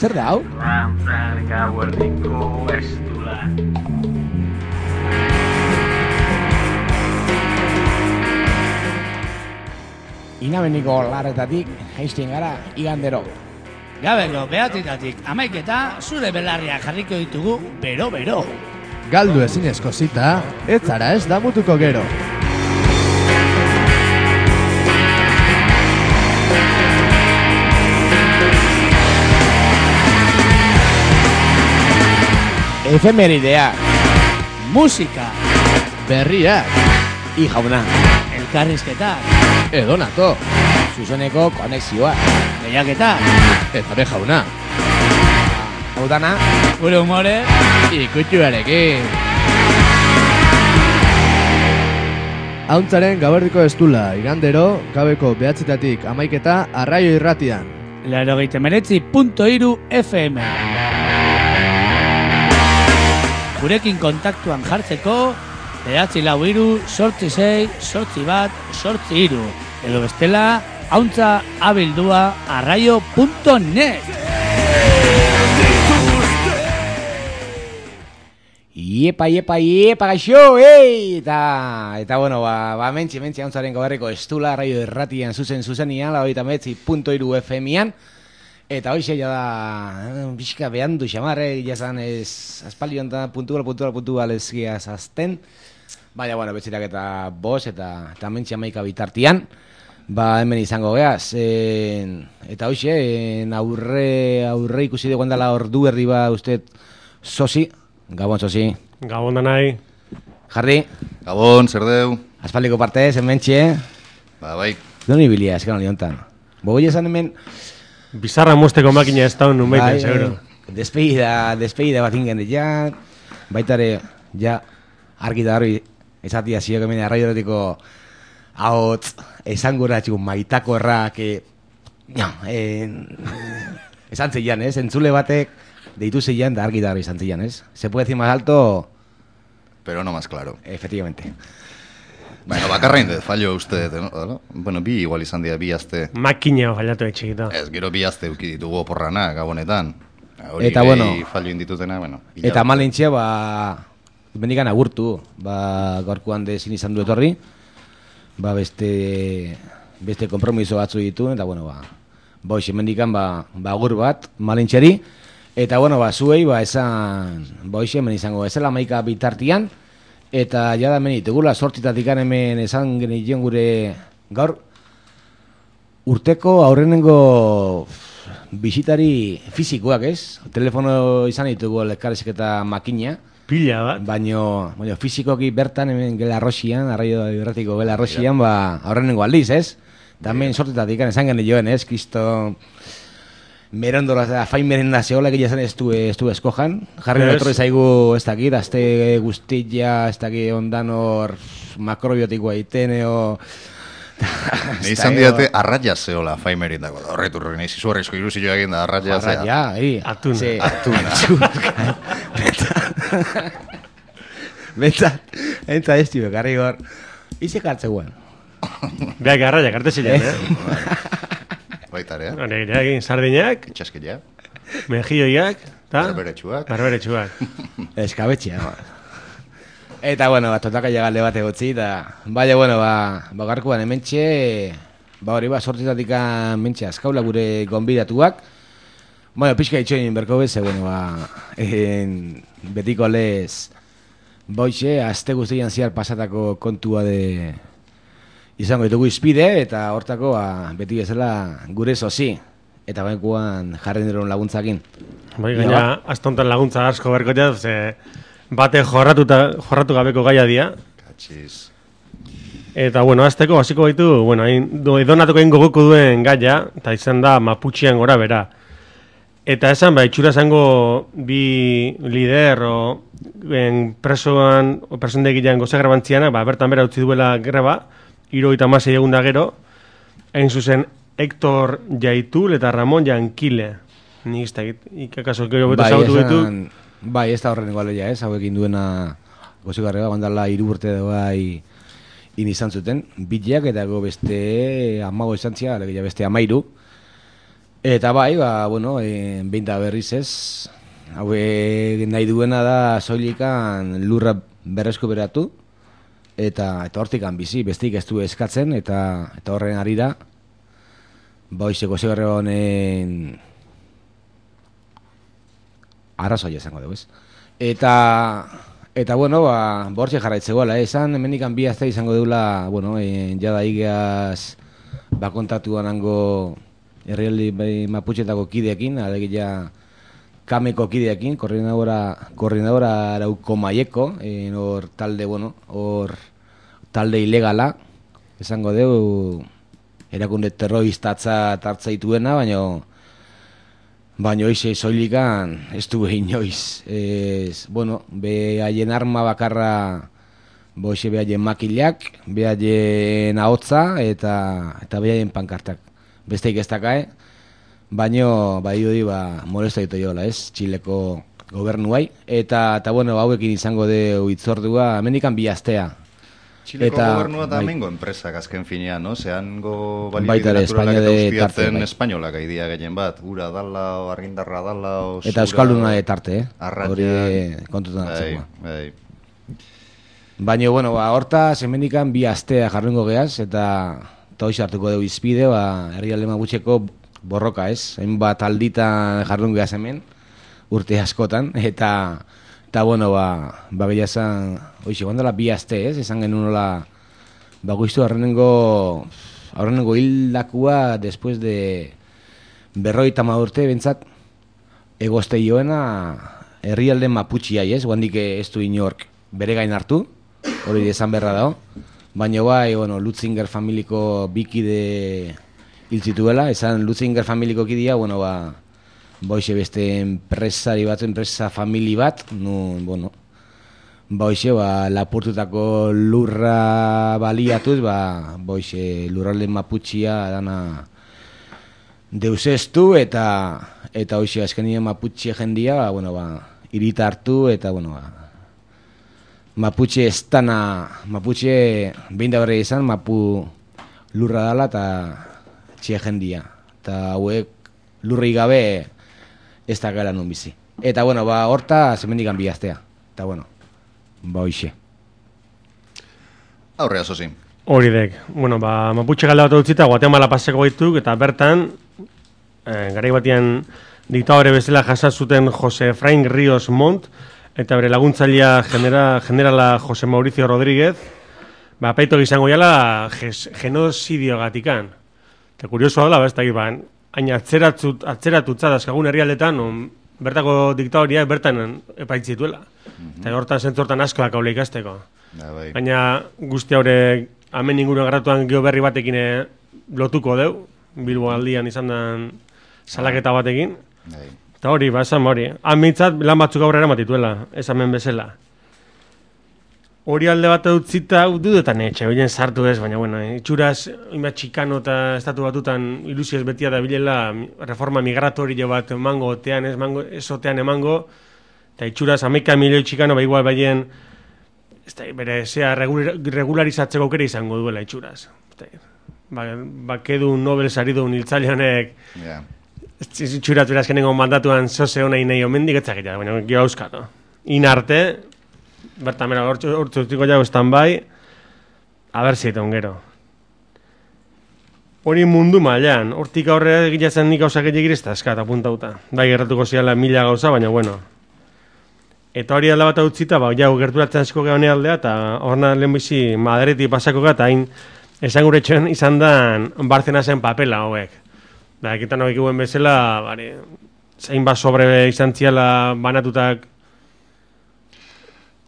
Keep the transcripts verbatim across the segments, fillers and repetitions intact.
Zer da, hau? Rantzar gauerdiko estula. Inabeniko larretatik, jaisten gara, igandero. Gabeko behatzitatik amaiketa, zure belarriak jarriko ditugu, bero-bero. Galdu ezinezko zita, ez zara ez damutuko gero. Efemeridea, Musika, Berriak, i jauna, elkarrizketak, edonato, zuzeneko konexioa. lehiaketak, eta be jauna, Hau dana, gure humore, ikutuarekin. Hauntzaren gaberdiko estula, igandero, gabeko behatzitatik amaiketa, arraio irratian. laurogeita hemeretzi puntu hiru F M. Gurekin kontaktuan jartzeko, behatzi lau hiru, sortzi sei, sortzi bat, sortzi hiru. Edo bestela, hauntza abildua arraio puntu net. Iepa, iepa, iepa, gaixo, ei! Eta, eta bueno, ba, ba mentxe, mentxe, hauntzaren goberriko estula, raio erratian, zuzen, zuzenian, laurogeita hemeretzi puntu hiru F M-ian. Eta hoxe ja da, pixka behandu xamarre, jazan ez, aspaldion da, puntual, puntual, puntual ezkia zazten. Baina, bueno, betzirak eta bos, eta, eta mentxe amaika bitartian. Ba, hemen izango geaz. E, eta hoxe, e, aurre, aurre ikusi dugu handala ordu erdi ba, uste, Sosi. Gabon, Sosi. Gabon da nahi. Jarri. Gabon, zer deu? Aspaldiko partez, hementxe. Ba, bai. Doni bilia, eskan hori hontan. Bogoi esan hemen... Bizarra mosteko makina ez daun numeiten, bai, seguro. Despedida, despedida bat ingen ja, baitare, ja, argi da hori, esatia ziok hemen arraioretiko ahotz, esan gura txikun maitako errak, no, eh, esan zeian, ez? Entzule batek, deitu zeian, da argi da hori esan zeian, ez? Se puede decir más alto... Pero no más claro. Efectivamente. Bueno, bakarrain dut, fallo uste, no? Bueno, bi igual izan dira, bi azte. Makina fallatu etxikita. Ez, gero bi azte uki ditugu oporrana, gabonetan. Hori eta gehi bueno, fallo inditutena, bueno. Eta malintxe, ba, bendikan agurtu, ba, gaurkoan dezin izan du etorri, ba, beste, beste kompromiso batzu ditu, eta bueno, ba, ba, hoxe, bendikan, ba, ba, agur bat, malintxeri, eta bueno, ba, zuei, ba, esan, ba, hoxe, hemen izango, ezela maika bitartian, eta jada hemen ditugula, sortitatik hemen esan genion gure gaur, urteko aurrenengo bisitari fizikoak, ez? Telefono izan ditugu elkarrezketa eta makina. Pila bat. Baino, baino fizikoki bertan hemen Gelarrosian, arraio irratiko Gelarrosian, ba, aurrenengo aldiz, ez? Tamen sortitatik esan genioen, ez? Kristo... Merondola, fain merenda zehola, egia zen ez du, ez du eskojan. Jarri yes. Notorri zaigu ez dakit, azte guztilla, ez dakit ondan hor makrobiotikoa itene, o... Ne izan diate arraia zehola fain merendako. Horretu horrein, eizi zuarrizko iruzio egin da arraia zea. Arraia, hi. Atuna. Atuna. Betzat, entza ez tio, garri hor. Ize kartzeuan. Beak arraia, karte zilean, eh? Baitare, eh? Hone, egin sardinak, Txaskila. mejilloiak, eta... Barberetsuak. Barberetsuak. Eskabetxea. Eta, bueno, bat totaka llegalde bat egotzi, eta... Baina, bueno, ba, bagarkuan hementxe... Ba, hori, ba, sortitatik hementxe azkaula gure gonbidatuak. Bueno, pixka itxoin berko bez, bueno, ba... En, betiko lez... Boixe, azte guztian ziar pasatako kontua de... Izango ditugu izpide, eta hortako ba, beti bezala gure Sosi. Eta bainkuan jarren diron laguntzakin. Bai, gaina, astontan laguntza asko berkotea, ze bate jorratuta, jorratu gabeko gaia dia. Katxiz. Eta, bueno, azteko, hasiko baitu, bueno, edonatuko egin goguko duen gaia, eta izan da Maputxian gora bera. Eta esan, ba, itxura zango bi lider, o en presoan, o presondegilean goze grabantziana, ba, bertan bera utzi duela greba, hirurogeita hamasei egun da gero, hain zuzen Hector Jaitul eta Ramon Jankile. Ni ez da, ikakaso gero beto zautu ditu. Bai, ez da horren igual ja, ez, hauekin duena gozigarrega, bandala hiru urte da bai in izan zuten, bileak eta go beste amago izan zia, alegia beste amairu. Eta bai, ba, bueno, e, behinta berriz ez, haue nahi duena da soilikan lurra berreskuberatu, eta eta hortikan bizi, bestik ez du eskatzen, eta eta horren arira, ba, oizeko zegarre honen arrazoia izango dugu, ez? Eta, eta bueno, ba, bortxe jarraitzegoela, eh? Esan, hemendikan bi azte izango deula, bueno, e, jada igaz, ba, kontatuan hango herrialde bai, maputxetako kideekin, alegia kameko kideekin, koordinadora, koordinadora arauko maieko, hor talde, bueno, hor talde ilegala, esango deu, erakunde terroristatza tartzaituena, baina baina hoize soilikan ez du inoiz. Ez, bueno, be haien arma bakarra boixe be haien makilak, be haien ahotza eta eta be haien pankartak. Besteik ez dakae, baina bai hori ba molesta ditu jola, ez? Txileko gobernuai eta eta bueno, hauekin izango de hitzordua hemendikan bi astea. Txileko eta, gobernua da bai. mengo enpresak azken finean, no? Zehango Baita balibide ere, naturalak Espainia eta de ustiatzen tarte, bai. espainolak aidia gehien bat. Ura dala, o argindarra dala, o Eta euskalduna de tarte, eh? arratiak. Hori kontutan hartzeko. Bai, bai. Baina, bueno, ba, hortaz, hemendikan bi astea jarrengo geaz, eta eta hoiz hartuko dugu izpide, ba, herrialde magutxeko borroka, ez? Hainbat alditan jarrengo geaz hemen, urte askotan, eta, eta bueno, ba, ba gehiazan, hoiz, egon dela bi aste, ez? Esan genuen nola, ba, guiztu horrenengo, horrenengo hildakua, después de berroi tamadurte, bentsat, egozte joena, herrialde maputxiai, ez? Guandik ez du inork bere gain hartu, hori esan berra dago. Baina bai, bueno, Lutzinger familiko bikide hil zituela, esan Lutzinger familiko kidea, bueno, ba, boixe beste enpresari bat, enpresa famili bat, nun, bueno, boixe, ba, lapurtutako lurra baliatuz, ba, boixe, lurralde maputxia dana deusestu, eta, eta hoixe, azkenien maputxe jendia, ba, bueno, ba, irita hartu, eta, bueno, ba, Mapuche estana, Mapuche behin da berri izan, Mapu lurra dala eta txia jendia. Eta hauek lurri gabe ez da gara nun bizi. Eta bueno, ba, horta zemendikan bihaztea. Eta bueno, ba hoixe. Aurrea, zozi. Hori dek. Bueno, ba, Mapuche galda bat utzita, Guatemala paseko baituk, eta bertan, eh, garai batian diktadore bezala jasazuten Jose Efrain Ríos Montt, eta bere laguntzailea genera, generala Jose Mauricio Rodríguez, ba, apaito izango jala genozidio gatikan. Eta kuriosoa dela, ba, ez da, ba, hain atzeratut, atzeratutza dazkagun herrialdetan, on, bertako diktadoriak bertan epaitzituela. Mm-hmm. Eta hortan zentzortan askoak haule ikasteko. Da, bai. Baina guzti haure, hemen inguruen garratuan geo berri batekin lotuko deu, Bilbo aldian izan den salaketa batekin. Bai. Eta hori, ba, esan hori. Amintzat lan batzuk aurrera matituela, esamen bezala. Hori alde bat utzita, dudetan etxe, horien sartu ez, baina, bueno, itxuraz, inbat txikano eta estatu batutan ilusioz betia da bilela reforma migratorio bat emango, otean ez, mango, ez otean emango, eta itxuraz, amaika milioi txikano, ba, igual baien, ez da, bere, zea, regularizatzeko aukera izango duela itxuraz. Ba, ba, kedu Nobel saridun hiltzaileanek, Yeah. Txurat beraz kenengo mandatuan zoze hona inei omendik etzakita, baina gio auskatu. Inarte, bertan bera hortzu urtiko jau estan bai, haber zieton gero. Hori mundu mailan, hortik aurrera egitzen nik gauzak egin egirezta eskat apuntauta. Bai, gerratuko ziala mila gauza, baina bueno. Eta hori alda bat utzita, ba, jau gerturatzen asko geha aldea, eta horna lehen bizi Madreti pasako gara, eta hain esan guretxoen izan dan Bartzena zen papela hauek. Da, ekitan hau ekibuen bezala, bari, zein bat sobre izan ziala banatutak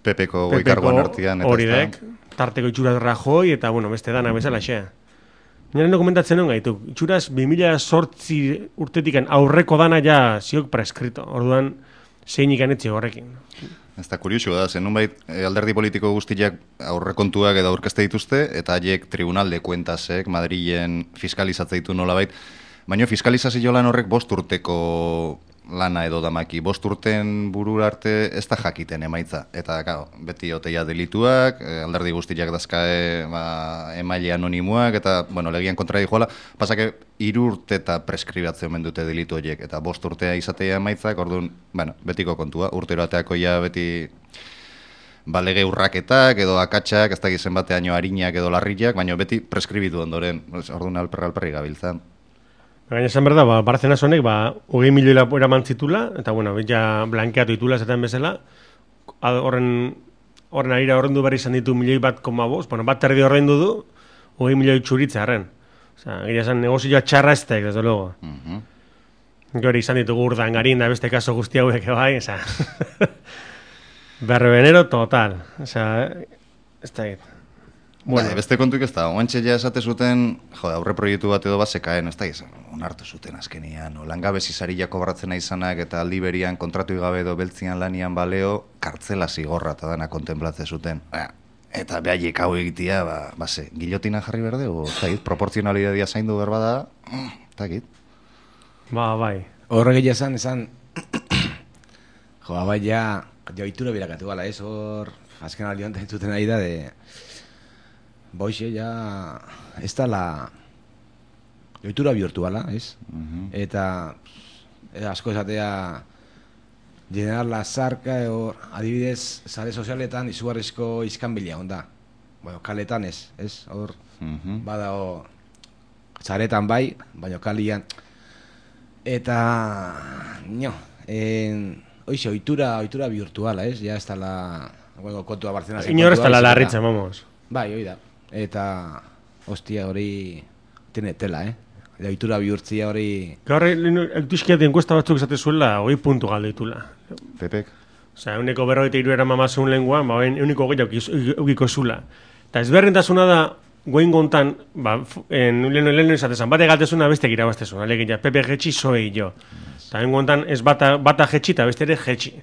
Pepeko goikargoan artian. Hori dek, tarteko itxuraz Rajoi, eta, bueno, beste danak bezala, xea. Nire dokumentatzen hon gaitu, itxuraz bi mila zortzi urtetikan aurreko dana ja ziok preskrito, orduan zein ikanetzi horrekin. Ez da kuriosua da, zen nunbait alderdi politiko guztiak aurrekontuak edo aurkezte dituzte, eta haiek tribunal de kuentasek Madrilen fiskalizatze ditu nolabait. Baina fiskalizazio lan horrek bost urteko lana edo damaki. Bost urten burura arte ez da jakiten emaitza. Eta, claro, beti oteia delituak, alderdi guztiak dazkae ba, emaile anonimoak, eta, bueno, legian kontra dijoala, pasake hiru urte eta preskribatzen omen dute delitu horiek, eta bost urtea izatea emaitzak, orduan, bueno, betiko kontua, urtero ateako ja beti ba, lege urraketak edo akatsak, ez da gizen bateaino harinak edo larriak, baina beti preskribitu ondoren, orduan alperra alperri gabiltzan. Gaina esan berda, ba, Barcenas honek, ba, hogei milioi eraman zitula, eta, bueno, ja blankeatu itula zaten bezala, horren, horren arira horrendu berri izan ditu milioi bat koma bost, bueno, bat terdi horrendu du, hogei milioi txuritzearen. Osa, gira esan, negozioa txarra estek, desde luego. Uh-huh. Gori izan ditugu urdangarin da beste kaso guzti hauek bai, osa. Berrebenero total, osa, ez da egit. Bueno. Ba, beste kontuik ez da, oantxe ja esate zuten, jo, aurre proiektu bat edo bazekaen, ez da izan, onartu zuten azkenian, o, langabezi saria kobratzen izanak eta aldi berian kontratu gabe edo beltzian lanian baleo, kartzela zigorra eta dana kontemplatze zuten. Ba, eta behaiek hau egitea, ba, ba ze, gilotina jarri berde, o, ez da egit, proportzionalidadia zaindu berba da, ez da egit. Ba, bai. Horrek egia esan, esan, jo, bai, ja, ja, itura birakatu gala, ez, hor, azken aldi honetan zuten ari da, de... Boixe, ja, ez da la ohitura bihurtu bala, ez? Uh-huh. Eta e, asko esatea General Lazarka edo adibidez sare sozialetan izugarrizko iskanbila onda. Bueno, kaletan ez, ez? Hor, uh-huh. Badao saretan bai, baina kalian. Eta, nio, en, oixe, ohitura, ohitura bihurtu bala, ez? Ja ez da la, bueno, kontua Barcelona. Inor ez da la larritza, vamos. Bai, hoi da. Eta, hostia, hori tiene tela, eh? Ohitura bihurtzia hori... Gaur, eutizkiat enkuesta batzuk esate zuela, hoi puntu galdeitula. Pepek? Osea, euneko berrogeita hiru era mamazun lenguan, ba, euneko gehiago eukiko zula. Eta ezberdintasuna da, goin gontan, ba, lehenu lehenu izatezan, bate galtezuna bestek irabaztezun, alegia, Pepe jetxi zoei jo. Eta egun gontan, ez bata, bata jetxi eta beste ere jetxi.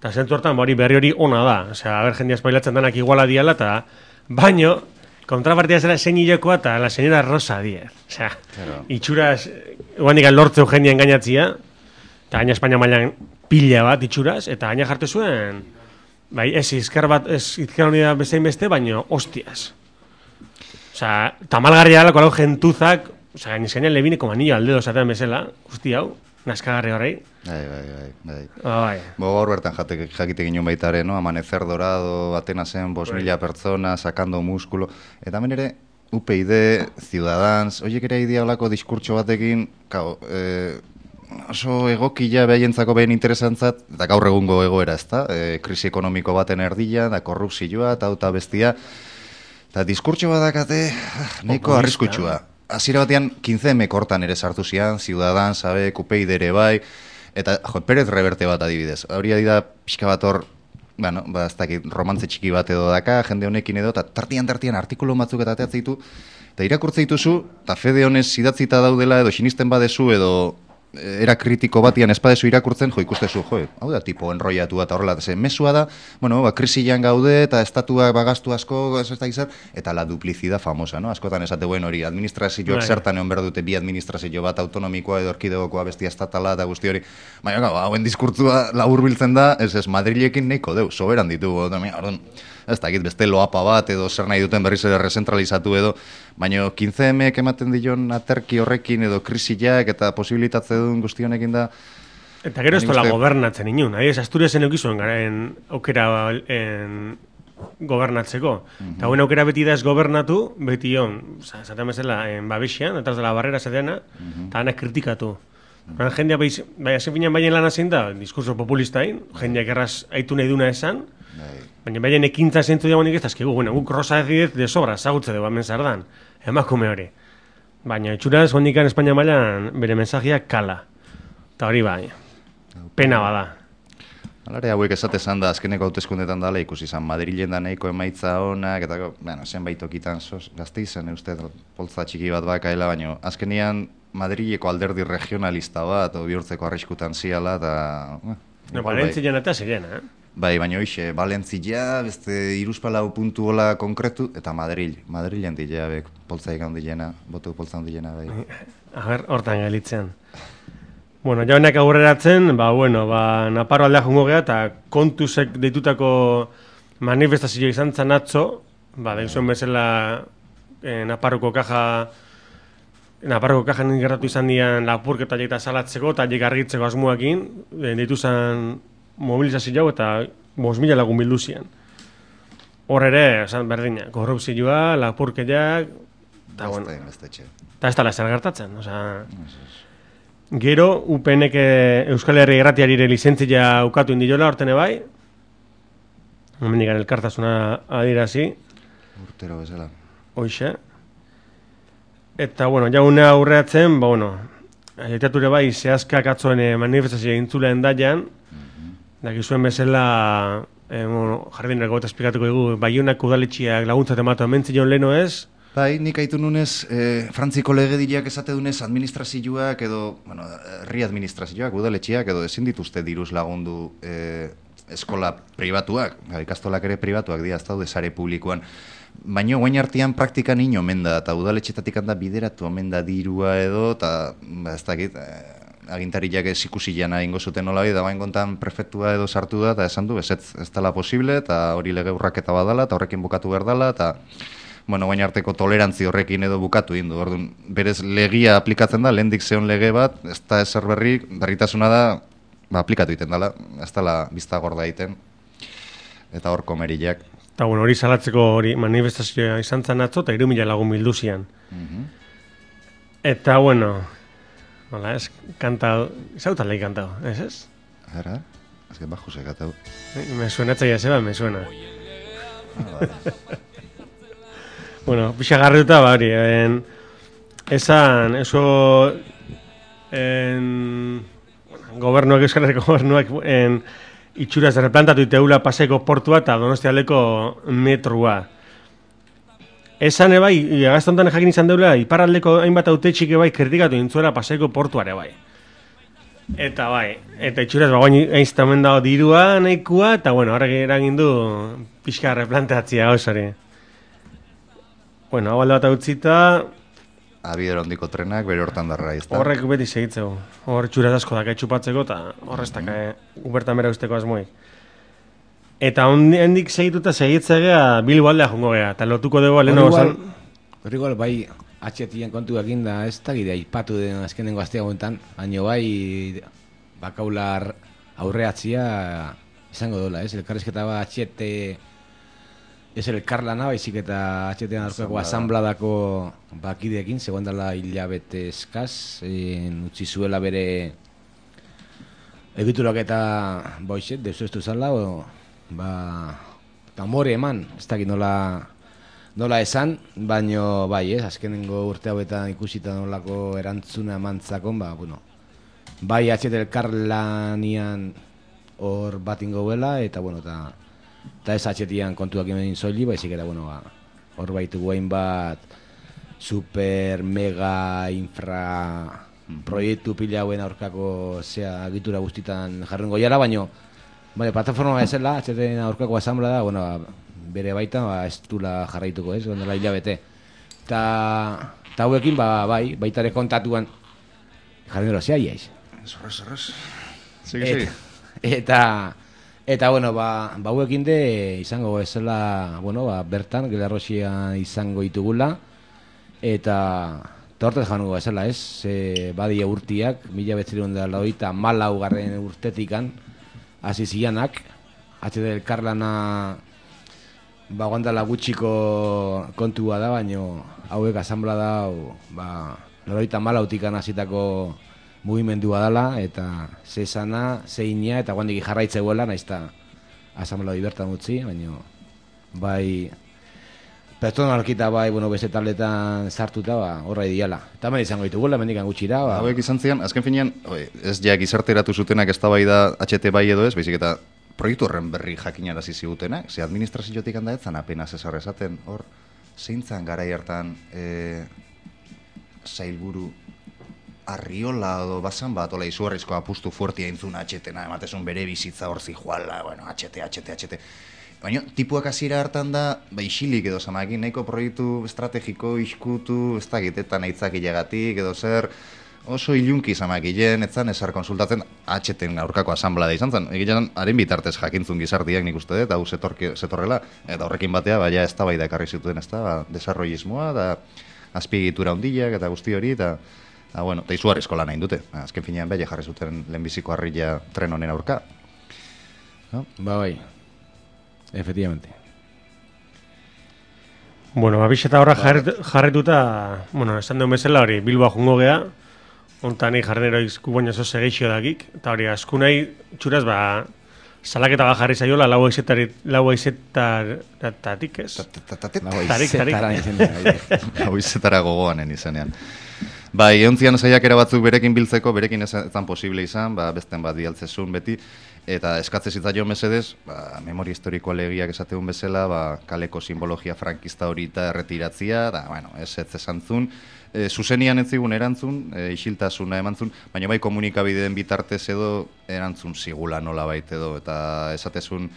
Eta zentu hortan, bari berri hori ona da. Osea, haber jendia espailatzen danak iguala diala, eta baino, kontrapartida zera zein hilekoa eta la señora Rosa Díez. Osea, claro. Itxuraz, guandik lortzeu jendia engainatzia, eta gaina Espainia mailan pila bat itxuraz, eta gaina jarte zuen, bai, ez izker bat, ez izker unida bezein beste, baino, hostias. Osea, tamalgarria alako lau jentuzak, osea, gaina izkainan lebineko manillo aldedo zatean bezala, guzti hau, naskagarri horrei. Bai, bai, bai, bai. Oh, bai. Bo, gaur bertan jate, jakite ginen baitare, no? Amanecer dorado, Atenasen, bos mila pertsona, sacando muskulo. Eta hemen ere, U P D, Ciudadans, oiek ere idea olako diskurtso batekin, kao, eh, oso egokila behientzako behin interesantzat, eta gaur egungo egoera ez da, e, krisi ekonomiko baten erdila, da korrupzioa, eta auta bestia, eta diskurtso badakate, nahiko arriskutsua. Hasiera batean, quince eme kortan ere sartu zian, Ciudadans, sabe, U P D ere bai, eta, jo, Pérez Reverte bat adibidez. Hauria dira pixka bat hor, bueno, ba, ez dakit, romantze txiki bat edo daka, jende honekin edo, eta tartian-tartian artikulu batzuk eta ateatzen ditu, eta irakurtze dituzu, eta fede honez idatzita daudela, edo sinisten badezu, edo era kritiko batian espadezu irakurtzen, jo, ikustezu, jo, hau da, tipo enroiatu eta horrela, ze mesua da, bueno, ba, krisian gaude, eta estatuak bagastu asko, ez da izan, eta la duplizida famosa, no? Askotan esate, hori, administrazioak zertan egon behar dute, bi administrazio bat autonomikoa edo erkidegokoa bestia estatala eta guzti hori, baina, gau, hauen diskurtzua labur biltzen da, ez ez, Madrilekin nahiko deu, soberan ditugu, orduan, ez dakit, beste loapa bat edo zer nahi duten berriz ere rezentralizatu edo, baina quince emeek ematen dion aterki horrekin edo krisiak eta posibilitatze duen guzti honekin da. Eta gero ez tola gobernatzen inun, ahi, ez Asturiasen eukizuen gara en aukera en gobernatzeko. Uh-huh. Eta guen aukera beti da ez gobernatu, beti hon, zaten bezala, en babexian, eta ez dela barrera zateana, uh-huh. Eta anak kritikatu. Uh-huh. Jendea bai, azken finean baien lan zein da, diskurso populistain, uh-huh. Jendeak erraz aitu nahi duna esan, uh-huh. Baina baina ekintza zentzu dagoenik ez dazkigu, bueno, guk Rosa Díez de sobra, zagutze dugu, hemen zardan, emakume hori. Baina itxuraz, hondikan Espainia mailan bere mensajiak kala. Eta hori bai, pena bada. Alare hauek esatezan da, azkeneko hauteskundetan dala ikusi izan, Madrilen da nahiko emaitza honak, eta bueno, zenbait tokitan gazte izan, uste, poltza txiki bat bakaela, baina azkenian Madrileko alderdi regionalista bat, o bihurtzeko arriskutan ziala, eta... No, Valentzian eta zirena, eh? Bai, baina hoxe, Valentzia, beste iruzpalau puntu hola konkretu, eta Madril. Madrilen dilea, bek, poltza egan dilena, botu poltza dilena, bai. A ber, hortan galitzean. Bueno, jaunak aurreratzen, ba, bueno, ba, Naparro aldea jungo geha, eta kontuzek deitutako manifestazio izan zan atzo, ba, den zuen bezala eh, Naparroko kaja, Naparroko kajan gertatu izan dian lapurketa eta salatzeko, eta jek argitzeko asmoakin, eh, deitu zen mobilizazio eta bost mila lagun bildu zian. Hor ere, esan berdina, korrupzioa, lapurketak, eta, bueno, eta ez dala zer gertatzen, osea... Gero, U P N-ek Euskal Herri Irratiarire lizentzia ukatu indiola hortene bai. Hemendikan elkartasuna adirazi. Urtero bezala. Hoixe. Eta, bueno, jauna aurreatzen, ba, bueno, aitature bai, zehazkak atzoen manifestazioa intzuleen daian, mm-hmm. dakizuen bezala, eh, bueno, jardineko eta esplikatuko dugu, Baionak udaletxiak laguntzat ematu amentzion leno ez, Bai, nik aitu nunez, eh, Frantziko legediak esate dunez administrazioak edo, bueno, herri administrazioak, udaletxiak edo ezin dituzte diruz lagundu eh, eskola pribatuak, ikastolak ere pribatuak dira, ez daude sare publikoan. Baina guain artean praktikan ino omen da, eta udaletxetatik handa bideratu omen da dirua edo, eta ba, ez dakit, eh, agintariak ez ikusi jana ingo zuten nola da bain kontan prefektua edo sartu da, eta esan du, ez, ez dela posible, eta hori lege urraketa badala, eta horrekin bukatu behar dela, eta bueno, baina arteko tolerantzi horrekin edo bukatu indu. Orduan, berez legia aplikatzen da, lehendik zeon lege bat, ez da ezer berri, berritasuna da, ba, aplikatu egiten dela, ez dela bizta gorda egiten, eta hor komeriak. Eta bueno, hori salatzeko hori manifestazioa izan zan atzo, eta hiru mila lagun bildu zian. Mm-hmm. Eta bueno, hola, ez, kantau, zautan lehi kantau, ez ez? Ara, ez que bajo se kantau. Me suena etzaia zeba, me suena. Ah, vale. Bueno, pixa garriuta, ba, hori, en, esan, eso, en, bueno, gobernuak, Euskal Herriko gobernuak, en, itxuraz replantatu iteula paseko portua eta Donostialdeko metrua. Esan ebai, agaztontan jakin izan deula, iparraldeko hainbat autetxik ebai kritikatu intzuela paseko portuare bai. Eta bai, eta itxuraz, ba, guain einztamen dago dirua, nahikua, eta bueno, horrek eragin du pixka replanteatzia gauzari. Bueno, hau alde bat utzita... Abidero handiko trenak, bere hortan darra izta. Horrek beti segitzeu. Hor txuraz asko daka etxupatzeko, eta horreztak mm-hmm. ubertan bera usteko asmoi. Eta hondik segituta segitzegea Bilbo aldea jongo gea, eta lotuko dugu aleno gozan... Hor igual, bai, atxetien kontu ekin da, ez da gidea, ipatu den azkenengo aztea gontan, baino bai, bakaular aurreatzia izango dola, ez? Elkarrizketa bat atxete... Ez elkarlana, baizik eta atxetean aurkako asambladako bakideekin, zegoen dela hilabete eskaz, utzi zuela bere egiturak eta boixet, dezuestu zala, o, ba, tamore eman, ez dakit nola, nola esan, baino bai, ez, azkenengo urte hauetan ikusita nolako erantzuna emantzakon, ba, bueno, bai atxete elkarlanian hor bat ingo bela, eta, bueno, eta eta ez atxetian kontuak egin zoili, baizik eta, bueno, ba, hor baitu guain bat super, mega, infra proiektu pila hauen aurkako zea agitura guztitan jarrengo jara, baino, bale, plataforma bezala, atxeten aurkako asamblea da, bueno, ba, bere baita, ba, ez dula jarraituko, ez, gondela hilabete. Eta hauekin, ba, bai, baitare kontatuan jarren dira, zea iaiz. Zorrez, zorrez. Segi, segi. Eta... Eta, bueno, ba, bauekin de izango ezela, bueno, ba, bertan, Gelarroxia izango itugula, eta tortez jango ezela, ez? E, badia urtiak, mila betzirun da lauita malau garren urtetikan, hasi zianak, atxede elkarlana, ba, guandala gutxiko kontua da, baino hauek asamblea da, ba, lauita malautikan hasitako mugimendua dela, eta ze esana, ze inia, eta guandik jarraitze guela, nahiz eta asamblea bertan utzi, baina bai pertsonalkita bai, bueno, beste tabletan sartuta, ba, horra ideala. Eta hemen izango dituguela, mendikan gutxira. Ba. Hauek izan zian, azken finean, ez ja gizarteratu zutenak ez da bai da H T bai edo ez, baizik eta proiektu horren berri jakinarazi zigutenak, ze administraziotik handa etzan apenas esar esaten, hor, zeintzan garai hartan e, zailburu Arriola edo basan bat, ola izugarrizko apustu fuertia intzuna atxetena, ematezun bere bizitza hor zijuala, bueno, atxete, atxete, atxete. Baina, tipuak hasiera hartan da, ba, isilik edo zamakin, nahiko proiektu estrategiko, iskutu, ez dakit, eta nahitzak ilegatik, edo zer, oso ilunki zamakilen, etzan esar konsultatzen, atxeten aurkako asamblea izan zen, egilean haren bitartez jakintzun gizartiak nik uste dut, hau zetorrela, eta horrekin batea, baina ez da bai da ekarri zituen, ez da, ba, desarrollismoa, da azpiegitura handiak eta guzti hori, eta, da, bueno, eta izugarrizko lan hain dute, azken finean beha jarri zuten lehenbiziko harria tren honen aurka. No? Ba, bai, efectivamente. Bueno, abixeta horra jarretuta, bueno, esan duen bezala hori, Bilboa jungo gea, ontan nahi jarnero izku baina zo segeixio dakik, eta hori, asku nahi txuraz, ba, salaketa ba jarri zaiola, lau aizetaratik, ez? Tarik, tarik. Lau aizetara gogoanen izenean. Bai, eontzian saiakera batzuk berekin biltzeko, berekin ez zan posible izan, ba, besten bat dialtzezun beti, eta eskatze zitzaio mesedez, ba, memoria historikoa legiak esateun bezala, ba, kaleko simbologia frankista hori eta erretiratzia, da, bueno, ez ez esantzun, e, zuzenian ez zigun erantzun, e, isiltasuna emantzun, baina bai komunikabideen bitartez edo erantzun zigula nola bait edo, eta esatezun,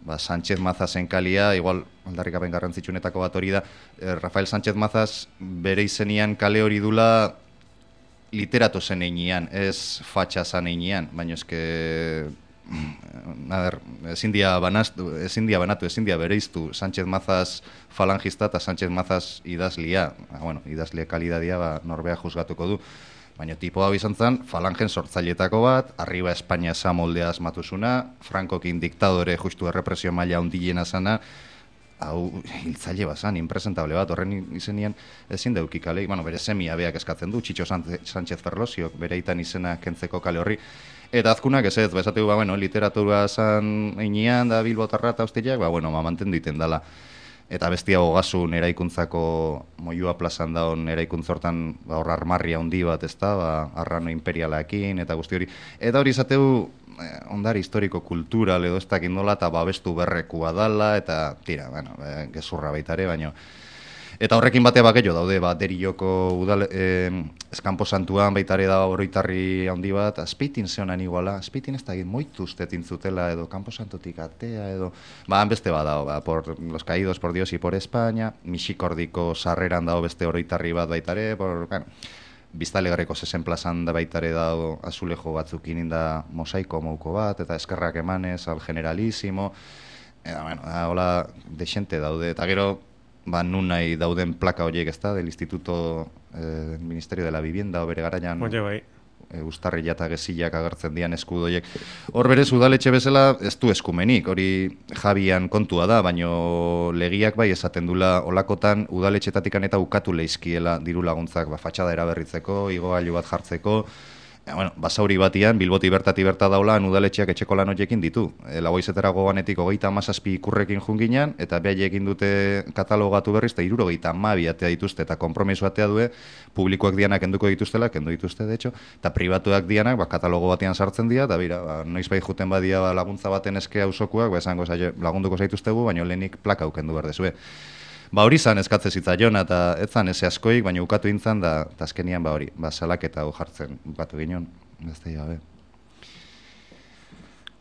ba, Sánchez Mazasen kalia, igual aldarrikapen garrantzitsunetako bat hori da, eh, Rafael Sánchez Mazaz bere izenian kale hori dula literato zen einean, ez fatxa zan einean, baina eske, a ber, ezin dia banatu, ezin dia banatu, ezin dia bereiztu Sánchez Mazaz falangista eta Sánchez Mazaz idazlia, ba, bueno, idazlia kalidadia ba, norbea juzgatuko du. Baina tipo hau izan zen, falangen sortzailetako bat, arriba Espainia eza moldea asmatuzuna, Frankokin diktadore justu errepresio maila hundilena zana, hau hiltzaile bazan, impresentable bat, horren izenian ezin deuki kale, bueno, bere semia beak eskatzen du, Txitxo Sánchez Ferlosiok, bere itan izena kentzeko kale horri, eta azkunak ez ez, ba, esategu, ba, bueno, literatura zan einean, da Bilbotarra eta hostiak, ba, bueno, ma mantendu iten dala. Eta bestia hogasun eraikuntzako Moyua plazan daun eraikuntzortan ba, hor armarria handi bat, ez da, ba, arrano imperialaekin eta guzti hori. Eta hori izateu eh, ondare historiko kultural edo ez dakit nola eta babestu berrekua dala, eta tira, bueno, eh, gezurra baitare, baino. Eta horrekin batea bakello daude, ba, Derioko udal, eh, eskampo santuan baitare da oroitarri handi bat, Azpeitin zeonan iguala, Azpeitin ez da egin moitu ustetin zutela edo kampo santutik atea edo, ba, beste bat dago, ba, por los caídos por Dios y por España, Mixikordiko sarreran dago beste oroitarri bat baitare, por, bueno, Biztalegarreko zesen plazan da baitare dago azulejo batzuk ininda mosaiko mouko bat, eta eskerrak emanez al generalísimo, eta, bueno, da, hola, desente daude, eta gero, ba, nun nahi dauden plaka horiek ez da, del Instituto eh, Ministerio de la Vivienda, bere garaian, Oye, bai. e, ustarrila eta gezillak agertzen dian eskudoiek. Hor berez udaletxe bezala ez du eskumenik, hori Jabian kontua da, baino legiak bai esaten dula olakotan udaletxetatikan eta ukatu leizkiela diru laguntzak, ba, fatxada eraberritzeko, igogailu bat jartzeko, ja, bueno, basauri batian, Bilboti bertati berta daulan udaletxeak etxeko lan horiekin ditu. E, Lagoizetara goganetik hogeita hamazazpi ikurrekin junginan, eta behaiek dute katalogatu berriz, eta hirurogeita hamabi atea dituzte, eta konpromiso atea due, publikoak dianak enduko dituztela, kendu dituzte, de hecho, eta pribatuak dianak, ba, katalogo batean sartzen dira, eta bira, ba, noiz bai juten badia ba, laguntza baten eske auzokuak, ba, esango zaio, lagunduko zaituztegu, baino lehenik plaka ukendu behar dezue. Ba hori zan eskatze zitzaion, eta ez zan eze askoik, baina ukatu intzan, da azkenian ba hori, ba salaketa hau jartzen ukatu ginen, beste gabe.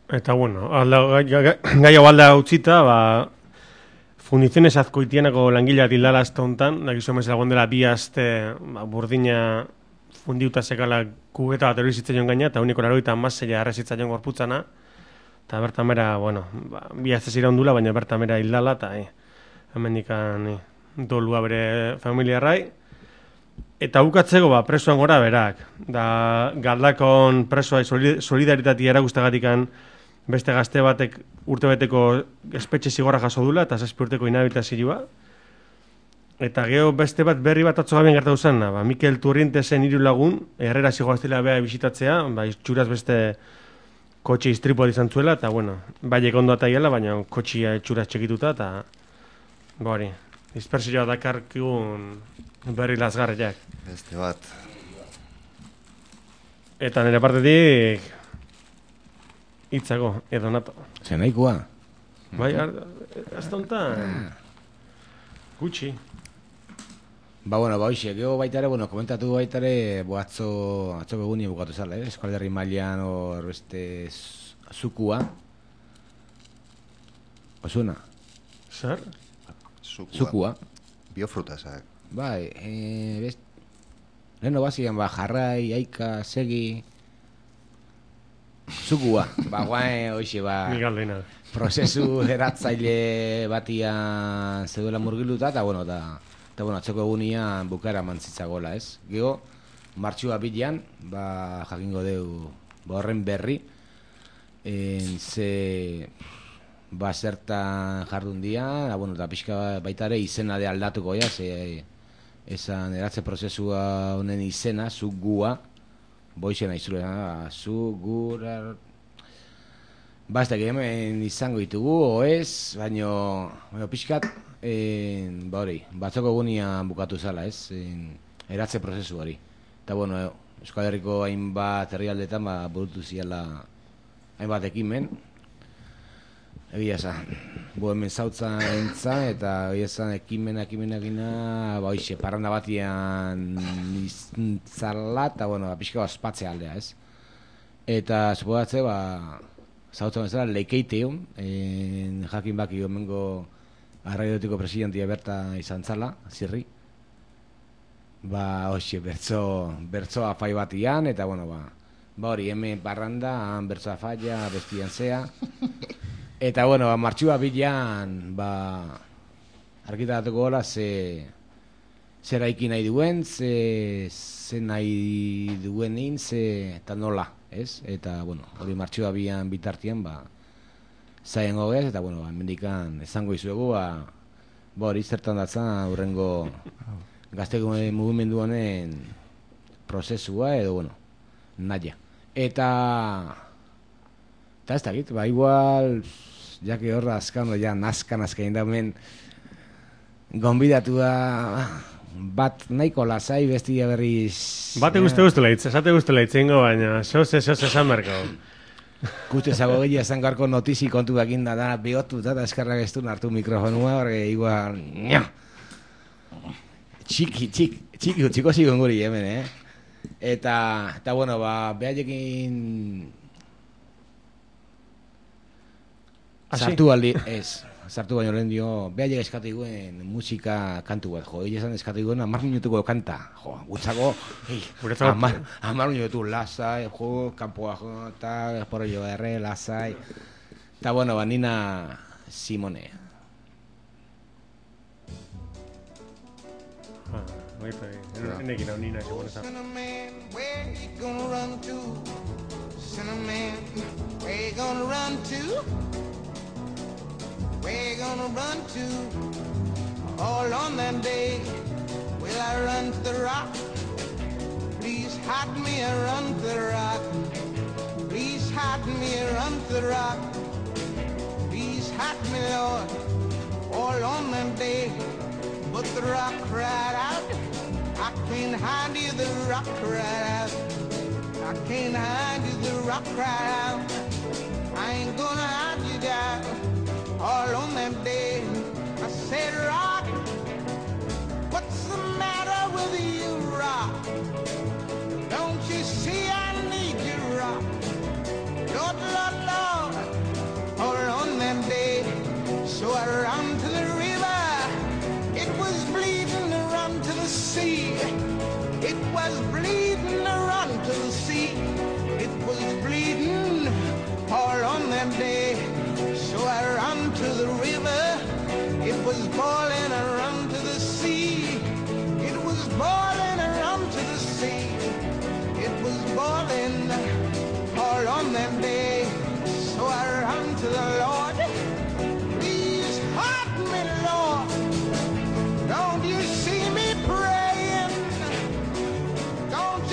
Eta bueno, alda, gai hau alda utzita, ba, Fundiziones Azkoitianako langilea tildala azta hontan, dakizu emez lagun dela bi aste ba, burdina fundiuta sekala kubeta bat hori zitzaion gaina, eta uniko laroita amaseia arrezitzaion gorputzana, eta bertan mera, bueno, ba, bi aste zira ondula, baina bertan mera hildala, eta eh, hemendikan eh, dolua bere familiarrai. Eta bukatzeko ba, presoan gora berak. Da, Galdakon presoa solidaritatea eragustagatikan beste gazte batek urtebeteko espetxe zigorra jaso dula, eta zazpi urteko inhabilitazioa. Eta geho beste bat berri bat atzo gabian gertatu zen, ba, Mikel Turrientesen hiru lagun, Herrera zigoaztela beha bisitatzea, ba, itxuraz beste kotxe istripoa izan zuela, eta bueno, baiek ondo ataiela, baina kotxia itxuraz txekituta, eta Bori, dispersioa dakarkigun berri lasgarriak. Beste bat. Eta nire partetik hitzako, edo nato. Zer nahikoa? Bai, ez tontan gutxi. Ba, bueno, ba, hoxe, geho baitare, bueno, komentatu baitare, bo, atzo, atzo beguni bukatu zala, eh? Eskualde herri mailean hor beste zukua. Osuna? Zer? Zukua. Zukua. Biofrutasak. Bai, e, best... Leheno bazien, ba, jarrai, aika, segi... Zugua, ba, guain, hoxe, ba... Ni galdena. Prozesu eratzaile batian zeduela murgiluta, eta, bueno, eta, eta, bueno, atzeko egunian bukaera mantzitzagola, ez? Gero, martxua bilan, ba, jakingo deu, ba, horren berri, en, ze, ba, zertan jardun dian, bueno, eta pixka baita ere izena de aldatuko, ja, ze, esan eratze prozesua honen izena, zu gua, boixena izurena, zu gura... Ba, ez da, hemen izango ditugu, oez, baino, baino pixkat, en, ba hori, batzoko egunian bukatu zala, ez, en, eratze prozesu hori. Eta, bueno, Euskal Herriko hainbat herrialdetan, ba, burutu ziala hainbat ekimen, egia esan, bu hemen zautzan entzan, eta egia esan ekimena, ekimenakina, ba, hoxe, parranda batian iztzala, eta, bueno, pixka ospatzea aldea, ez. Eta, supodatze, ba, zautzen bezala, leikeiteun, en, jakin baki gomengo arraiotiko presidentia berta izan zala, zirri. Ba, hoxe, bertzo, bertzo afai batian, eta, bueno, ba, ba hori, hemen parranda, han bertzo afaia, bestian zea. Eta, bueno, ba, martxua bilan, ba, argitaratuko gola, ze, zer aiki nahi duen, ze, ze nahi duenin, ze, eta nola, ez? Eta, bueno, hori martxua bian bitartian, ba, zaien gogez, eta, bueno, ba, mendikan esango izuegu, ba, ba hori zertan datzan, hurrengo gazteko mugimendu honen prozesua, edo, bueno, naia. Eta, eta ez dakit, ba, igual, jake horra azkan, ja, nazkan azkain da, hemen, gonbidatu da, bat nahiko lasai, bestia berriz... Bate guzti guztela hitz, esate guztela hitzengo, baina soze, soze esan berko. Guzti ezago gehiago esan garko notizi kontu bakin da, da, bihotu eta eskarrak ez du nartu mikrofonua, horre, igual... Nya! Txiki, txiki, txiki, txiko zigon guri hemen, eh? Eta, eta bueno, ba, behaiekin... Sartu aldi, ez... Sartu baino lehen dio, behaiek eskatu iguen musika kantu bat, jo, esan eskatu iguen amar minutuko kanta, jo, gutzako, hey, amar, amar minutu lasai, jo, kanpoa, jo, eta por ello erre, lasai, eta bueno, ba, Nina Simone. Ah, baita, enekin hau Nina Simone zan. Cinnamon, where you gonna run to? Cinnamon, where you gonna run to? Where you gonna run to? All on that day, will I run to the rock? Please hide me and run to the rock. Please hide me and run to the rock. Please hide me, Lord, all on that day. But the rock cried out, I can't hide you, the rock cried out. I can't hide you, the rock cried out. I ain't gonna hide you down. All on that day, I said, rock, what's the matter with you, rock? Don't you see I need you, rock? Lord, Lord, Lord, all on that day, so I ran to the river. It was bleeding to run to the sea. It was bleeding to run to the sea. It was bleeding all on that day. So I ran to the river, it was boiling, I ran to the sea. It was boiling, I ran to the sea. It was boiling all on that day. So I ran to the Lord, please hide me, Lord. Don't you see me praying? Don't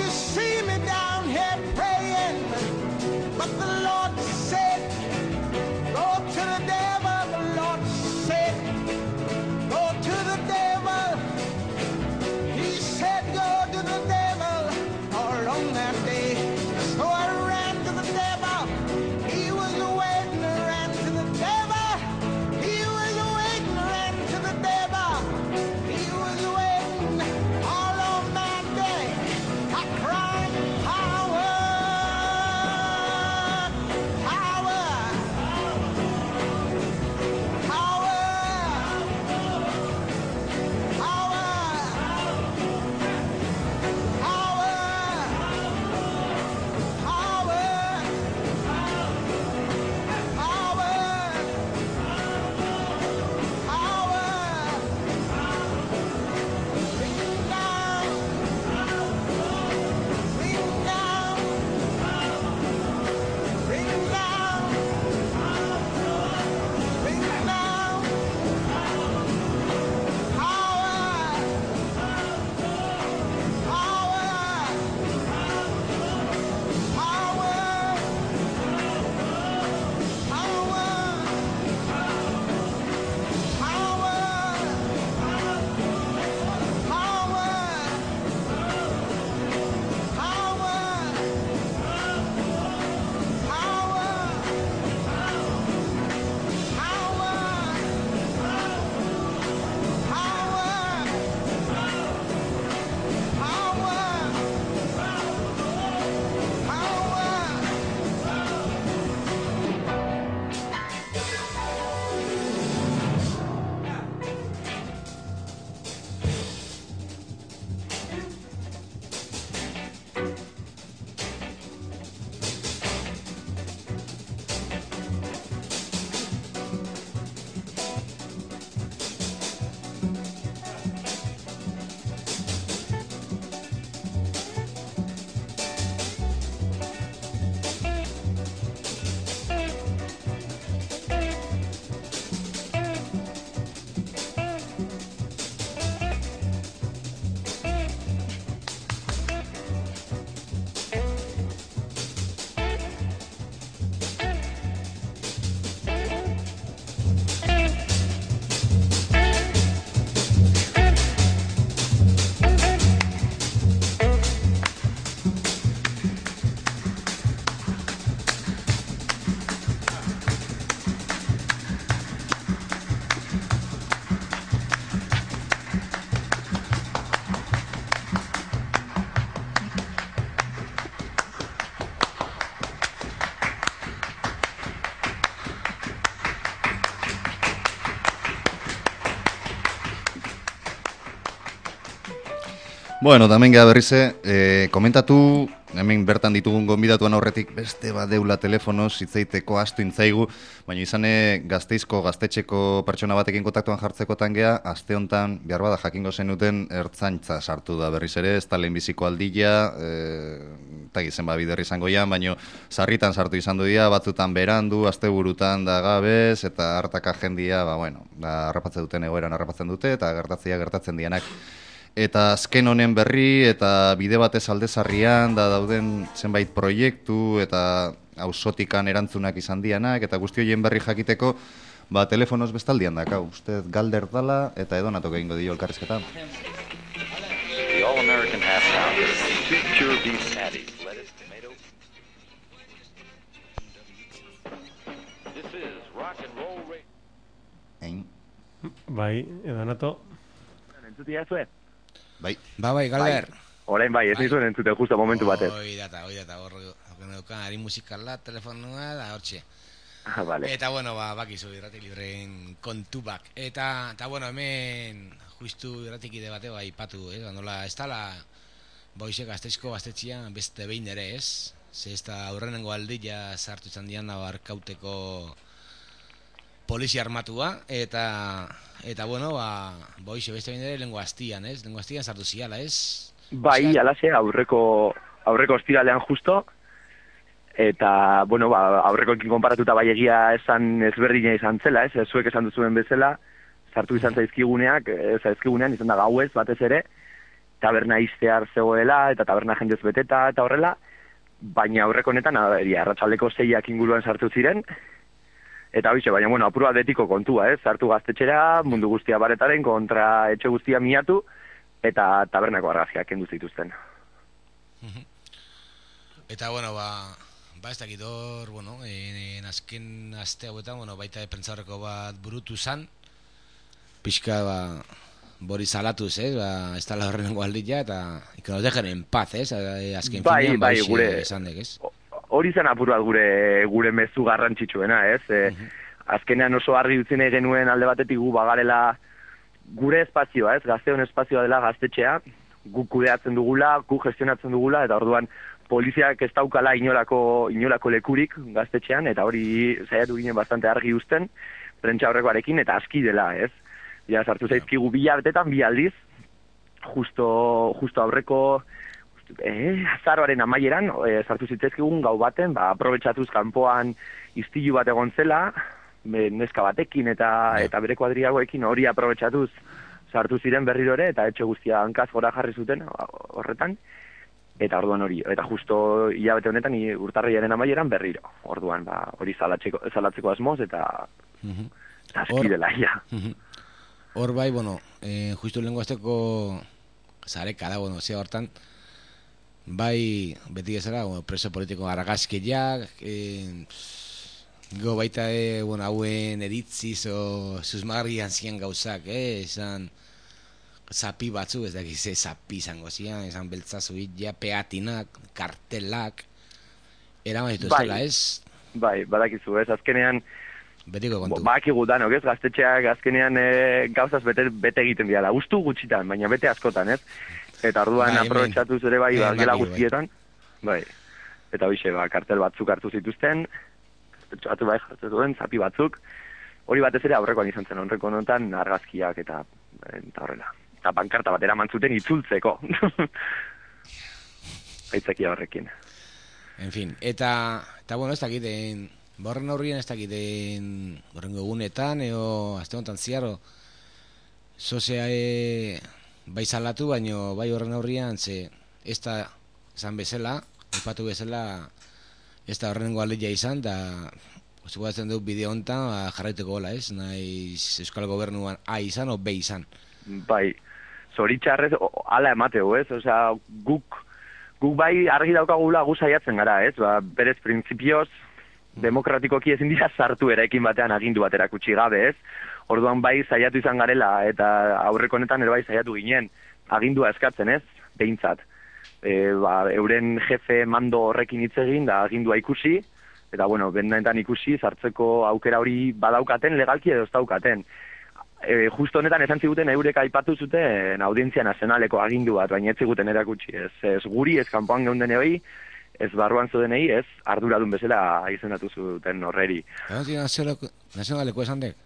Bueno, tamen geha berrize, eh, komentatu, hemen bertan ditugun gonbidatuan aurretik beste bat deula telefonoz hitzeiteko astu intzaigu, baina izane Gasteizko gaztetxeko pertsona batekin kontaktuan jartzekotan geha, aste hontan behar bada jakingo zenuten ertzaintza sartu da berriz ere, ez da lehenbiziko aldila, e, eta gizen ba biderri izango jan, baina sarritan sartu izan du dira, batzutan berandu, asteburutan da gabez, eta hartaka jendia, ba bueno, da harrapatzen duten egoeran harrapatzen dute, eta gertatzea gertatzen dianak. Eta azken honen berri eta bide batez aldezarrian da dauden zenbait proiektu eta auzotikan erantzunak izan dianak eta guzti horien berri jakiteko ba telefonoz bestaldian dakau. Uste galder dala eta edonatok egingo dio elkarrizketa. The All-American Half Pounder, two pure beef patties, lettuce, tomato. This is rock and roll radio. Ein. Bai, edonato. Entzutia zuen? Bai. Ba, bai, Galder. Orain bai, ez nizuen entzute justo momentu batez. Oi data, oi data, hor neukan ari musikala, telefonua, da hortxe. Ah, vale. Eta, bueno, ba, bakizu irrati libreen kontu bak. Eta, eta, bueno, hemen justu irratikide bate ba, ipatu, eh? Nola, ez tala, boize Gasteizko gaztetxian beste behin ere, ez? Ze ez da aurrenengo aldila sartu izan dian da barkauteko polizia armatua, eta, eta bueno, ba, boize beste behin ere lengo astian, ez? Lengo astian sartu ziala, ez? Bai, alaxe, aurreko, aurreko ostiralean justo, eta, bueno, ba, aurrekoekin konparatuta bai egia esan ezberdina izan zela, ez? Zuek esan duzuen bezala, sartu izan zaizkiguneak, ez zaizkigunean izan da gauez batez ere, taberna iztear zegoela, eta taberna jendez beteta, eta horrela, baina aurreko honetan, arratsaldeko seiak inguruan sartu ziren, eta hoize, baina, bueno, apur bat betiko kontua, ez? Sartu gaztetxera, mundu guztia baretaren, kontra etxe guztia miatu, eta tabernako argazkiak kendu zituzten. Eta, bueno, ba, ba ez dakit hor, bueno, en, en azken aste hauetan, bueno, baita pentsaurreko bat burutu zan, pixka, ba, bori salatuz, ez, ba, ez tala horrenengo aldila, eta que nos dejen en paz, ez, azken bai, finean, bai, ba, gure, esan dek, ez? Hori zen apur bat gure, gure mezu garrantzitsuena, ez? E, azkenean oso argi utzi nahi genuen alde batetik gu bagarela gure espazioa, ez? Gazteon espazioa dela gaztetxea, gu kudeatzen dugula, gu gestionatzen dugula, eta orduan poliziak ez daukala inolako, inolako lekurik gaztetxean, eta hori saiatu ginen bastante argi uzten, prentsa horrekoarekin, eta aski dela, ez? Ja, sartu zaizkigu bi hilabetetan, bi aldiz, justo, justo aurreko eh, azaroaren amaieran, eh, sartu zitzaizkigun gau baten, ba, aprobetxatuz kanpoan istilu bat egon zela, neska batekin eta eta bere kuadriagoekin hori aprobetxatuz sartu ziren berriro ere, eta etxe guztia hankaz gora jarri zuten horretan, eta orduan hori, eta justo hilabete honetan urtarrilaren amaieran berriro, orduan ba, hori zalatzeko, zalatzeko asmoz, eta uh-huh. aski dela, ja. Uh-huh. Hor bai, bueno, eh, justu lehenko azteko zareka da, bueno, zea hortan, bai, beti gezera, bueno, preso politiko argazkiak, eh, go baita, eh, bueno, hauen eritziz o susmagarrian zian gauzak, eh, esan zapi batzu, ez dakiz, eh, zapi izango zian, esan beltzazu ja, peatinak, kartelak, eraman dituztela, bai, ez? Bai, badakizu, ez, azkenean, betiko kontu. Bakigu danok, ez, gaztetxeak azkenean e, gauzaz bete, bete egiten diala, gustu gutxitan, baina bete askotan, ez? Eta orduan bai, aprobetxatuz ere bai, bai gela guztietan, bai. Eta hoxe, ba, kartel batzuk hartu zituzten, batu bai jartzen duen, zapi batzuk, hori batez ere aurrekoan izan zen, aurreko honetan argazkiak eta, eta horrela. Eta pankarta bat eraman zuten itzultzeko. Aitzakia horrekin. En fin, eta, eta bueno, ez dakiten, borren horrien ez dakiten, borrengo egunetan, eo, azte honetan ziaro, zozea e, bai salatu, baino bai horren horrian, ze, ez da, esan bezala, ipatu bezala, ez da horrengo aldila izan, da, zugatzen dut bideo honetan, ba, jarraiteko gola, ez, nahiz Euskal Gobernuan A izan o B izan. Bai, zoritxarrez, ala emateu, ez, osea, guk, guk bai argi daukagula gu saiatzen gara, ez, ba, berez printzipioz, demokratikoki ezin dira sartu erekin batean agindu bat erakutsi gabe, ez? Orduan bai saiatu izan garela, eta aurreko honetan ere bai saiatu ginen, agindua eskatzen, ez? Behintzat. E, ba, euren jefe mando horrekin hitz egin, da agindua ikusi, eta bueno, bendaetan ikusi, sartzeko aukera hori badaukaten, legalki edo ez daukaten. e, justo honetan esan ziguten eurek aipatu zuten audientzia nazionaleko agindu bat, baina ez ziguten erakutsi, ez, ez guri, ez kanpoan geundenei, ez barruan zudenei, ez arduradun bezala izendatu zuten horreri. Audientzia nazionaleko esan dek?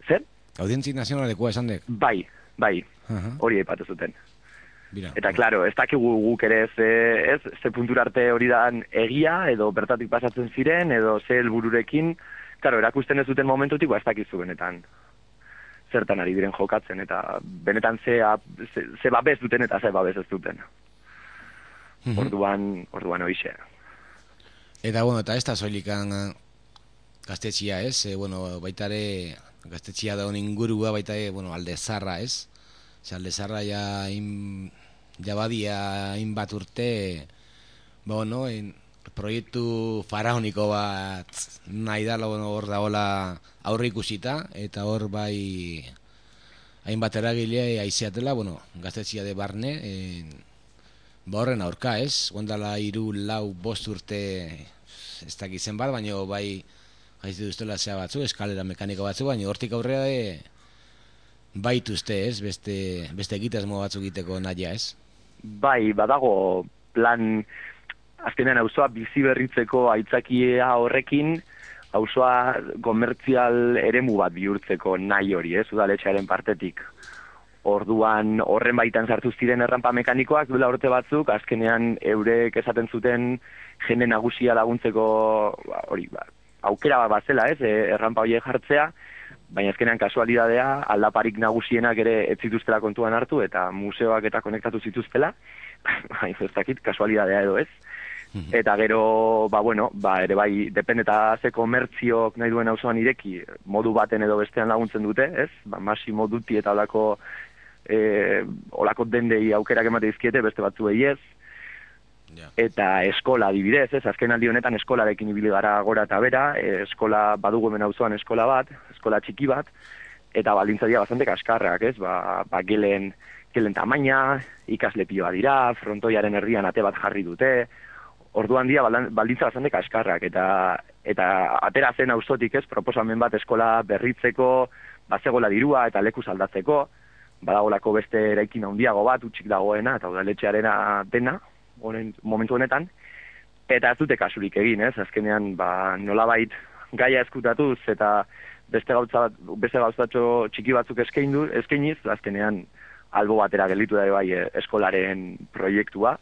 Zer? Audientzia nazionaleko esan dek? Bai, bai, Aha. hori aipatu zuten. Bira. Eta, klaro, ez dakigu guk ere ze, ez, ze puntura arte hori dan egia, edo bertatik pasatzen ziren, edo ze helbururekin, klaro, erakusten ez duten momentutik, ba, ez dakizu benetan zertan ari diren jokatzen, eta benetan ze, ze, ze babes duten eta ze babes ez duten. Mhm. Orduan, orduan hoixe. Eta, bueno, eta ez da soilikan gaztetxia, ez? E, bueno, baitare gaztetxia daun ingurua, baitare, bueno, alde zarra, ez? Ze alde zarra ja, in, ja badia inbat urte, ba, bueno, en, proiektu faraoniko bat nahi da, bueno, hor dagoela aurre ikusita, eta hor bai hainbat eragile aizeatela, bueno, gaztetxia de barne, en, ba horren aurka, ez? Gondala hiru, lau, bost urte ez dakizen bat, baina bai haizu duztela zea batzu, eskalera mekaniko batzu, baina hortik aurrera e, baituzte, ez? Beste, beste egitasmo batzuk egiteko naia, ez? Bai, badago plan, azkenean auzoa bizi berritzeko aitzakia horrekin, auzoa komertzial eremu bat bihurtzeko nahi hori, ez? Udaletxearen partetik. Orduan horren baitan sartu ziren errampa mekanikoak duela urte batzuk, azkenean eurek esaten zuten jende nagusia laguntzeko hori, ba, aukera bat bazela, ez? Errampa horiek jartzea, baina azkenean kasualidadea aldaparik nagusienak ere ez zituztela kontuan hartu eta museoak eta konektatu zituztela, baina ez dakit kasualidadea edo ez. Eta gero, ba bueno, ba ere bai dependeta ze komertziok nahi duen auzoan ireki, modu baten edo bestean laguntzen dute, ez? Ba Massimo Dutti eta olako eh olako dendei aukerak emate dizkiete, beste batzuei ez. Ja. Eta eskola adibidez, ez? Azken aldi honetan eskolarekin ibili gara gora eta bera, e, eskola badugu hemen auzoan eskola bat, eskola txiki bat, eta baldintza dira bastante kaskarrak, ez? Ba, ba gelen, gelen tamaina, ikasle piloa dira, frontoiaren erdian ate bat jarri dute. Orduan dia baldintza bastante kaskarrak, eta eta atera zen auzotik, ez, proposamen bat eskola berritzeko, bazegola dirua eta lekuz aldatzeko, badagolako beste eraikin handiago bat, utxik dagoena, eta udaletxearena dena, honen, momentu honetan, eta ez dute kasurik egin, ez, azkenean, ba, nolabait gaia eskutatuz, eta beste gauza bat, beste gauzatxo txiki batzuk eskaindu, eskainiz, azkenean, albo batera gelditu da bai eskolaren proiektua,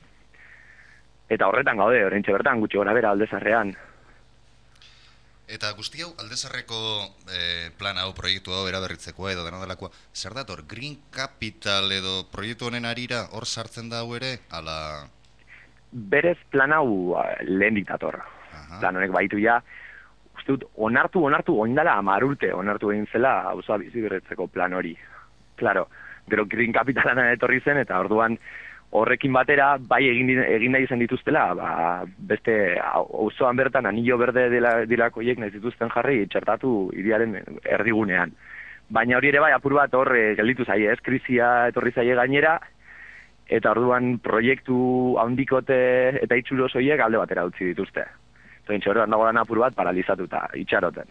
eta horretan gaude, oraintxe bertan, gutxi gora bera aldezarrean. Eta guzti hau, aldezarreko eh, plan hau, proiektu hau eraberritzekoa edo dena delakoa, zer dator, Green Capital edo proiektu honen arira hor sartzen da hau ere, ala... Berez plan hau lehen diktator. Plan honek baitu ja, uste dut, onartu, onartu, oindala amar urte, onartu egin zela, auzoa bizi berritzeko plan hori. Claro, gero Green Capitalan etorri zen, eta orduan, horrekin batera, bai egin, egin nahi izan dituztela, ba, beste auzoan bertan anillo berde dela, dilakoiek nahi zituzten jarri txertatu hiriaren erdigunean. Baina hori ere bai apur bat hor gelditu zaie, ez, krisia etorri zaie gainera, eta orduan proiektu handikote eta itxuros horiek alde batera utzi dituzte. Zoin txorrean dagoen apur bat paralizatuta, itxaroten.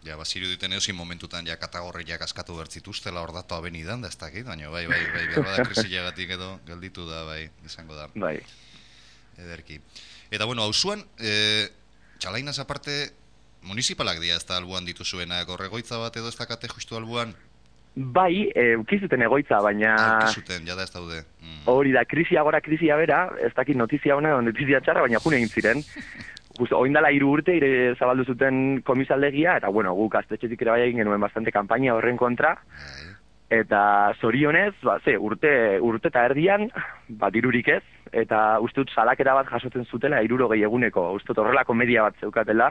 Ja, baziru duten eozin momentutan ja katagorriak askatu bertzituztela hor datu abenidan, da ez dakit, baina bai, bai, bai, behar bada krisiagatik edo gelditu da, bai, izango da. Bai. Ederki. Eta bueno, hausuan, e, txalainaz aparte, municipalak dira ez da albuan dituzuenak, horregoitza bat edo ez dakate justu albuan? Bai, eukizuten egoitza, baina... Eukizuten, jada ez daude. Mm. Hori da, krisia gora, krisia bera, ez dakit notizia hona, notizia txarra, baina june egin ziren. Oindala hiru urte ire zabaldu zuten komisaldegia, eta bueno, guk gaztetxetik ere bai egin genuen bastante kanpaina horren kontra, eta zorionez, ba, ze, urte, urte eta erdian, bat dirurik ez, eta uste dut salakera bat jasotzen zutela hirurogei eguneko, uste dut horrelako media bat zeukatela,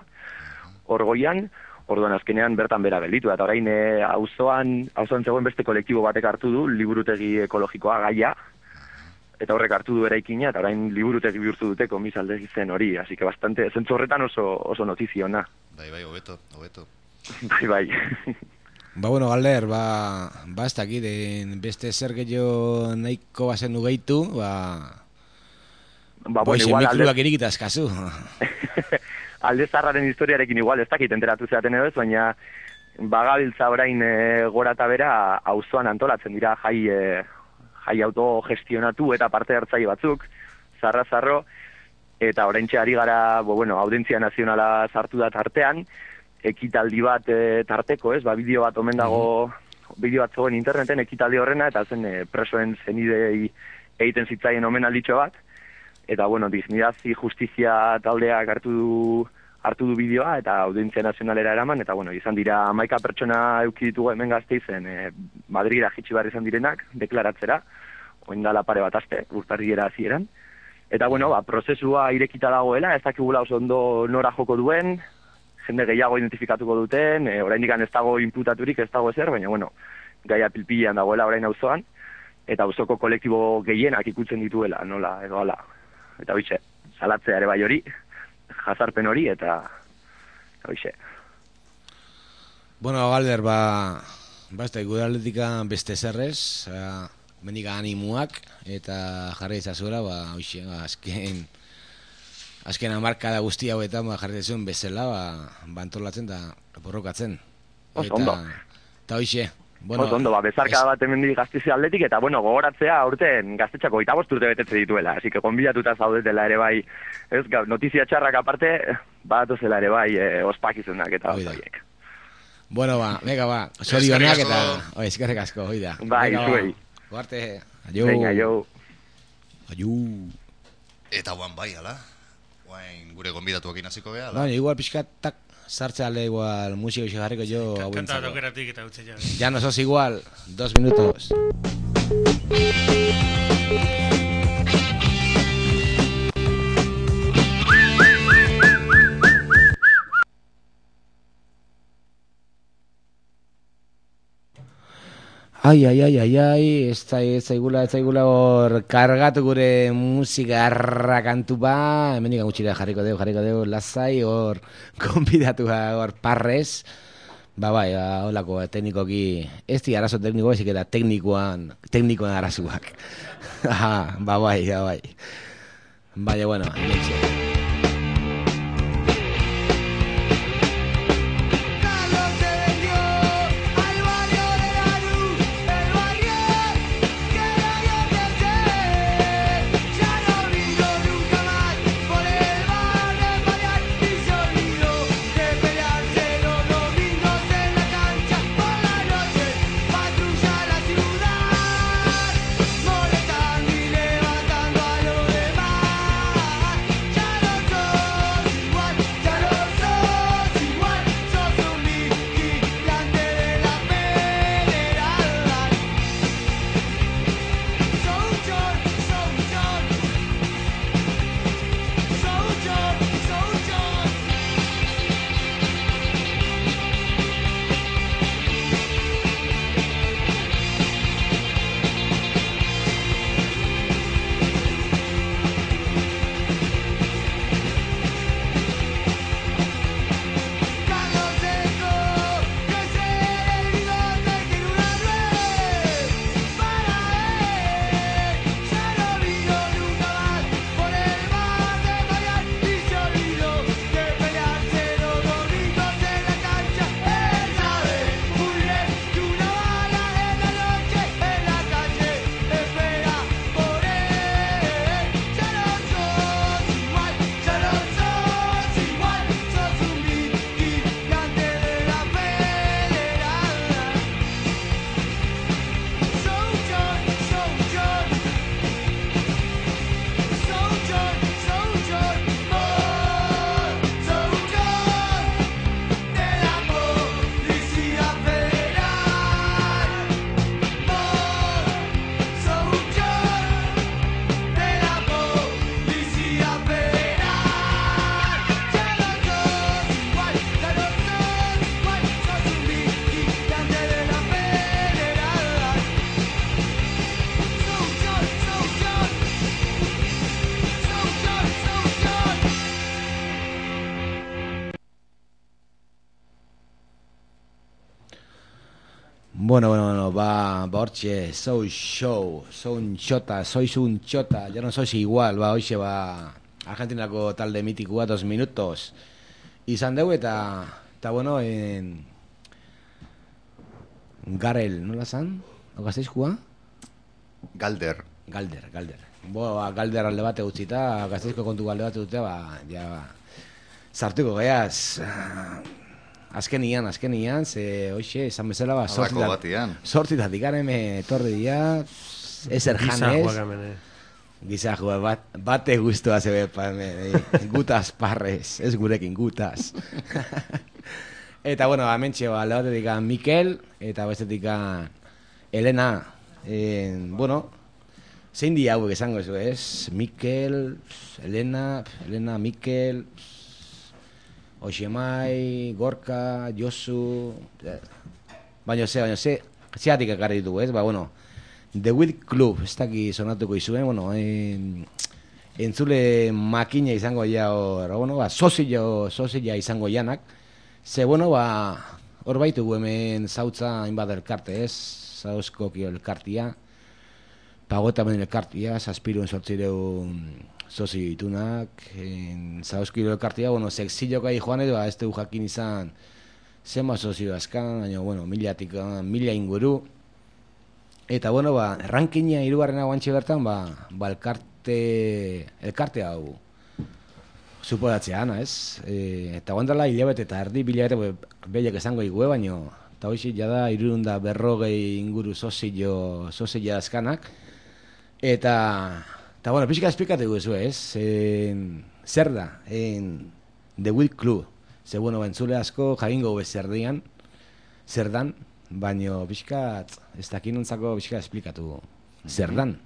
orgoian, orduan azkenean bertan bera gelditu, eta orain auzoan, auzoan zegoen beste kolektibo batek hartu du, liburutegi ekologikoa gaia, eta horrek hartu du eraikina, eta orain liburutegi bihurtu dute komisaldegi zen hori, así que bastante, zentzu horretan oso, oso notiziona. Bai, bai, hobeto, hobeto. Bai, bai. Ba, bueno, Galder, ba, ba ez dakit, beste zer gehiago nahiko bazen ugeitu, ba... Ba, bueno, igual alde... mikroak irikita eskazu. Alde zarraren historiarekin igual ez dakit enteratu zeaten edo ez, baina bagabiltza orain e, gora eta bera auzoan antolatzen dira jai, e, jai autogestionatu eta parte hartzaile batzuk, zarra-zarro, eta oraintxe ari gara, bo, bueno, audientzia nazionala sartu da tartean, ekitaldi bat e, tarteko, ez, ba, bideo bat omen dago, bideo bat zegoen interneten ekitaldi horrena, eta zen e, presoen zenidei egiten zitzaien omenalditxo bat, eta, bueno, Dignidad y Justizia taldeak hartu du, hartu du bideoa, eta audientzia nazionalera eraman, eta, bueno, izan dira hamaika pertsona euki ditugu hemen Gasteizen, e, Madrira jitsi behar izan direnak, deklaratzera, oin dala pare bat aste, urtarriera hasieran. Eta, bueno, ba, prozesua irekita dagoela, ez dakigula oso ondo nora joko duen, jende gehiago identifikatuko duten, e, oraindik ez dago inputaturik, ez dago ezer, baina, bueno, gaia pilpilean dagoela orain auzoan, eta auzoko kolektibo gehienak ikutzen dituela, nola, edo ala. Eta hoize, salatzea ere bai hori, jazarpen hori, eta hoize. Bueno, Galder, ba, ba, ez da, gudaletika beste zerrez, uh, mendik animuak, eta jarri izazuela, ba, hoize, ba, azken, azken amarkada guzti hauetan, ba, jarri izazuen bezala, ba, bantolatzen eta borrokatzen. Oso ondo. Eta hoize, bueno, oso ondo, ba, bezarka bat hemendik Gasteiz aldetik, eta, bueno, gogoratzea aurten gaztetxako hogeita bost urte betetze dituela, así que konbidatuta zaudetela ere bai, ez, notizia txarrak aparte, batozela ere bai, e, ospakizunak eta osaiek. Bueno, ba, venga, ba, zorionak eta, oi, eskerrik asko, hoi da. Bai, zuei. Guarte, aio. Venga, aio. Aio. Eta guan bai, ala? Guain gure gonbidatuak inaziko beha, ala? Baina, igual pixkat, tak, sartza ale igual, musiko xe jarriko jo Kanta tokeratik eta utxe ja. Ya no sos igual, dos minutos. Ai, ai, ai, ai, ai, ez zaigula, ez zaigula hor kargatu gure musika arrakantu ba, hemen ikan gutxira jarriko deu, jarriko deu, lasai hor konbidatu hor parrez, ba bai, ba, holako teknikoki, ez di arazo tekniko, ezik eta teknikoan, teknikoan arazuak. Ba bai, ba bai. Baina, bueno, hemen Bueno, bueno, bueno, ba, ba hortxe, soy show, soy un chota, sois un chota, ya no sois igual, ba, hoxe, ba, Argentinako talde mitikua, dos minutos, izan dugu, eta, eta bueno, en, Garel, nola zan? Gasteizkoa? Galder. Galder, Galder. Bo, ba, Galder alde bate utzita, Gasteizko kontu alde bate dute, ba, ja, ba, sartuko geaz. Azkenian, azkenian, ze, hoxe, esan bezala, ba, Alako batian. sortzitat ikaren etorri dira, ezer janez. Gizajuak hemen, eh. Gizajua, bat, bate guztua zebe, pa, hemen, eh, gutaz parrez, ez gurekin gutaz. Eta, bueno, hementxe, ba, alde batetik Mikel, eta bestetik Elena, eh, bueno, zein di hauek esango ez, ez? Mikel, Elena, Elena, Mikel, Oxemai, Gorka, Josu, baina ze, baina ze, zeatik ekarri ditugu, ez? Ba, bueno, The Will Club, ez daki sonatuko izuen, bueno, en, entzule makina izango ja, hor, bueno, ba, sozila, sozila izango janak, ze, bueno, ba, hor baitugu hemen zautza hainbat elkarte, ez? Zauzkokio elkartia, Pagotamen elkartia, zazpiruen sortzireun sozi ditunak, zauzkiro elkartia, bueno, sexillokai joan edo, ez dugu jakin izan zema sozio azkan, baina, bueno, milatik, mila inguru, eta, bueno, ba, rankina hirugarren hau antxe bertan, ba, ba elkarte, elkarte hau suporatzean, ez? E, eta guandala hilabete eta erdi bilabete, behiak esango igue, baina, eta hoxi, jada, irurunda berrogei inguru sozio, sozio azkanak, eta, eta, bueno, pixka esplikatu guzu, ez? En, zer da, en The Will Club, ze, bueno, bentzule asko jagingo bezer dian, zer dan, baina pixka, ez dakinontzako pixka esplikatu zer dan.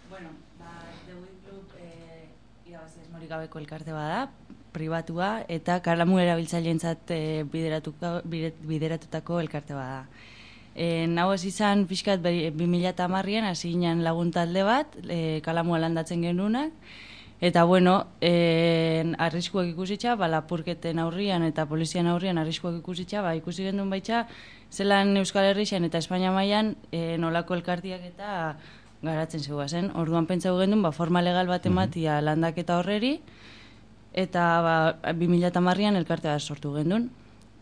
Bueno, ba, The Will Club eh, irabaz esmorik gabeko elkarte bada, pribatua, eta kalamu erabiltzaileentzat eh, bideratutako elkarte bada. E, Nau ez izan pixkat bi mila hamarrean hasi ginen lagun talde bat, e, kalamua landatzen genunak, eta bueno, e, arriskuak ikusitza, ba, lapurketen aurrian eta polizian aurrian arriskuak ikusitza, ba, ikusi gendun baitza, zelan Euskal Herrixan eta Espainia mailan e, nolako elkartiak eta garatzen zegoazen. Orduan pentsau gendun, ba, forma legal bat ematia landaketa horreri, eta ba, bi mila hamarrean elkartea sortu gendun.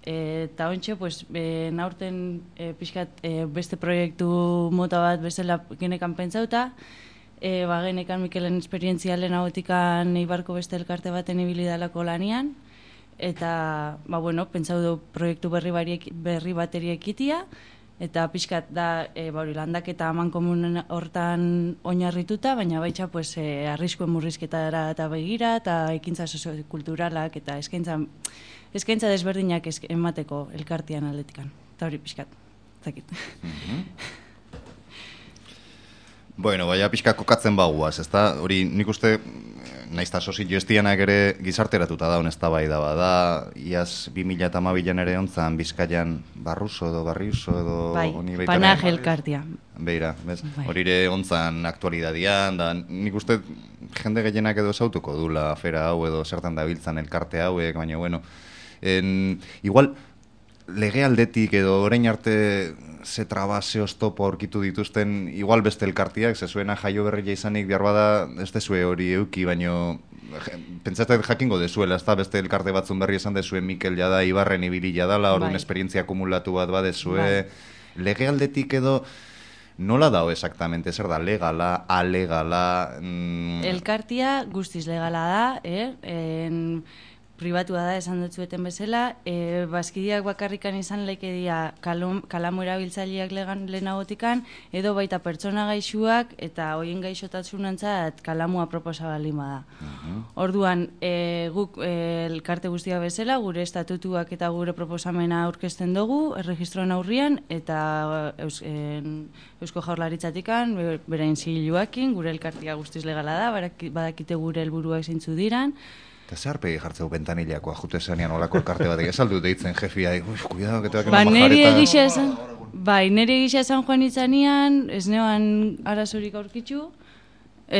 Eta ontxe, pues, e, naurten e, pixkat e, beste proiektu mota bat bezala genekan pentsauta, e, ba, genekan Mikelen esperientzia lehenagotikan Eibarko beste elkarte baten ibilidalako lanian, eta, ba, bueno, pentsau du proiektu berri, bariek, berri bateri ekitia, eta pixkat da, e, ba, hori landaketa aman komunen hortan oinarrituta, baina baitza, pues, e, arriskuen murrizketara eta begira, eta ekintza soziokulturalak, eta eskaintza, eskaintza desberdinak esk emateko elkartian aldetikan. Eta hori pixkat, zakit. Mm-hmm. Bueno, baina pixka kokatzen baguaz, ezta? Hori nik uste, naizta sozio estianak ere gizarteratuta da, honezta bai da, bada, iaz bi mila hamabian ere ontzan Bizkaian Barruso edo Barriuso edo... Bai, Panaj elkartia. Beira, bez? Bai. Hori ere ontzan aktualidadian, da nik uste jende gehienak edo zautuko dula afera hau edo zertan dabiltzan elkarte hauek, baina bueno, en, igual lege aldetik edo orain arte ze traba, ze oztopo aurkitu dituzten, igual beste elkartiak, ze zuena jaio berria izanik behar bada, ez dezue hori euki, baino pentsatzen jakingo dezuela, ez da beste elkarte batzun berri esan dezue Mikel jada, Ibarren ibili jadala, orduan bai. Esperientzia akumulatu bat badezue, bai. Lege aldetik edo nola dao exactamente, zer da, legala, alegala... Mm... Elkartia guztiz legala da, eh? En... pribatua da, esan dutzueten bezala, e, bazkidiak bakarrikan izan leikedia kalamu erabiltzaileak lehenagotikan, edo baita pertsona gaixuak eta hoien gaixotatsunantzat kalamua proposa balima da. Uh-huh. Orduan, e, guk e, elkarte guztia bezala, gure estatutuak eta gure proposamena aurkezten dugu, erregistroan aurrian, eta eus, en, Eusko Jaurlaritzatikan, berain zigiluakin, gure elkartia guztiz legala da, badakite gure helburuak zeintzu diran. Eta zer pegi jartzeu bentanillakoa, jute zanean olako elkarte batek, ez aldu deitzen jefia, uff, cuidado, que te va a ba, neri egisa esan, bai, neri egisa esan joan itzanean, ez neoan arazorik aurkitzu,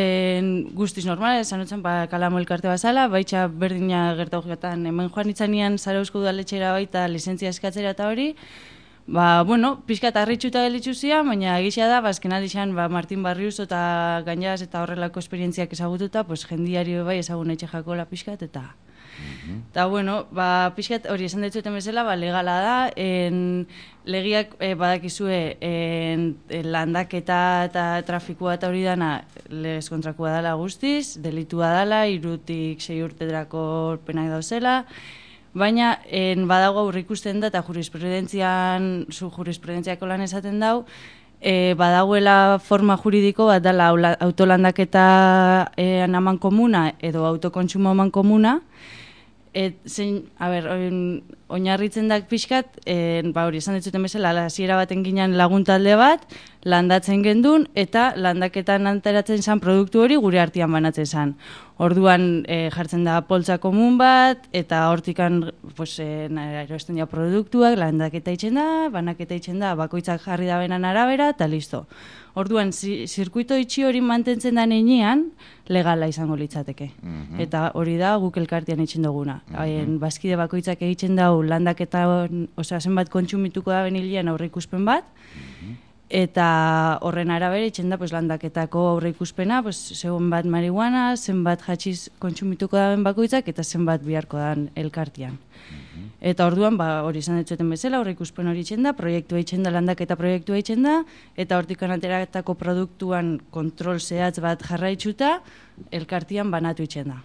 en, guztiz normal, esan utzen, ba, kalamo elkarte bazala, baitxa berdina gertau getan, hemen joan itzanean Zarauzko udaletxera baita lizentzia eskatzera eta hori, ba, bueno, pixka eta harritxuta gelitzu zian, baina egisa da, bazken aldixan, ba, Martin Barriuso eta Gainaz eta horrelako esperientziak ezagututa, pues, jendiari bai ezagun etxe jakola pixkat, eta Eta, bueno, ba, pixkat hori esan ditzuten bezala, ba, legala da, en, legiak e, badakizue en, en landaketa eta trafikua eta hori dana legez kontrakua dela guztiz, delitua dela, irutik sei urtedrako penak dauzela, baina en, badago aurre ikusten da eta jurisprudentzian, zu jurisprudentziako lan esaten dau, e, badagoela forma juridiko bat dela autolandaketa e, aman komuna edo autokontsumo aman komuna. Et, zein, a ber, oinarritzen da pixkat, e, ba hori esan ditzuten bezala, hasiera baten ginen laguntalde bat, landatzen gendun, eta landaketan anteratzen zan produktu hori gure artean banatzen zan. Orduan e, jartzen da poltsa komun bat, eta hortikan pues, e, erosten dira produktuak, landaketa itxen da, banaketa itxen da, bakoitzak jarri da benan arabera, eta listo. Orduan, zi, zirkuito itxi hori mantentzen da neinean, legala izango litzateke. Mm-hmm. Eta hori da guk elkartean itxen duguna. Mm-hmm. Bazkide bakoitzak egiten dau landaketa, osea, zenbat kontsumituko da benilian aurre ikuspen bat, mm-hmm. eta horren arabera itxen da pues, landaketako aurre ikuspena, pues, zenbat marihuana, zenbat hatxiz kontsumituko da ben bakoitzak, eta zenbat biharko da elkartean. Eta orduan, ba, hori izan ditzuten bezala, horre ikuspen hori itxen da, proiektua itxen da, landaketa proiektua itxen da, eta hortikan ateratako produktuan kontrol zehatz bat jarraitzuta, elkartian banatu itxen da.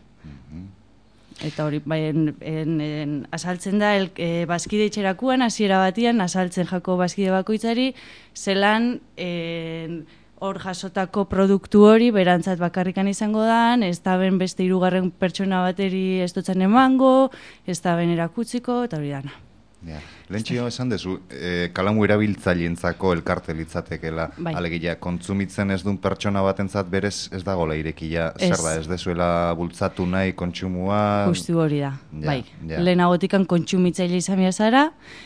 Eta hori, bai, en, en, en, asaltzen da, el, e, bazkide itxerakuan, hasiera batian, asaltzen jako bazkide bakoitzari, zelan, en, hor jasotako produktu hori berantzat bakarrikan izango da, ez da ben beste hirugarren pertsona bateri ez dutzen emango, ez da ben erakutziko, eta hori dana. Ja. Lehentxio esan dezu, e, kalamu erabiltzaileentzako elkarte litzatekela, bai. Alegia, kontsumitzen ez duen pertsona batentzat berez ez dagoela irekia, zer da, ez dezuela bultzatu nahi kontsumua... Justu hori da, ja, bai. Ja. Lehenagotikan kontsumitzaile izan zara,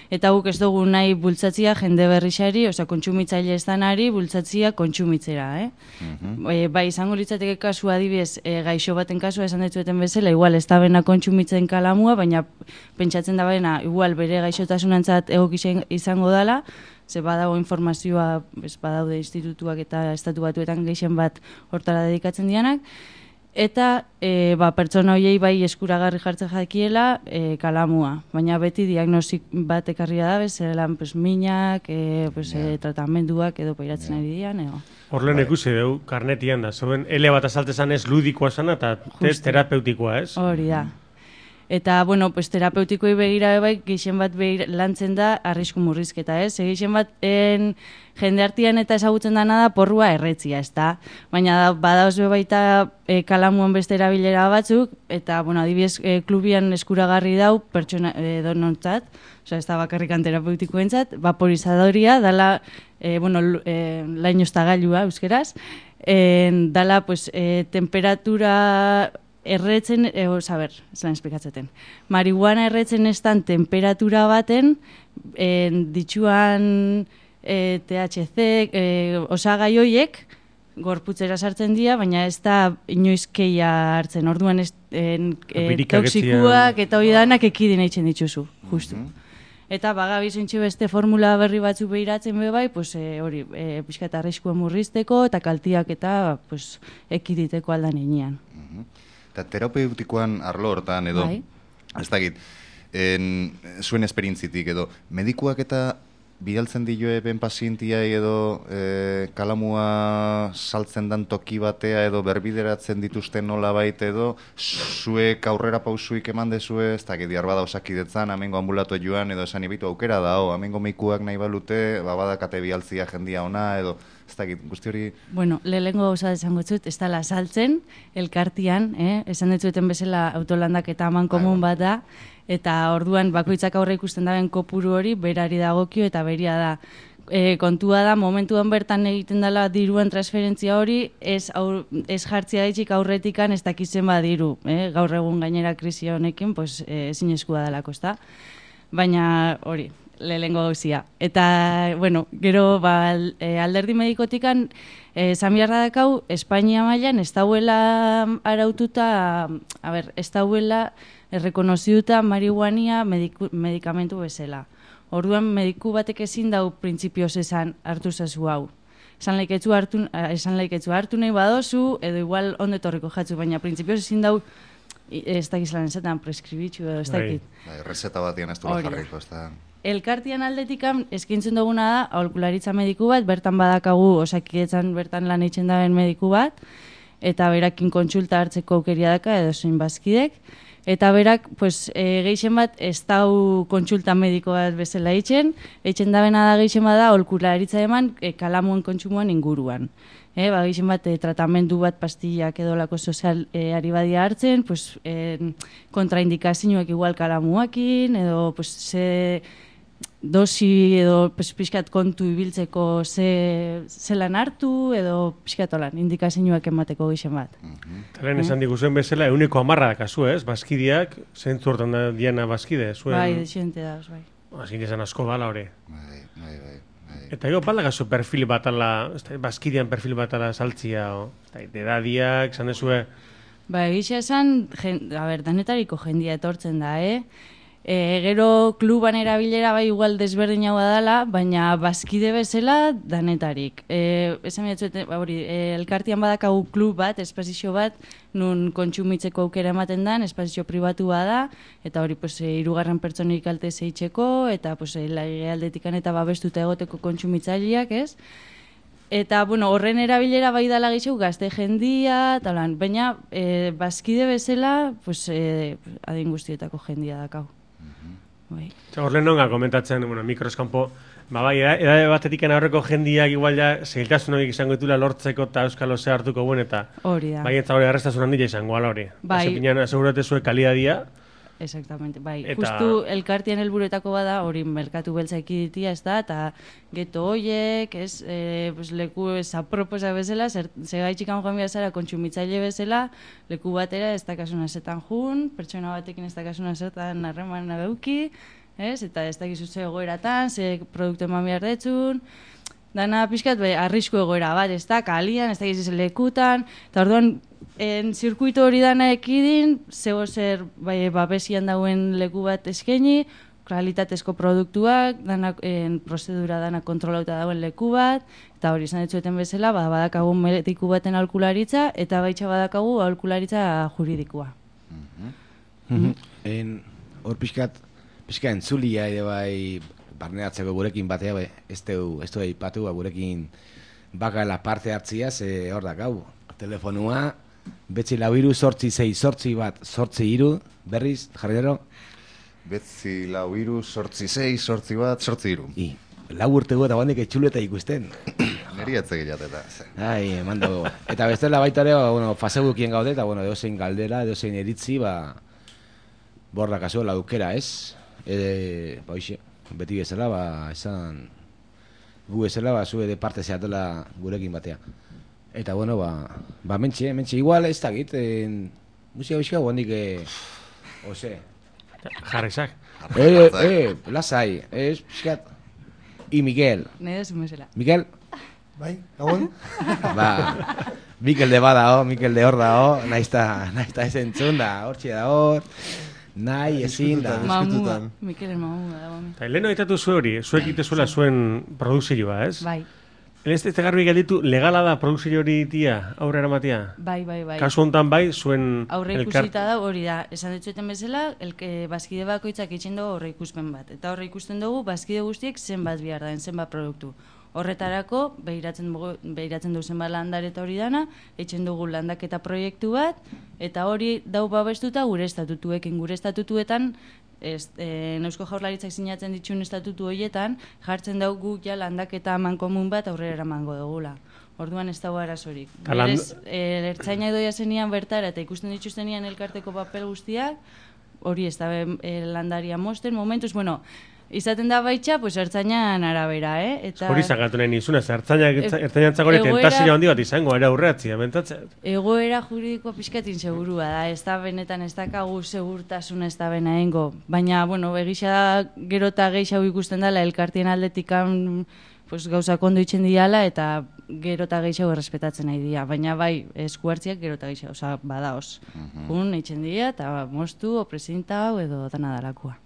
eta guk ez dugu nahi bultzatzia jende berrixari, oza, kontsumitzaile ez danari bultzatzia kontsumitzera, eh? Mm-hmm. E, bai, izango litzateke kasua adibidez, e, gaixo baten kasua esan ditueten bezala, igual ez da bena kontsumitzen kalamua, baina pentsatzen da bena, igual bere gaixotasunantzat egokisen izango dela, ze badago informazioa, ez badaude institutuak eta estatu batuetan gehien bat hortara dedikatzen dianak, eta e, ba, pertsona horiei bai eskuragarri jartzen jakiela e, kalamua, baina beti diagnostik bat ekarria da, bezelan pues, minak, e, pues, yeah. e, tratamenduak edo pairatzen yeah. ari dian, ego. Horlen ikusi deu, karnetian da, zoen ele bat azaltezan ez ludikoa zana eta terapeutikoa, ez? Hori da. Eta, bueno, pues, terapeutikoi begira bai, gehien bat begira, lantzen da arrisku murrizketa, ez? Gehien bat en, jende artean eta ezagutzen dana da porrua erretzia, ez da? Baina da, badaoz baita e, kalamuan beste erabilera batzuk, eta, bueno, adibidez, e, klubian eskuragarri dau pertsona e, donontzat, osea, ez da bakarrikan terapeutikoentzat, vaporizadoria, dala, e, bueno, e, lainoztagailua, euskeraz, e, dala, pues, e, temperatura... erretzen, e, oza, ber, zelan esplikatzeten. Marihuana erretzen estan temperatura baten, e, ditxuan e, T H C, e, osagai hoiek, gorputzera sartzen dira, baina ez da inoizkeia hartzen. Orduan ez, en, e, toksikuak eta hori danak ekidin eitzen dituzu, justu. Mm-hmm. Eta bagabiz entxe beste formula berri batzu behiratzen be bai, pues, e, hori, e, pixka eta arriskua murrizteko eta kaltiak eta pues, ekiditeko aldan enean. Mm-hmm. Eta terapeutikoan arlo hortan edo, bai. Ez dakit, en, zuen esperientzitik edo, medikuak eta bidaltzen dioe ben pazientiai edo e, kalamua saltzen dan toki batea edo berbideratzen dituzten nola baita edo, zuek aurrera pausuik eman dezue, ez dakit, diarbada osakidetzan, amengo ambulato joan edo esan ibitu aukera da, o, amengo meikuak nahi balute, babadakate bialtzia jendia ona edo, ez dakit, guzti hori... Bueno, lehengo gauza desango zut, ez dala saltzen, elkartian, eh? Esan dutzueten bezala autolandak eta aman komun bat da, eta orduan bakoitzak aurre ikusten daben kopuru hori, berari dagokio eta beria da. E, kontua da, momentuan bertan egiten dela diruan transferentzia hori, ez, aur, ez jartzia daitzik aurretikan ez dakitzen badiru. Eh? Gaur egun gainera krisi honekin, pues, e, ezin eskua delako, ezta? Baina hori... lehengo gauzia. Eta, bueno, gero, ba, alderdi medikotikan, esan eh, biharra dakau, Espainia mailan ez dauela araututa, a ber, ez dauela errekonoziduta marihuania mediku, medikamentu bezala. Orduan, mediku batek ezin dau printzipioz esan hartu zazu hau. Esan laiketzu hartu, esan laiketzu hartu nahi badozu, edo igual ondetorriko jatzu, baina printzipioz ezin dau ez dakizlan ezetan, preskribitzu edo ez dakit. Bai, reseta batian ez duela jarriko, ez da... Elkartian aldetikan eskaintzen duguna da aholkularitza mediku bat, bertan badakagu Osakidetzan bertan lan egiten daben mediku bat, eta berakin kontsulta hartzeko aukeria daka edo zein bazkidek, eta berak pues, e, geixen bat ez dau kontsulta mediko bat bezala eitzen, eitzen dabena da geixen bat da aholkularitza eman e, kalamuen kontsumoan inguruan. E, ba, geixen bat, e, tratamendu bat pastillak edo lako sozial e, ari badia hartzen, pues, e, kontraindikazioak igual kalamuakin, edo pues, ze dosi edo pues, pixkat kontu ibiltzeko ze, zelan hartu, edo pixkat olan, indikazioak emateko geixen bat. Talen esan diguzuen bezala, euneko amarra dakazu, ez? Baskidiak, zentzu hortan da diana baskide, zuen... Bai, desente da, bai. Azkin esan asko bala hori. Bai, bai, bai. Eta ego balagazu perfil bat ala, baskidian perfil bat ala saltzia, o, edadiak, esan dezue... Ba, egisa esan, jen, a ber, danetariko jendia etortzen da, eh? E, gero kluban erabilera bai igual desberdina dela, baina bazkide bezala danetarik. E, esan miratzuet, hori, e, elkartian badakagu klub bat, espazio bat, nun kontsumitzeko aukera ematen dan, espazio pribatu da, eta hori, pues, e, irugarren pertsonik kalte zeitzeko, eta, pues, e, aldetikan eta babestuta egoteko kontsumitzaileak, ez? Eta, bueno, horren erabilera bai dala gehiago gazte jendia, talan, baina e, bazkide bezala, pues, e, adin guztietako jendia dakau. Bai. Horren nonga komentatzen, bueno, mikroskampo, ba bai, edade batetik aurreko jendiak igual ja zailtasun horiek izango ditula lortzeko eta euskalo ze hartuko buen eta hori da. Bai, eta hori arrestasun handia izango ala hori. Bai. Ese piñan asegurate zue kalidadia. Exactamente, bai. Eta... Justu elkartian helburuetako bada, hori merkatu beltza ekiditia, ez da, eta geto hoiek, ez, e, pues, leku zaproposa bezala, segaitxikan joan behar zara kontsumitzaile bezala, leku batera ez dakasuna zetan jun, pertsona batekin ez dakasuna zetan harreman geuki, ez, eta ez dakizu ze egoeratan, ze produktu eman behar detzun, dana pixkat, bai, arrisku egoera bat, ez da, kalian, ez dakizu lekutan, eta orduan, en zirkuito hori dana ekidin, zego zer bai, babesian dauen leku bat eskaini, kalitatezko produktuak, dana, en, prozedura dana kontrolauta dauen leku bat, eta hori izan ditzueten bezala, ba, badakagu mediku baten aholkularitza, eta baitxa badakagu aholkularitza juridikoa. En, hor pixkat, pixka entzulia ere bai, barneatzeko gurekin batea, bai, ez du eipatu, gurekin bakala parte hartzia, ze hor dakau, telefonua, betzi lau iru, sortzi zei, sortzi bat, sortzi iru, berriz, jarrero? Betzi lau iru, sortzi zei, sortzi bat, sortzi iru. I, lau urtego eta bandik etxuleta ikusten. Neri atzek jateta. Ai, mando. Eta bestela baita ere, bueno, Facebookien gaude, eta bueno, edozein galdera, edozein eritzi, ba, borra kaso, laukera, ez? Ede, ba, hoxe, beti bezala, ba, esan, gu bezala, ba, zue de parte zeatela gurekin batea. Eta, bueno, ba, ba mentxe, mentxe, igual ez dakit, en, musika bizka guandik, eh, ose. Jarrizak. Eh, eh, lasai, ez, bizkat. I Miguel. Nede zumezela. Miguel? Bai, gabon? Ba, Mikel de bada, oh, Mikel de hor da, oh, naizta, naizta ez entzun da, hortxe da hor, nahi ezin da. Mamua, Mikelen mamua da, mami. Eta, leheno ditatu zu hori, zuek itezuela zuen produkzioa, ez? Bai. Ez ez garbi galditu, legala da produkzio hori tia, aurre eramatia? Bai, bai, bai. Kasu honetan bai, zuen... Aurre ikusita da, hori da, esan ditzueten bezala, elke, bazkide bakoitzak itxen dugu aurre ikuspen bat. Eta aurre ikusten dugu, bazkide guztiek zenbat behar da, zenbat produktu. Horretarako, behiratzen dugu, behiratzen dugu zenbat landareta hori dana, etxen dugu landaketa proiektu bat, eta hori dau babestuta gure estatutuekin, gure estatutuetan, Ez, e, Eusko Jaurlaritzak sinatzen dituen estatutu horietan, jartzen dugu ja landaketa eman komun bat aurrera eramango dugula. Orduan ez dago arazorik. Berez, e, ertzaina doia zenian bertara eta ikusten dituztenian elkarteko papel guztiak, hori ez da e, landaria mosten, momentuz, bueno, izaten da baitxa, pues ertzainan arabera, eh? Eta hori zagatu nahi nizuna, ertzainantzak hori tentazio handi bat izango, era aurreatzia, bentatzen. Egoera juridikoa pixkatin segurua da, ez da benetan ez dakagu segurtasun ez da bena engo. Baina, bueno, egisa gero eta gehiago ikusten dela, elkartien aldetikan pues, gauza kondo itxen diala, eta gero eta gehiago errespetatzen nahi dira. Baina bai, eskuartziak gero eta gehiago, oza, badaoz. Jun, itxen dira, eta moztu, o presidenta hau, edo dana dalakoa.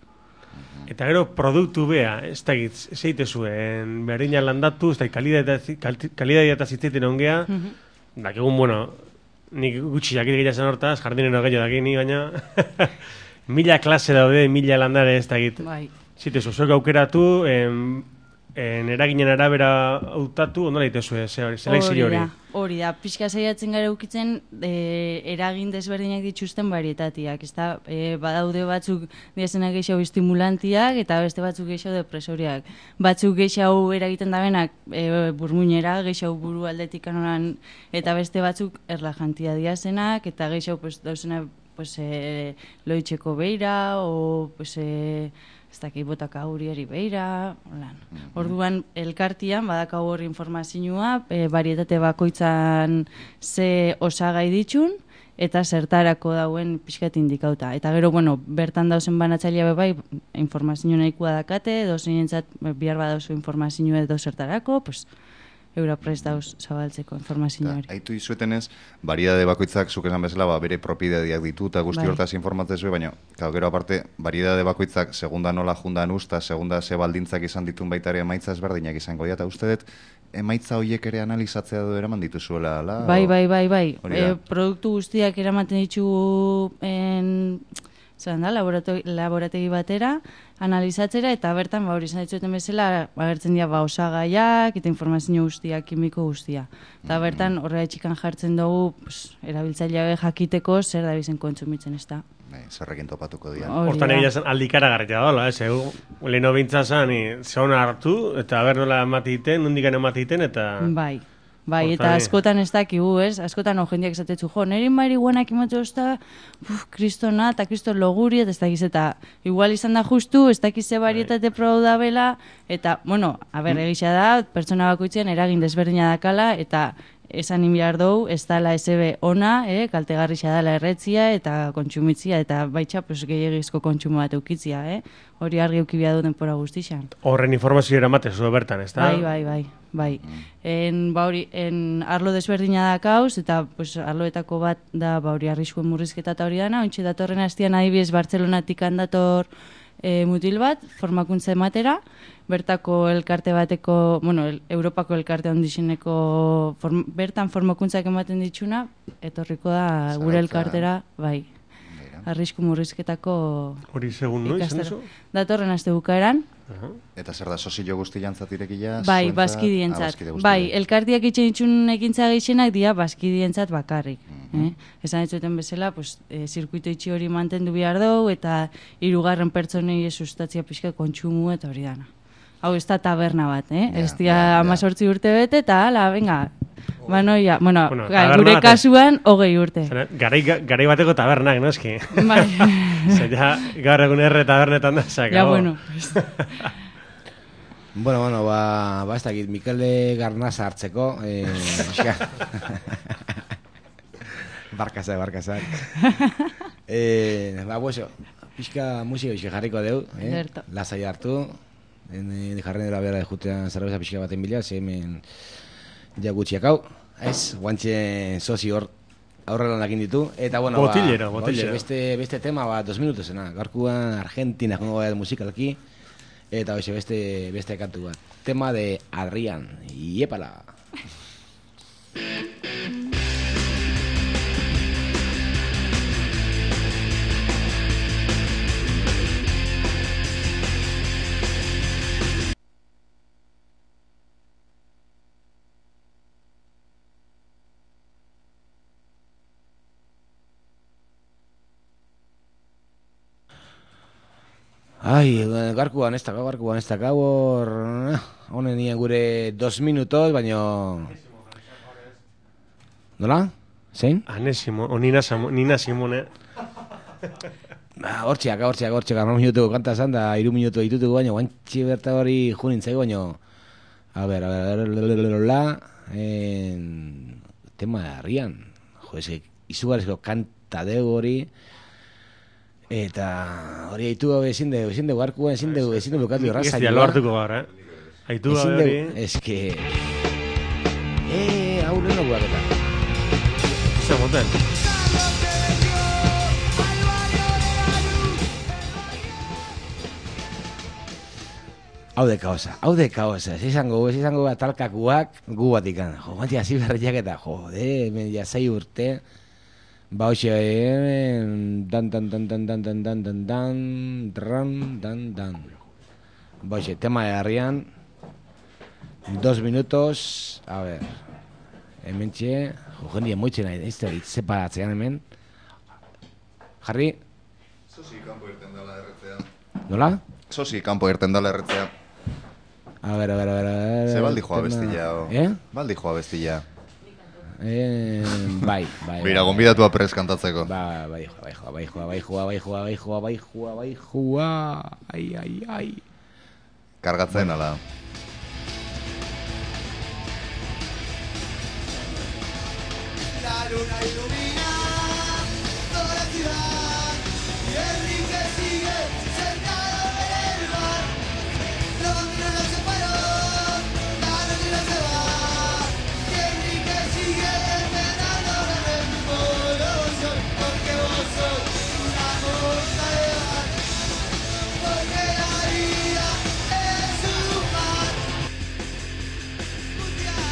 Eta gero produktu bea, ez da egitz, zeite zuen, berdina landatu, ez da kalidadia eta zitzeiten ongea, mm -hmm. dakegun, bueno, nik gutxi jakit gira zen hortaz, jardinero gehiago dakini, baina mila klase daude, mila landare ez dakit. Bai. Zite, zuzuek aukeratu, en, en eraginen arabera hautatu, ondo lehitezu, zela izile hori. Hori da, pixka saiatzen gara ukitzen e, eragin desberdinak dituzten varietatiak, ez da, e, badaude batzuk diazenak gehiago estimulantiak eta beste batzuk gehiago depresoriak. Batzuk gehiago eragiten dabenak e, burmuinera, gehiago buru aldetik kanoran, eta beste batzuk erlajantia diazenak, eta gehiago pues, dauzena pues, e, loitzeko beira, o pues, e, ez dakit botaka huriari beira, holan. Orduan, elkartian, badakau hori informazioa, e, varietate bakoitzan ze osagai ditun, eta zertarako dauen pixkat indikauta. Eta gero, bueno, bertan dauzen banatzailea bai, informazio nahikoa dakate, dozenentzat bihar badauzu informazioa edo zertarako, pues, eura prest dauz zabaltzeko informazio hori. Aitu izuetenez, variedade bakoitzak, zuk esan bezala, ba, bere propiedadiak ditu, eta guzti Bai. hortaz informatzezue, baina, claro, gero aparte, variedade bakoitzak, segunda nola jundan usta, segunda ze baldintzak izan ditun baita ere emaitza ezberdinak izango dira, eta uste dut, emaitza horiek ere analizatzea du eraman dituzuela, ala? Bai, bai, bai, bai. Hori da. E, produktu guztiak eramaten ditugu en, zelan da, laborategi, laborategi batera, analizatzera, eta bertan, ba, hori izan ditzueten bezala, agertzen dira, ba, osagaiak, eta informazio guztia, kimiko guztia. Eta bertan, horrela txikan jartzen dugu, pues, erabiltzaileak jakiteko zer da bizen kontsumitzen, ez da. Bai, zerrekin topatuko dira. Hortan egia zen aldikara garritea dola, ez, egu, leheno bintzazan, zeona hartu, eta ber nola ematiten, nondikan ematiten, eta... Bai. Bai, Hortan, eta askotan ez dakigu, ez? Askotan no jendeak esatetzu, jo, neri marihuanak imatu ozta, uf, kristona, eta kriston loguri, eta ez dakiz, eta igual izan da justu, ez dakiz ze varietate probau da bela, eta, bueno, a ber, egisa da, pertsona bakoitzen eragin desberdina dakala, eta esan inbiar dugu, ez dala S B ona, eh, kaltegarrixa dala erretzia, eta kontsumitzia, eta baitxa, pues, gehiagizko kontsumo bat eukitzia, eh? Hori argi eukibia du denpora guztixan. Horren informazio eramate zu bertan, ez da? Bai, bai, bai. Bai, en, ba hori, en arlo desberdina da kauz, eta pues, arloetako bat da ba hori arriskuen murrizketa eta hori dana, ontsi datorren hastian adibidez Bartzelonatik handator e, mutil bat, formakuntza ematera, bertako elkarte bateko, bueno, el, Europako elkarte ondizeneko, form, bertan formakuntzak ematen ditxuna, etorriko da gure elkartera, bai, arrisku murrizketako hori segun noiz, ikastaro. Datorren aste bukaeran. Eta zer da, sozio guzti jantzat irekia? Bai, bazkidientzat. Bai, elkartiak itxen itxun ekintza gehienak dira bazkidientzat bakarrik. Mm-hmm. eh? Esan etzuten bezala, pues, e, zirkuito itxi hori mantendu behar dugu, eta hirugarren pertsonei sustatzia pixka kontsumu eta hori dana. Hau ez da taberna bat, eh? Ja, ez dira ja, ja. amazortzi urte bete, eta hala, venga, banoia, bueno, Bueno, ga, taberna gure bate- kasuan, hogei urte. Zena, Garai, garai bateko tabernak, no eski? Bai. Zena, gaur egun erre tabernetan da, zaka. Ja, bueno, pues. Bueno, bueno, ba, ba ez dakit, Mikele Garnaza hartzeko, eh, pixka. Barkazak, barkazak. eh, ba, bueso, pixka musika pixka jarriko deu, eh? Ederto. Lasai hartu, en, en jarren dela behar jutean zerbeza pixka baten bila, ze hemen ja gutxiak hau, ez, guantxe sozi hor aurrela lakin ditu, eta bueno, Botillero, ba, botillero. hoxe, beste, beste tema, ba, dos minutosena, gaurkuan Argentina jongo gara musikalki, eta hoxe, beste, beste kantu bat, tema de Adrián, iepala. Ai, garkuan ez dakau, garkuan ez dakau, hor, honen nien gure dos minutos, baino... Nola? Zein? Ane Simon, o Nina, Samo, Nina Simone. Ba, hortxeak, hortxeak, hortxeak, arno minutuko kanta zan, da, iru minutu ditutuko, baino, guantxi berta hori junintzai, baino... A ber, a ber, la, en... tema de Arrian. Jo, ez, izugarrizko kanta dego hori... Eta hori haitu gabe ezin dugu, ezin dugu arkua, ezin dugu, ezin dugu bukatu erraza. Ez dialo hartuko gaur, eh? Haitu gabe hori... Ez que... Eh, hau lehen dugu eta. Zer moten? Hau de kaosa, hau de kaosa. Ez izango, ez izango atalkakuak gu batikan. Jo, guanti hasi berriak eta, jode, hemen ja sei urte... Ba, hoxe, eh, dan, dan, dan, dan, dan, dan, dan, dan, dan, dan, dan, dan. Ba, hoxe, tema de herrian, dos minutos, a ver, hemen txe, jo, jendia moitzen nahi, ez da, separatzean hemen. Jarri? Sosi, kanpo irten dela erretzea. Nola? Sosi, kanpo irten dela erretzea. A ver, a ver, a ver, a ver... Ze baldi joa bestilla, o? Eh? Baldi joa bestilla. Eh, bai, bai. Bira, gonbidatua prez kantatzeko. Ba, bai, joa, bai, joa, bai, joa, bai, joa, bai, joa, bai, joa, bai, joa, bai, joa, ai, ai, ai. Kargatzen, ala. La luna ilumina toda la ciudad y Enrique sigue sentado en el bar. Londres no se paró, la noche no se va y Enrique sigue desvelando el revolución. Porque vos sos una cosa de bar, porque la vida es un mar puteado.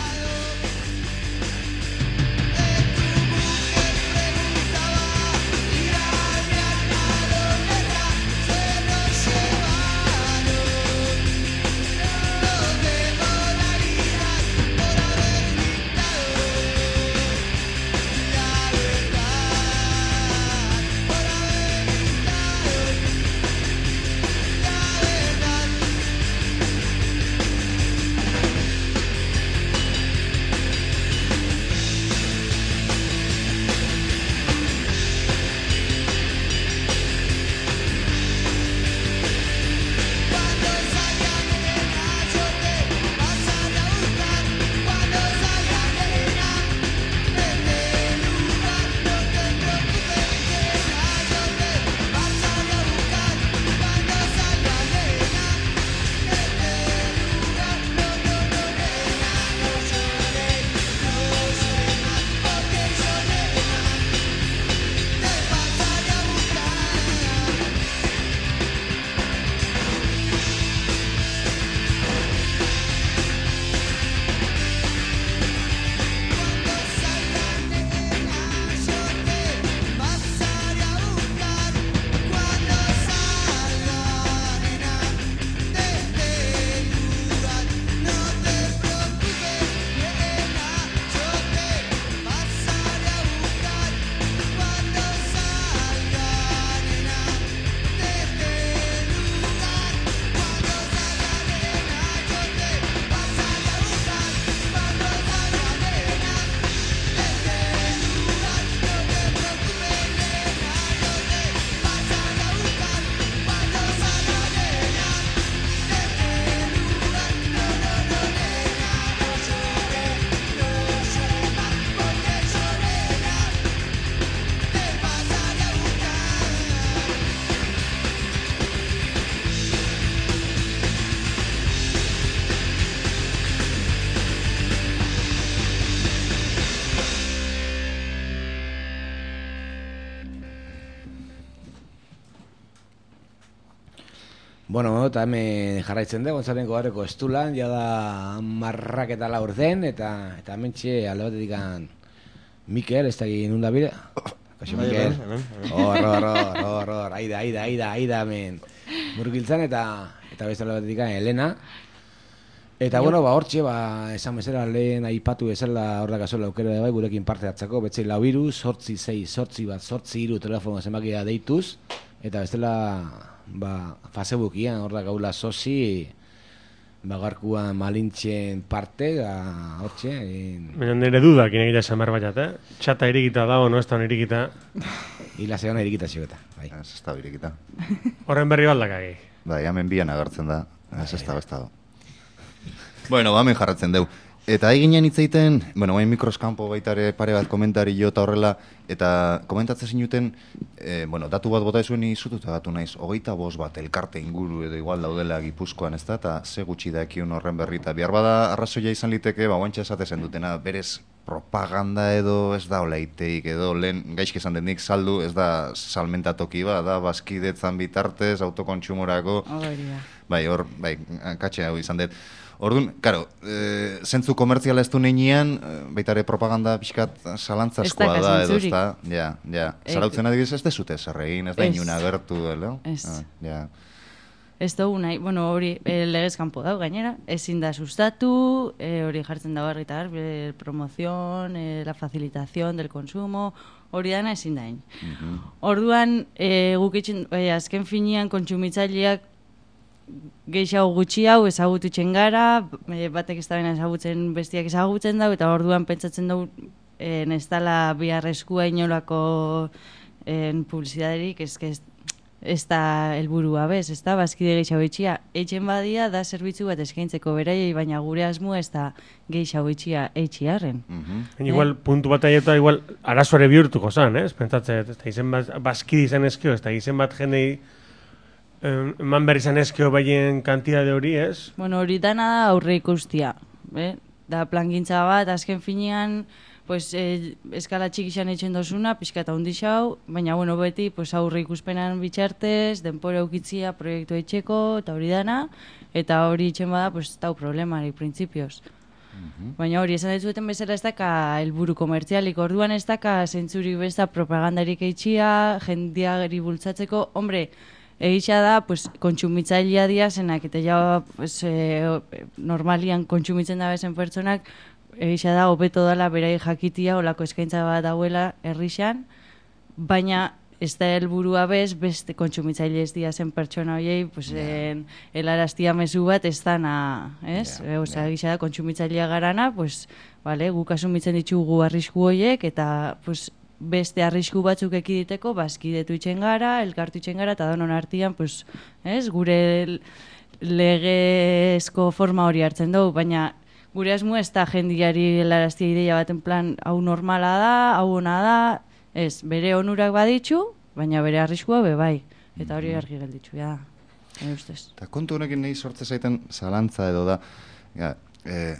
Bueno, eta hemen jarraitzen dugu, Gontzaren Gogarreko estulan, ja da marrak eta laur den, eta eta hementxe alde batetik Mikel, ez da egin nunda bide. Kaixo, Mikel. Hor, hor, hor, hor, hor, aida, aida, aida, aida, hemen. Murgiltzan eta eta beste alde batetik Elena. Eta, bueno, ba, hortxe, ba, esan bezala lehen aipatu bezala hor dakazola aukera bai, gurekin parte hartzako, betzei lau iru, sortzi zei, sortzi bat, sortzi iru telefono zenbakia deituz, eta bestela, ba, Facebookian hor da gaula sozi, ba, garkuan malintxen parte, da, hortxe. Baina nire dudak inegira esan behar baiat, eh? Txata irikita dago, no ez da irikita. Hila zegoen irikita ziogeta, bai. Ez ez da irikita. Horren berri baldakagi. Bai, hemen bian agertzen da, ez ez da bestado. Bueno, ba, hemen jarratzen deu. Eta eginen hitzeiten, bueno, bain mikroskampo baitare pare bat komentari jo eta horrela, eta komentatzen zinuten, e, bueno, datu bat bota ezuen izututa datu naiz, hogeita bost bat elkarte inguru edo igual daudela Gipuzkoan, ez da, eta ze gutxi da ekiun horren berri, eta behar bada arrazoia izan liteke, ba, guantxa esatezen dutena, berez propaganda edo ez da oleiteik, edo lehen gaizki esan denik saldu, ez da salmentatoki ba, da bazkidetzan bitartez, autokontsumorako, bai, hor, bai, katxe hau izan dut. Orduan, karo, e, zentzu komertziala ez du neinean, baita ere propaganda pixkat salantzaskoa da, edo ez da, ja, ja. Zarautzen adibidez ez dezute zerregin, ez da inuna gertu, edo? Ez. Ah, ja. Ez dugu nahi, bueno, hori e, legez kanpo dago gainera, ezin da sustatu, e, hori jartzen dago argi eta garbi, e, promoción, e, la facilitación del consumo, hori dana ezin da hain. Mhm. Orduan, e, guk itxen, e, azken finean kontsumitzaileak gehiago gutxi hau ezagututzen gara, e, batek ez da bena ezagutzen bestiak ezagutzen dau, eta orduan pentsatzen dugu e, ez dala biharrezkoa inolako e, publizidaderik, ez que ez ez da helburua bez, ez da, bazkide gehiago itxia. Eitzen badia da zerbitzu bat eskaintzeko beraiei, baina gure asmoa ez da gehiago itxia eitxiarren. Mm-hmm. eh? Igual, puntu bat aieta, igual, arazoare bihurtuko zan, ez? Pentsatzen, ez da, izen bat, bazkide izan ezkio, ez da, izen bat jendei eman behar izan ezkio baien kantidade hori, ez? Bueno, hori dana da aurre ikustia, eh? Da plangintza bat, azken finean, pues, eh, eskala txikixan etxen dozuna, pixka eta hundi xau, baina, bueno, beti, pues, aurre ikuspenan bitxartez, denpora eukitzia proiektu etxeko, eta hori dana, eta hori etxen bada, pues, tau problemarik, printzipioz. Mm-hmm. Baina hori, esan ditueten bezala ez daka helburu komertzialik, orduan ez daka zentzurik besta propagandarik eitxia, jendiageri bultzatzeko, hombre, egitxa da, pues, kontsumitzailea diazenak, eta ja, pues, eh, normalian kontsumitzen da bezen pertsonak, egitxa da, hobeto dela berai jakitia, olako eskaintza bat dauela herrixan, baina ez da helburua bez, beste kontsumitzaile ez dia zen pertsona horiei, pues, yeah. en, helaraztia mezu bat ez dana, ez? Yeah, Osa, yeah. Egitxa da, kontsumitzailea garana, pues, vale, guk asumitzen ditugu arrisku horiek, eta, pues, beste arrisku batzuk ekiditeko, bazkidetu itxen gara, elkartu itxen gara, eta donon artian, pues, ez? Gure legezko forma hori hartzen dugu, baina gure asmo ez da jendiari helaraztia ideia baten plan, hau normala da, hau ona da, ez, bere onurak baditzu, baina bere arriskua be bai, eta hori argi gelditzu, ja, ja ustez. Eta kontu honekin nahi sortze zaiten zalantza edo da, ja, e,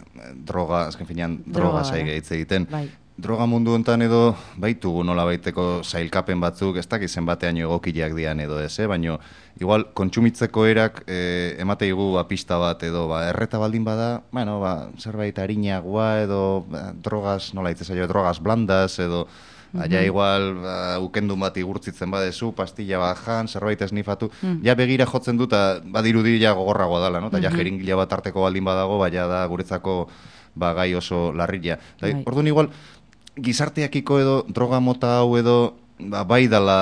droga, azken finean, droga, droga zaige hitz egiten. Bai. Droga mundu hontan edo baitugu nola baiteko sailkapen batzuk, ez dakizen batean egokileak dian edo ez, eh? Baina igual kontsumitzeko erak e, emateigu ba, pista bat edo ba, erreta baldin bada, bueno, ba, zerbait harinagoa edo ba, drogas, nola hitz zaio, drogas blandas edo mm-hmm. Aia igual ba, ukendun bat igurtzitzen badezu, pastilla bat jan, zerbait esnifatu, mm. ja begira jotzen dut, badirudi ja gogorragoa dala, no? Ta ja mm-hmm. jeringila bat arteko baldin badago, baina da guretzako ba, gai oso larria. Right. Orduan igual, gizarteakiko edo droga mota hau edo ba, bai dala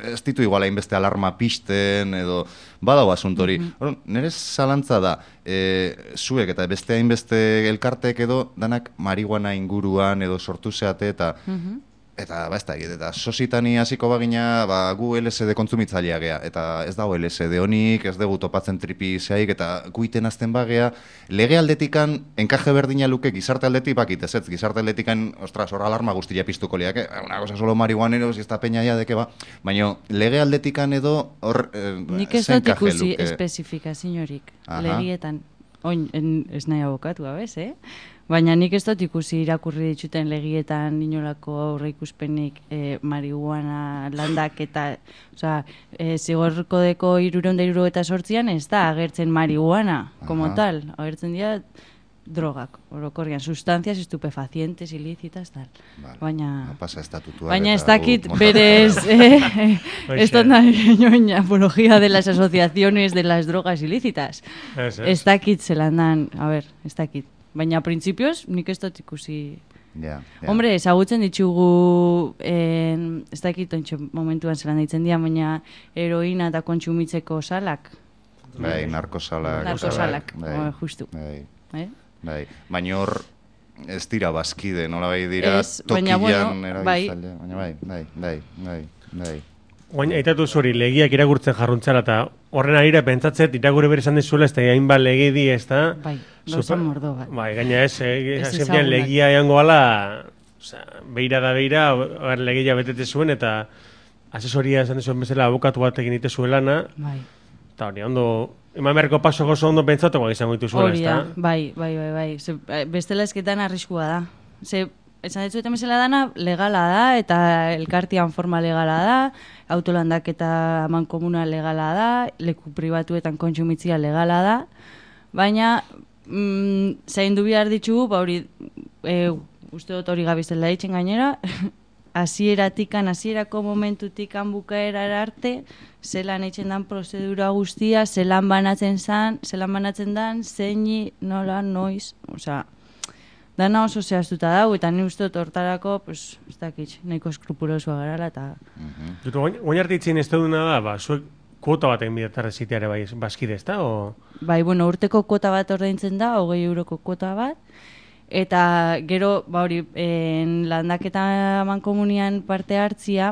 ez ditu igual hainbeste alarma pisten edo badau asuntori. Mm-hmm. Nire zalantza da, e, zuek eta beste hainbeste elkartek edo danak marihuana inguruan edo sortu zeate eta mm-hmm. eta ba ez da, eta sositani hasiko bagina ba, gu L S D kontsumitzailea gea, eta ez dago L S D honik, ez dugu topatzen tripi zehaik, eta guiten azten bagea, lege aldetikan enkaje berdina luke gizarte aldetik bakit, ez ez, gizarte aldetikan, ostras, hor alarma guztia piztuko liak, eh? Una cosa solo marihuaneros, ez da peña ya deke ba, baina lege aldetikan edo hor eh, nik ez dut ikusi espesifikaziorik, legietan, oin, en, ez nahi abokatua, bez, eh? Baina nik ez dut ikusi irakurri dituten legietan inolako aurre ikuspenik e, marihuana landak eta, oza, e, zigorko deko iruronda iruro eta sortzian ez da agertzen marihuana, como Aha. tal, agertzen dira drogak, orokorrian, sustancias estupefacientes, ilícitas, tal. Vale. Baina, no pasa estatutuak. Baina ez dakit berez, eh, ez dut nahi apología de las asociaciones de las drogas ilícitas. Ez dakit zelan dan, a ver, ez dakit. Baina, printzipioz, nik ez dut ikusi... Yeah, yeah. Hombre, ezagutzen ditugu, eh, ez dakit ontsa momentuan zelan ditzen dira, baina heroina eta kontsumitzeko salak. Bai, narkosalak. Narkosalak, bai, justu. Bai, eh? bai. Baina hor, ez dira bazkide, nola bai dira es, tokian bueno, erabiltzaile. Baina bai, bai, bai, bai, bai. Baina, aitatu zuri, legiak irakurtzen jarruntzara, eta horren arira pentsatzet, irakurri bere esan dizuela, ez da hainbat legi di, ez da... Bai, gauza mordo bat. Bai, gaina ez, azkenean legia eango ala, beira da beira, legia betete zuen, eta asesoria esan dizuen bezala abokatu bat egin ite zuelana, bai. Eta hori, ondo, eman beharko paso gozo ondo pentsatu, bai, izango ditu zuela, ez da? Bai, bai, bai, bai, Ze, bestela esketan arriskua da. Ze, esan ditzuetan bezala dana, legala da, eta elkartian forma legala da, autolandak eta mankomuna legala da, leku pribatuetan kontsumitzia legala da, baina mm, zaindu behar ditugu, ba hori, e, uste dut hori gabizela ditzen gainera, hasieratikan, hasierako momentutikan bukaerara arte, zelan eitzen dan prozedura guztia, zelan banatzen zan, zelan banatzen dan, zeini, nola, noiz, osea, dana oso zehaztuta dago, eta ni uste dut hortarako, pues, ez dakit, nahiko eskrupulosua garala, eta... Dut, oin arte itzien ez duduna da, ba, zuek kuota baten bidetarra ziteare bai, bazkide ez da, o... Bai, bueno, urteko kuota bat ordaintzen da, hogei euroko kuota bat, eta gero, ba hori, en landaketa mankomunian parte hartzia,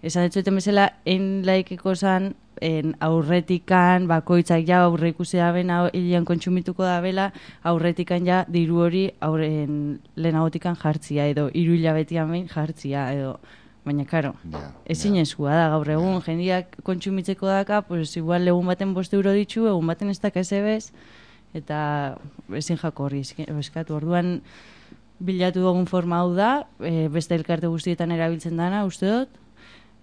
esan detzueten bezala, en laikeko zan, en aurretikan, bakoitzak ja aurre ikusi da ben, hilian kontsumituko da bela, aurretikan ja diru hori aurren lehenagotikan jartzia, edo hiru hilabetian behin jartzia, edo... Baina, karo, yeah, ezin yeah. Ezua da, gaur egun, yeah. Jendiak kontsumitzeko daka, pues igual egun baten boste euro ditzu, egun baten ez daka ezebez, eta ezin jako horri eskatu. Orduan, bilatu dugun forma hau da, e, beste elkarte guztietan erabiltzen dana, uste dut,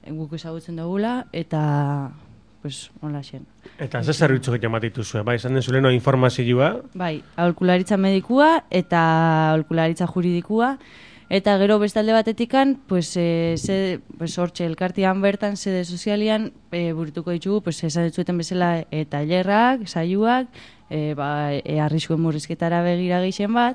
guk ezagutzen dugula, eta, pues, hola xen. Eta ze zerbitzu egiten bat dituzue, bai, esan den zuleno informazioa? Bai, aholkularitza medikua eta aholkularitza juridikua, eta gero bestalde batetikan, pues, e, ze, pues, hortxe elkartian bertan, sede sozialian, e, burutuko ditugu, pues, esan ditzueten bezala, e, tailerrak, saioak, e, ba, e, arriskuen murrizketara begira geixen bat,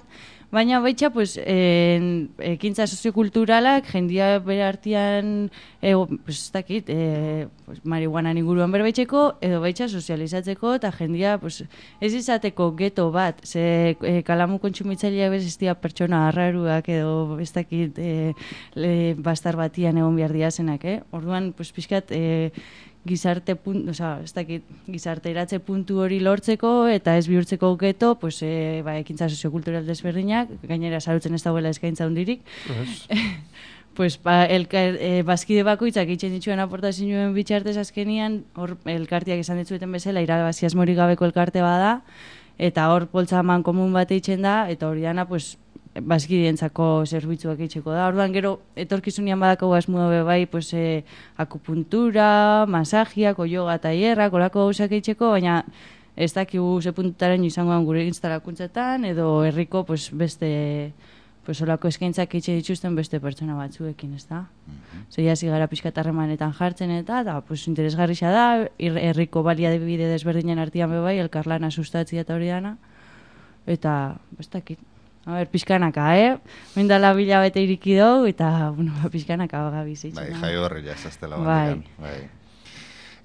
baina baitxa, pues, e, ekintza soziokulturalak, jendia bere artean, e, pues, ez dakit, e, pues, marihuanan inguruan berbaitxeko, edo baitxa sozializatzeko, eta jendia, pues, ez izateko geto bat, ze e, kalamu kontsumitzailea bez ez dira pertsona arraruak, edo ez dakit, e, le, bastar batian egon behar diazenak, eh? Orduan, pues, pixkat, e, gizarte puntu, o sea, ez dakit, gizarte eratze puntu hori lortzeko eta ez bihurtzeko geto, pues, e, ba, ekintza soziokultural desberdinak, gainera sarutzen ez dagoela eskaintza hundirik. Pues, ba, elkar, e, bazkide bakoitzak itxen dituen aportazioen bitxartez azkenian, hor elkartiak esan ditzueten bezala, irabazi asmorik gabeko elkarte bada, eta hor poltsa man komun bat eitzen da, eta hori dana, pues, bazkidientzako zerbitzuak eitzeko da. Orduan gero etorkizunian badako asmoa be bai, pues, e, akupuntura, masajiak, yoga tailerrak, olako gauzak eitzeko, baina ez dakigu ze puntutaren izangoan gure instalakuntzetan, edo herriko, pues, beste, pues, olako eskaintzak eitxe dituzten beste pertsona batzuekin, ez da? Mm-hmm. Zeia zigara pixkatarremanetan jartzen eta, eta, pues, interesgarrixa da, herriko baliabide desberdinen artean be bai, elkarlana sustatzia eta hori dana, eta, ez dakit. A ber, pixkanaka, eh? Mindala bila bete iriki dugu, eta, bueno, pixkanaka bagabiz eitzen. Bai, jai horri jazaztela bandikan. Bai.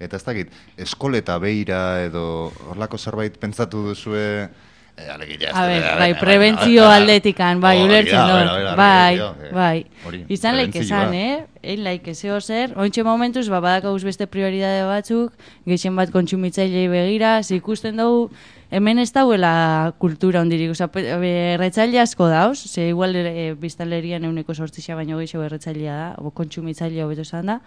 Eta ez dakit, eskoleta beira edo horlako zerbait pentsatu duzue... Eh, alegia, a ber, bai, prebentzio aldetikan, bai, ulertzen dut. Bai, bai. Izan laik esan, eh? Ein laik ezeo zer. Ointxe momentuz, ba, badakauz beste prioridade batzuk, geixen bat kontsumitzailei begira, ikusten dugu, hemen ez dauela kultura ondirik, oza, erretzaile asko dauz, ze igual e, biztanlerian euneko sortzixa baino gehiago erretzailea da, o kontsumitzailea hobeto esan da,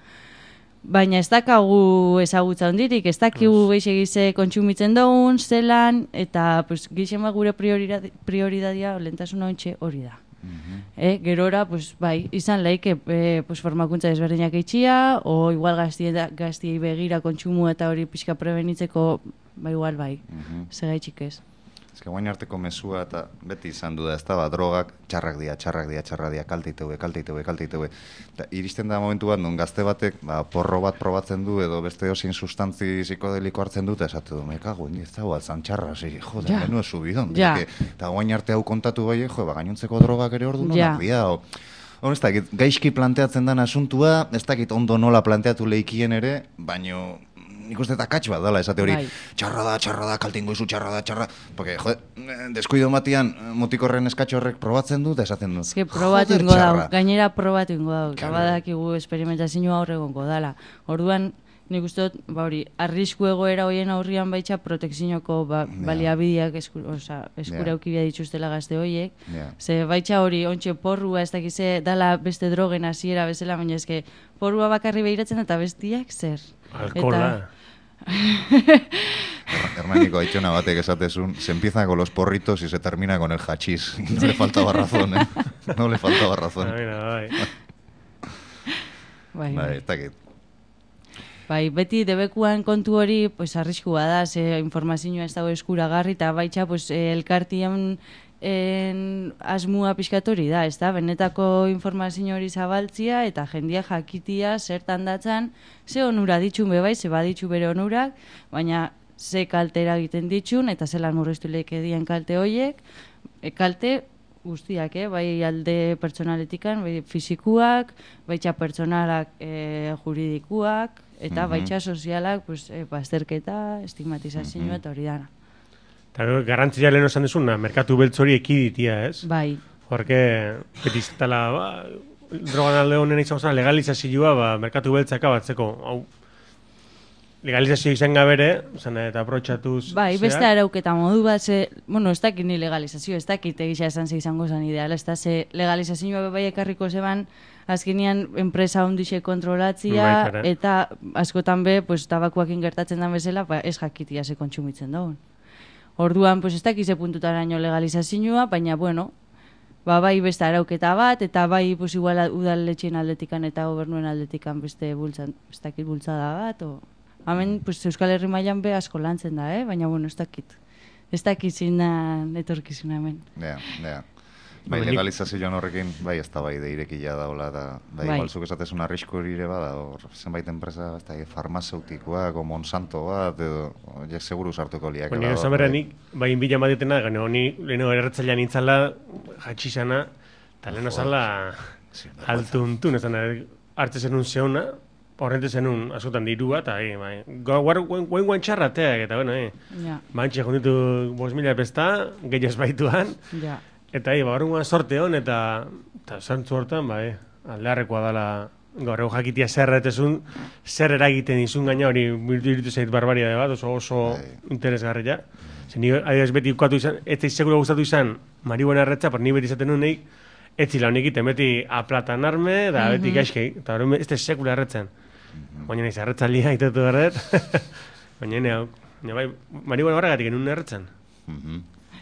baina ez dakagu ezagutza ondirik, ez dakigu gehiagize kontsumitzen dugun, zelan, eta pues, geixen bat gure prioridadia, lentasuna ontxe hori da. Mm-hmm. Eh, gerora, pues, bai, izan laik, eh, pues, formakuntza desberdinak eitxia, o igual gaztiei begira kontsumu eta hori pixka prebenitzeko, bai, igual, bai, mm-hmm. Segaitxik ez. Ez que guain arteko mesua eta beti izan du da, ez da, ba, drogak txarrak dia, txarrak dia, txarrak dia, kalteiteue, kalteiteue, kalteiteue. Eta iristen da momentu bat, non gazte batek, ba, porro bat probatzen du, edo beste osin sustantzi psikodeliko hartzen du, eta esatu du, mekago, ez da, altzan txarra, zi, jode, ja. Menua subidon. Ja. Eta guain arte hau kontatu bai, jo, ba, gainontzeko drogak ere ordu nonak ja. Dia, o... Hor, ez dakit, gaizki planteatzen den asuntua, ez dakit ondo nola planteatu leikien ere, baino... Nik uste eta katx bat dala, esate hori, bai. Txarra da, txarra da, kaltingo izu, txarra da, txarra... Porque, jode, deskuido batian, motikorren eskatxo horrek probatzen du, eta esaten du. Ez que probatu ingo dau, gainera probatu ingo dau. Gabadakigu esperimentazioa horregongo dala. Orduan, nik uste dut, ba hori, arrisku egoera hoien aurrian baitxa protekzinoko ba, yeah. baliabideak esku, oza, eskura yeah. Eukibia dituztela gazte horiek. Yeah. Ze baitxa hori, ontxe porrua, ez dakize, dala beste drogen hasiera bezala, baina eske porrua bakarri behiratzen eta bestiak zer. Alkola. Eta... Hernaniko Aitzona batek esatezun, se empieza con los porritos y se termina con el hachís. No le faltaba razón, eh? No le faltaba razón. Bai, bai. Bai, ez dakit. Bai, beti debekuan kontu hori, pues, arriskua da, ze informazioa ez dago eskuragarri, eta baitxa, pues, elkartien en, asmua pixkatori da, ez da, benetako informazio hori zabaltzia, eta jendia jakitia zertan datzan, ze onura ditxun bebai, ze baditxu bere onurak, baina ze kaltera egiten ditxun, eta zelan murriztu leke dien kalte hoiek, e, kalte guztiak, eh? Bai alde pertsonaletikan, bai fizikuak, baitxa pertsonalak e, juridikuak, eta Mhm. baitxa sozialak, pues, e, bazterketa, estigmatizazioa eta hori dana. Eta garrantzia lehen esan dezuna, merkatu beltz hori ekiditia, ez? Bai. Horke, betiztala, ba, drogan alde honen izan zen legalizazioa, ba, merkatu beltzaka batzeko, hau, legalizazio izan gabere, zan eta aprotxatuz... Bai, beste arauketa modu bat, ze, bueno, ez dakit ni legalizazio, ez dakit egisa esan ze izango zen ideal, ez da, ze legalizazioa bai ekarriko zeban, azkenean enpresa ondixe kontrolatzia, Bai, kara. eta askotan be, pues, tabakuakin gertatzen den bezala, ba, ez jakitia ze kontsumitzen dagoen. Orduan, pues, ez dakit ze puntutaraino legalizazioa, baina, bueno, ba, bai beste arauketa bat, eta bai, pues, igual udaletxeen aldetikan eta gobernuen aldetikan beste bultzan, ez dakit bultzada bat, o... Hemen, pues, Euskal Herri mailan be asko lantzen da, eh? Baina, bueno, ez dakit. Ez dakit zindan etorkizuna hemen. Ja, ja. Bai, Nik- legalizazioan horrekin, bai, ez da bai, de irekila daula, da, bai, Bai. igual zuk esatezun arrisku ere bada, hor, zenbait enpresa, ez da, farmazeutikoak, o Monsanto bat, edo, ja, seguru sartuko liak. Bueno, esan berra nik, bai inbila madetena, gano, ni leheno erretzailean nintzala, jatxizana, eta leheno zala altuntun, ez da, hartze zenun zeona, horrente zenun askotan dirua, eta, eh, bai, guen guen txarrateak, eta, bueno, eh, Ja, bantxe jonditu bos mila pesta, gehi baituan, ja. eta, eh, barungan sorte hon, eta, eta zantzu hortan, bai, aldearrekoa dala, gaur egun jakitia zer etezun, zer eragiten izun gaina hori iritu zait barbaria bat, oso oso interesgarria. Zer ni adibidez beti ukatu izan, ez zaiz seguro gustatu izan, marihuana erretza, por ni beti izaten nun neik, ez zila honik egiten, beti aplatan arme, da beti Mhm. gaizkei, eta hori ez ez sekula erretzen. Baina nahiz erretzalia itetu erret, baina nire hau, baina bai, marihuana horregatik enun erretzen.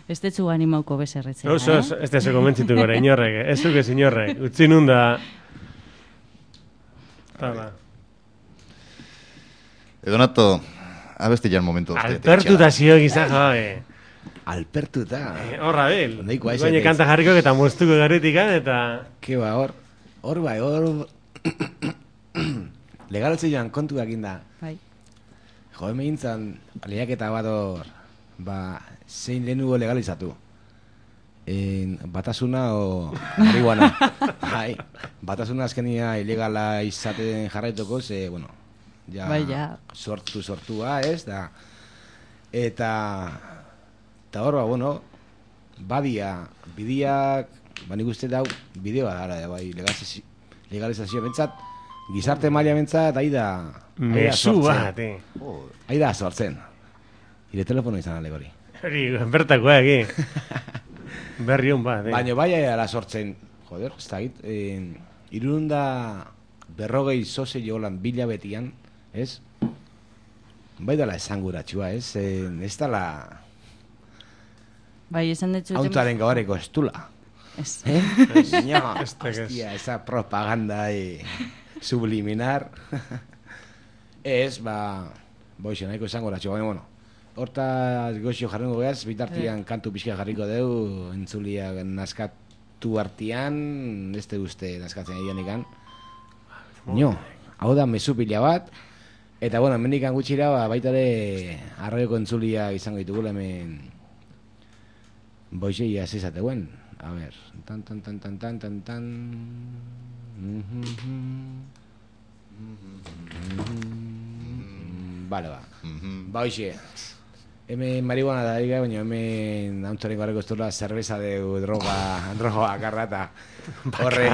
Ez detzu animauko bezerretzea, Oso, eh? ez, ez da zeko mentzitu gara, inorrek, ez zuke inorrek, utzi nun da... Hala. Edonato, abesti jan momentu. Alpertuta zio gizan, jabe. Alpertuta. Eh, Horra bil. Nahikoa ez, Baina ez. kanta jarriko eta moztuko garetikan eta... Ke ba, hor, hor bai, hor... Legaltze joan kontu egin da. Bai. Jo, hemen gintzen, lehiaketa bat hor, ba, zein lehenugo legalizatu. En, batasuna o marihuana. Bai, batasuna azkenia ilegala izaten jarraituko, ze, bueno, ja, Bai, ja. sortu sortua, ez, da, eta, eta hor, ba, bueno, badia, bidiak, ba, nik uste dau, bideo gara, bai, legalizazio, legalizazio bentsat, gizarte maila bentsat, ahi da, ahi da Mesu sortzen. bat, eh. Ahi da sortzen. Ire telefono izan ale hori. Hori, bertakoa egi. Berri hon bat, eh. Baina bai ala sortzen, joder, ez da git, eh, irunda berrogei zoze jolan bila betian, ez? Bai dala esanguratxua, ez? Eh, ez dala Bai, esan dut zuten... hauntaren gabareko estula. Ez. Eh? No, Ez da, ez. hostia, esa propaganda eh, subliminar. Ez, ba, boixe, nahiko esanguratxua, baina, bueno, hortaz goxio jarrengo behaz, bitartian kantu pixka jarriko deu, entzulia naskatu artian, ez te uste naskatzen egin ikan. Nio, hau da mezu pila bat, eta bueno, hemendikan gutxira, ba, baita ere arroioko entzulia izango ditugula hemen boixe ia zezateuen. A ver, tan tan tan tan tan tan tan. Vale, ba. Ba, hoxe. Hemen marihuana da diga, baina hemen hauntzaren garreko estola cerveza de droga, droga akarra eta horre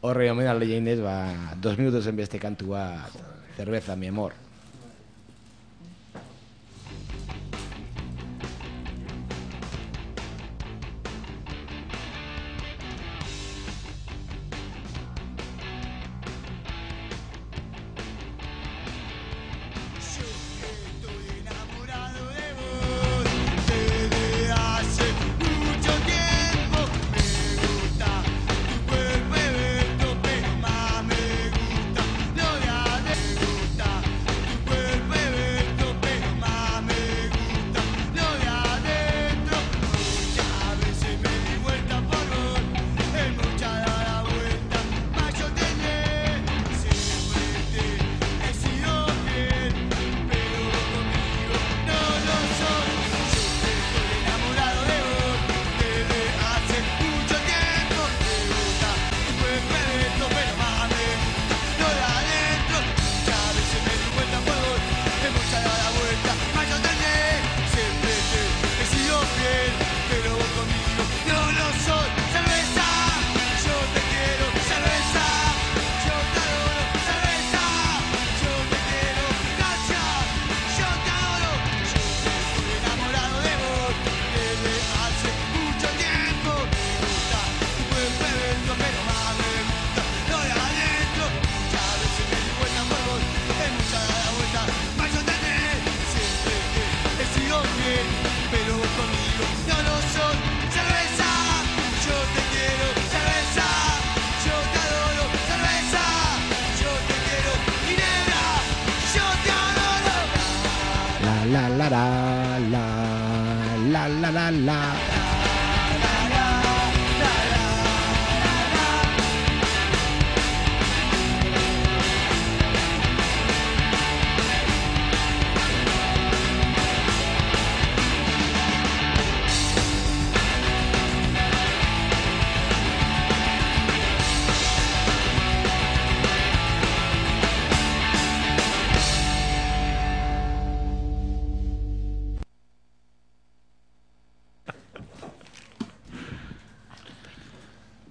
horre omen alde jainez, ba, dos minutos en beste kantu bat, cerveza, mi amor. Más me gusta lo de la, la, la, la, la.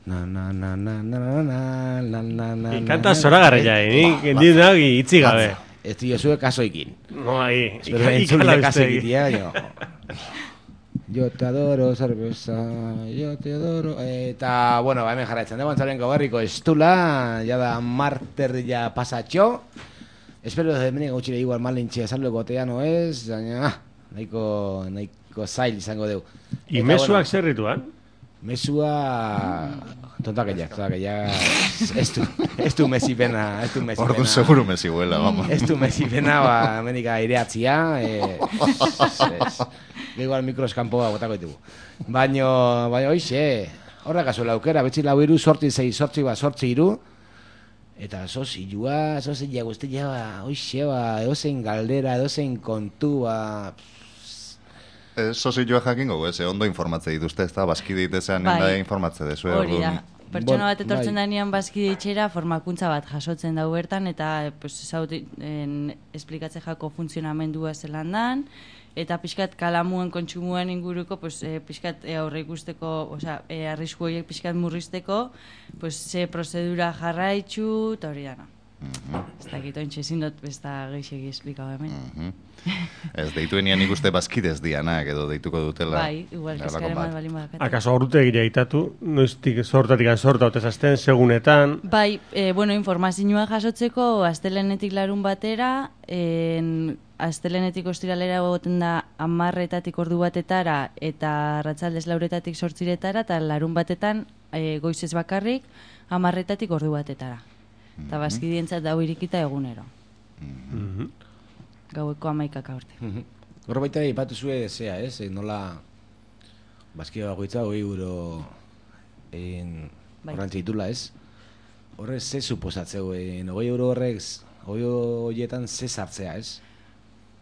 Na na na na na na na na na. Kanta zoragarria, nik endina itzi gabe. Ez dio zue kasoikin. No, ahí. Espero entzule kasoikitia, jo. Yo te adoro, cerveza, yo te adoro. Eta, bueno, ba, hemen jarraitzen dugu antzaren goberriko estula, ya da marter ya pasatxo. Espero de hemen gautxire igual malintxe esaldo gotea, no ez, baina, nahiko, nahiko zail izango dugu. I mesuak zer rituan? Mesua tontakella, tontakella ez du, ez du mesipena, ez du mesipena. Ordu seguru mesihuela, vamos. Ez du mesipena, ba, menika aireatzia, eh, ez, igual mikroskampoa botako ditugu. Baino, baina hoixe, horrek azuela aukera, betzi lau iru, sortzi zei, sortzi ba, sortzi iru, eta sozilua, sozila guztia, ba, hoixe, ba, edozein galdera, edozein kontu, ba, Sozilua jakingo, ez, ondo informatze dituzte, ez da, baskide ditezean Bai. nenda informatze dezu. Hori da. Pertsona bat etortzen bai. danean bazkide itxera, formakuntza bat jasotzen dau bertan, eta pues, zaut, en, esplikatze jako funtzionamendua zelan dan, eta pixkat kalamuen kontsumuan inguruko, pues, e, pixkat e, aurre ikusteko, osea, e, arrisku horiek pixkat murrizteko, pues, ze prozedura jarraitzu, eta hori dana. Ez dakit, ointxe ezin dut besta geixegi esplikau hemen. Ez, deituenian ikuste bazkidez dianak edo deituko dutela. Bai, igual, kaskaren bat balin badakate. Akaso aurrute egitea itatu, noiztik sortatik sorta otezazten, segunetan. Bai, e, bueno, informazioa jasotzeko astelenetik larun batera, en, astelenetik ostiralera egoten da amarretatik ordu batetara eta arratsaldez lauretatik sortziretara, eta larun batetan e, goizez bakarrik amarretatik ordu batetara. Eta mm -hmm. bazkidientzat dau irikita egunero. Mm -hmm. Gaueko amaikak aurte. Horro baita ipatu zue zea, ez? E, nola bazkide bakoitza hogei euro horrantza ditula, ez? Horrez ze suposatzeu, hogei euro horrek, hogei horietan ze sartzea, ez?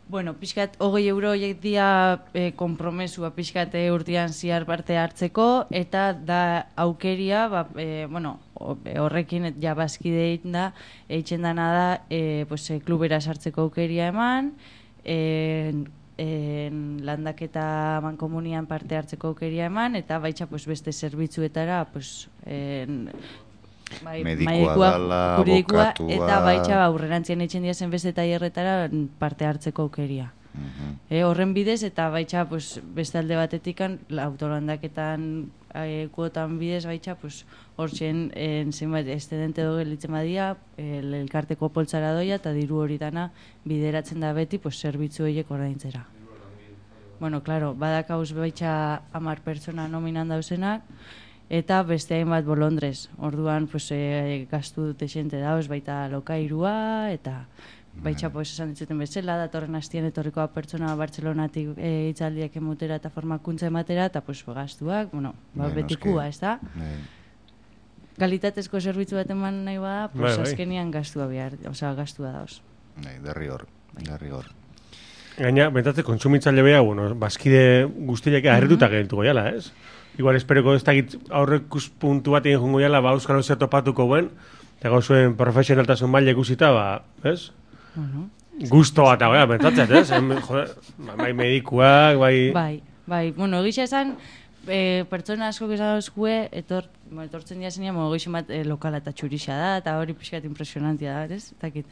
Bueno, pixkat, hogei euro horiek dia e, kompromesua pixkat e, urtean ziar parte hartzeko, eta da aukeria, ba, e, bueno, horrekin ja bazkide da, eitzen dana da, e, pues, e, klubera sartzeko aukeria eman, e, en, landaketa mankomunian parte hartzeko aukeria eman, eta baitza pues, beste zerbitzuetara, pues, en, bai, medikua dala, abokatua, eta baitza aurrerantzien eitzen diazen beste tailerretara parte hartzeko aukeria. Uh-huh. E, horren bidez, eta baitza pues, beste alde batetikan, autolandaketan e, kuotan bidez, baitza pues, hortzen zenbait estudente edo gelitzen badia, el, elkarteko poltsara doia, eta diru hori dana bideratzen da beti pues, zerbitzu horiek ordaintzera. Bueno, claro, badakauz baitza hamar pertsona nominan dauzenak, eta beste hainbat bolondrez. Orduan, pues, e, gastu dute xente dauz, baita lokairua, eta baitza, pues, esan ditzuten bezala, datorren hastien etorrikoa pertsona Bartzelonatik e, hitzaldiak emutera eta formakuntza ematera, eta pues, gastuak, bueno, ba, betikua, ez da? Kalitatezko zerbitzu bat eman nahi bada, pues, bai, bai. azkenian gastua behar, osea, gastua dauz. Nei, derri hor, derri hor. Gaina, bentatze, kontsumitzaile beha, bueno, bazkide guztiak aherrituta gehiatuko jala, ez? Igual espereko ez dakit aurrekus puntu bat egin jungo jala, ba, euskal hozea topatuko buen, eta gauzuen profesionaltasun maile ikusita, ba, ez? Uh-huh. Gusto bat, ja, bentatzet, ez? Em, joder, bai medikuak, bai... Bai, bai, bueno, egisa esan, e, pertsona asko esan dozkue, etor, bueno, etortzen dira zenean, bueno, egisa bat e, lokala eta txurixa da, eta hori pixkat impresionantia da, ez? Takit.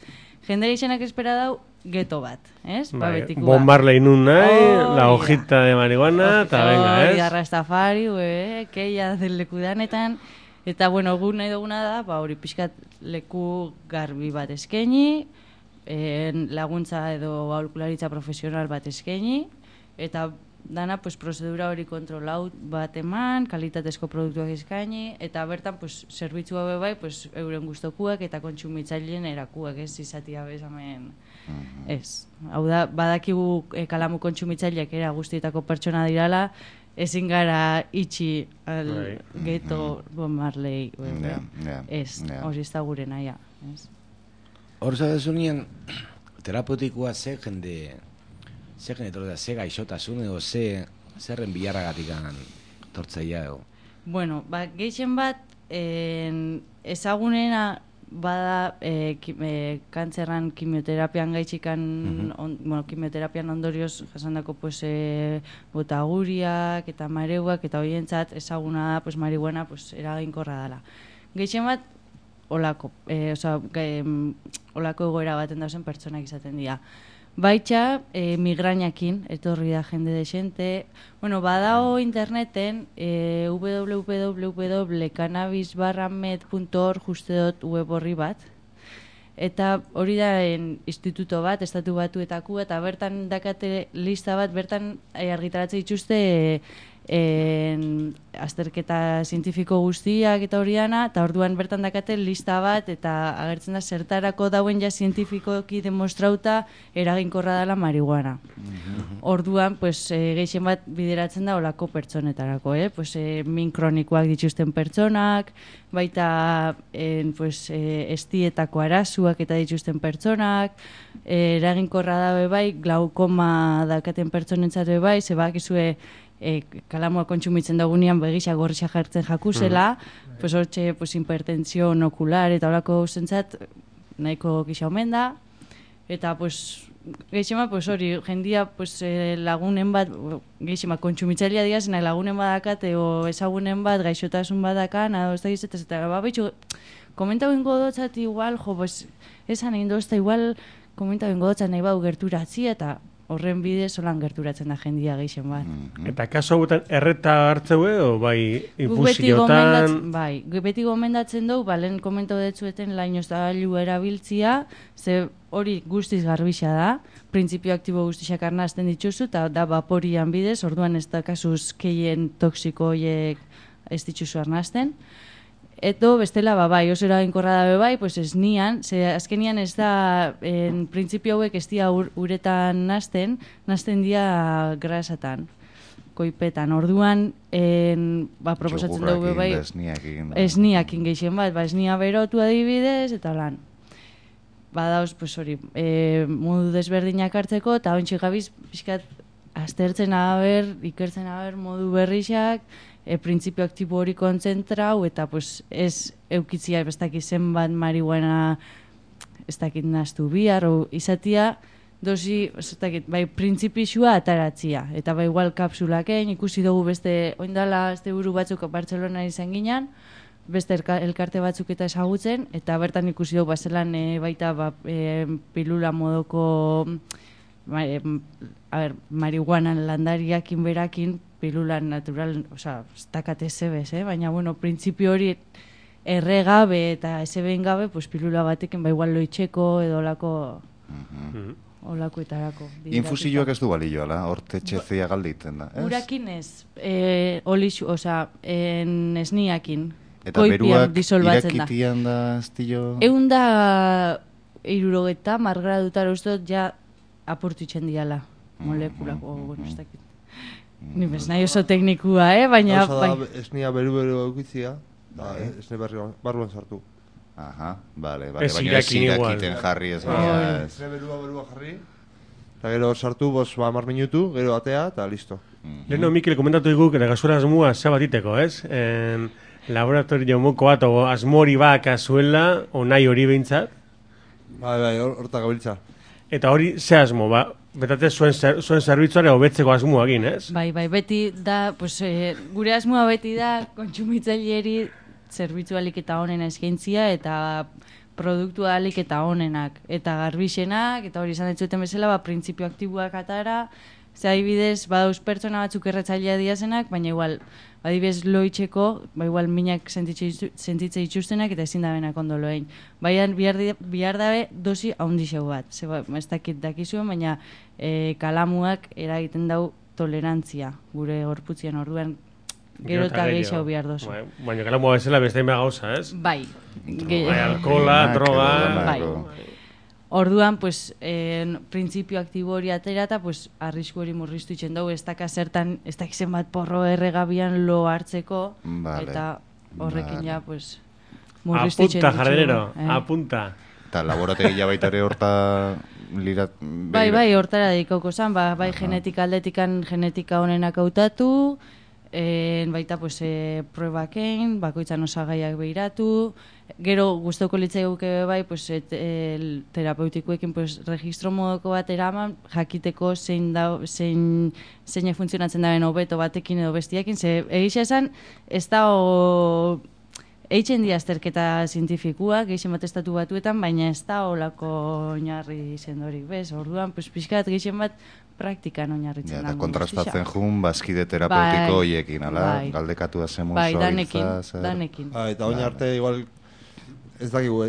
Jendera izanak espera dau, geto bat, ez? Bai, Ba, betikua. Bob Marley nun nahi, Oh, la ja. hojita de marihuana, eta Oh, venga, ez? ja, Rastafari, ue, keia del lekudanetan, eta, bueno, gu nahi duguna da, ba, hori pixkat leku garbi bat eskaini, en, laguntza edo aholkularitza profesional bat eskaini, eta dana pues, prozedura hori kontrolau bat eman, kalitatezko produktuak eskaini, eta bertan pues, zerbitzu hau bai pues, euren gustokuak eta kontsumitzaileen erakuak, ez izatia bezamen. Ez. Hau da, badakigu e, kalamu kontsumitzaileak era guztietako pertsona dirala, ezin gara itxi al Right. geto Bob Marley. Yeah, yeah, Ez, yeah. hori ez da gure naia. Ez. Hor zabezunien, terapeutikoa ze jende, ze jende torda, ze gaixotasun edo ze, zerren bilarragatikan tortzaia edo. Bueno, ba, gehien bat, en, ezagunena bada e, ki, e, kantzerran kimioterapian gaitxikan, Mhm. on, bueno, kimioterapian ondorioz jasandako pues, e, botaguriak eta mareuak eta horientzat ezaguna da pues, marihuana pues, eraginkorra dela. Gehien bat, olako, e, oza, ge, olako egoera baten dauzen pertsonak izaten dira. Baitxa, e, migrainakin, etorri da jende desente. Bueno, badao interneten e, w w w punto cannabis barra med punto org uste dut web horri bat. Eta hori da en, instituto bat, estatu batuetako, eta bertan dakate lista bat, bertan e, argitaratzen dituzte e, en, azterketa zientifiko guztiak eta hori dana, eta orduan bertan dakate lista bat, eta agertzen da zertarako dauen ja zientifikoki demostrauta eraginkorra dela marihuana. Orduan, pues, e, gehien bat bideratzen da olako pertsonetarako, eh? Pues, e, min kronikoak dituzten pertsonak, baita en, pues, e, estietako arazuak eta dituzten pertsonak, e, eraginkorra da bai, glaukoma dakaten pertsonentzat bai, ze bakizue e, kalamua kontsumitzen dagunean begisa gorrixa jartzen jakuzela, mm. pues hortxe pues, hipertentsio ocular eta horako zentzat nahiko gisa omen da, eta pues, gehixema, pues hori, jendia pues, eh, lagunen bat, gehixema, kontsumitzailea digazena lagunen badakat, o ezagunen bat, gaixotasun badakan, edo ez da gizetaz, eta ba, betxu, komenta bengo dotzat igual, jo, pues, esan egin dozta, igual, komenta bengo dotzat nahi bau gerturatzi, eta horren bidez solan gerturatzen da jendia gehixen bat. Eta kaso hauetan erreta hartzeu edo bai Guk beti infusiotan... gomendatzen, bai, guk beti gomendatzen dugu, ba, lehen komentau detzueten lainoz da gailu erabiltzia, ze hori guztiz garbixa da, printzipio aktibo guztixak arnazten dituzu, eta da vaporian bidez, orduan ez da kasuz keien toksiko horiek ez dituzu arnazten. Eto, bestela, ba, bai, oso eraginkorra dabe bai, pues ez nian, ze azkenian ez da, en printzipio hauek ez dia ur, uretan nazten, nazten dia grasatan, koipetan. Orduan, en, ba, proposatzen dugu bai, esniakin, esniakin gehien bat, ba, esnia berotu adibidez, eta lan. Ba, dauz, pues hori, e, modu desberdinak hartzeko, eta ontsi gabiz, pixkat, aztertzen haber, ikertzen haber, modu berrixak, e, printzipio aktibo hori kontzentrau, eta pues, ez eukitzia ez dakit zenbat marihuana ez dakit naztu bihar, o izatia dosi, ez dakit, bai printzipixua ataratzia, eta bai igual kapsulaken, ikusi dugu beste, oindala, este buru batzuk Bartzelona izan ginen, beste elka, elkarte batzuk eta ezagutzen, eta bertan ikusi dugu bazelan e, baita ba, e, pilula modoko ma, e, a ber, marihuanan landariakin berakin, pilulan natural, osea, ez dakate zebez, eh? Baina, bueno, printzipio hori erregabe eta ezeben gabe, pues, pilula batekin, ba, igual loitxeko edo olako, olakoetarako. Infusioak ez du balioa, horte txezia galditen da, ez? Urakin ez, e, olixu, osea, en esniakin, eta koipian beruak disolbatzen da. irakitian da, estillo... Egun da irurogeta, margradutar ustot, ja apurtuitzen diala, molekulako, bueno, ez dakit. Ni bez nahi oso teknikua, eh? Baina... Oso da, esnia beru-beru eukitzia, da, esne barruan sartu. Aha, bale, bale, Ez baina ez irakin igual. irakiten jarri ez Bai, baina ez. esne berua berua jarri, eta gero sartu, bos, ba, mar minutu, gero atea, eta listo. Leheno, Mikel, komentatu dugu, eta gazura asmoa zabatiteko, ez? En, laboratorio moko bat, o asmori bak azuela, o nahi hori behintzat. Bai, bai, horta gabiltza. Eta hori, ze asmo, ba, betate zuen, zer, zuen zerbitzuare hobetzeko asmoa egin, ez? Bai, bai, beti da, pues, eh, gure asmoa beti da, kontsumitzaileri zerbitzu alik eta onena eskaintzia, eta produktu alik eta onenak, eta garbixenak, eta hori izan ditzuten bezala, ba, printzipio aktiboak atara, ze adibidez, badauz pertsona batzuk erretzailea diazenak, baina igual, adibidez loitzeko, ba igual minak sentitze dituztenak eta ezin dabenak ondo loein. Baina bihar, bihar dabe dosi haundi xeu bat. Ze ba, ez dakit dakizuen, baina e, kalamuak eragiten dau tolerantzia gure gorputzian orduan gero eta gehiago behar dozu. Bai, baina gala moa bezala beste inba gauza, ez? Bai. Bai, alkohola, droga... Bai. Orduan, pues, en, printzipio aktibo hori aterata, pues, arrisku hori murriztu itxen dugu, ez daka zertan, ez dak izen bat porro erregabian lo hartzeko, vale. Eta horrekin vale. ja, pues, murriztu itxen Apunta, jardinero, eh? Apunta. Eta laborategia baita ere horta... Lirat, bai, bai, hortara dedikauko zan, ba, bai, uh-huh. genetika aldetikan genetika honenak hautatu, en, baita, pues, e, probaken, bakoitzan osagaiak behiratu, gero gustoko litzaiguke bai, pues, et, el, terapeutikoekin, pues, registro modoko bat eraman, jakiteko zein da, zein, zein funtzionatzen daren hobeto batekin edo bestiakin, ze egisa esan, ez da o... Eitzen di azterketa zientifikuak, gehixen bat estatu batuetan, baina ez da olako oinarri sendorik, bez? Orduan, pues, pixkat gehixen bat praktikan oinarritzen ja, dago. Kontrastatzen jun, bazkide terapeutiko hoiekin, bai, ala? Bai. Galdekatu da zemun bai, danekin, danekin. Bai, eta oin arte, igual, ez dakigu,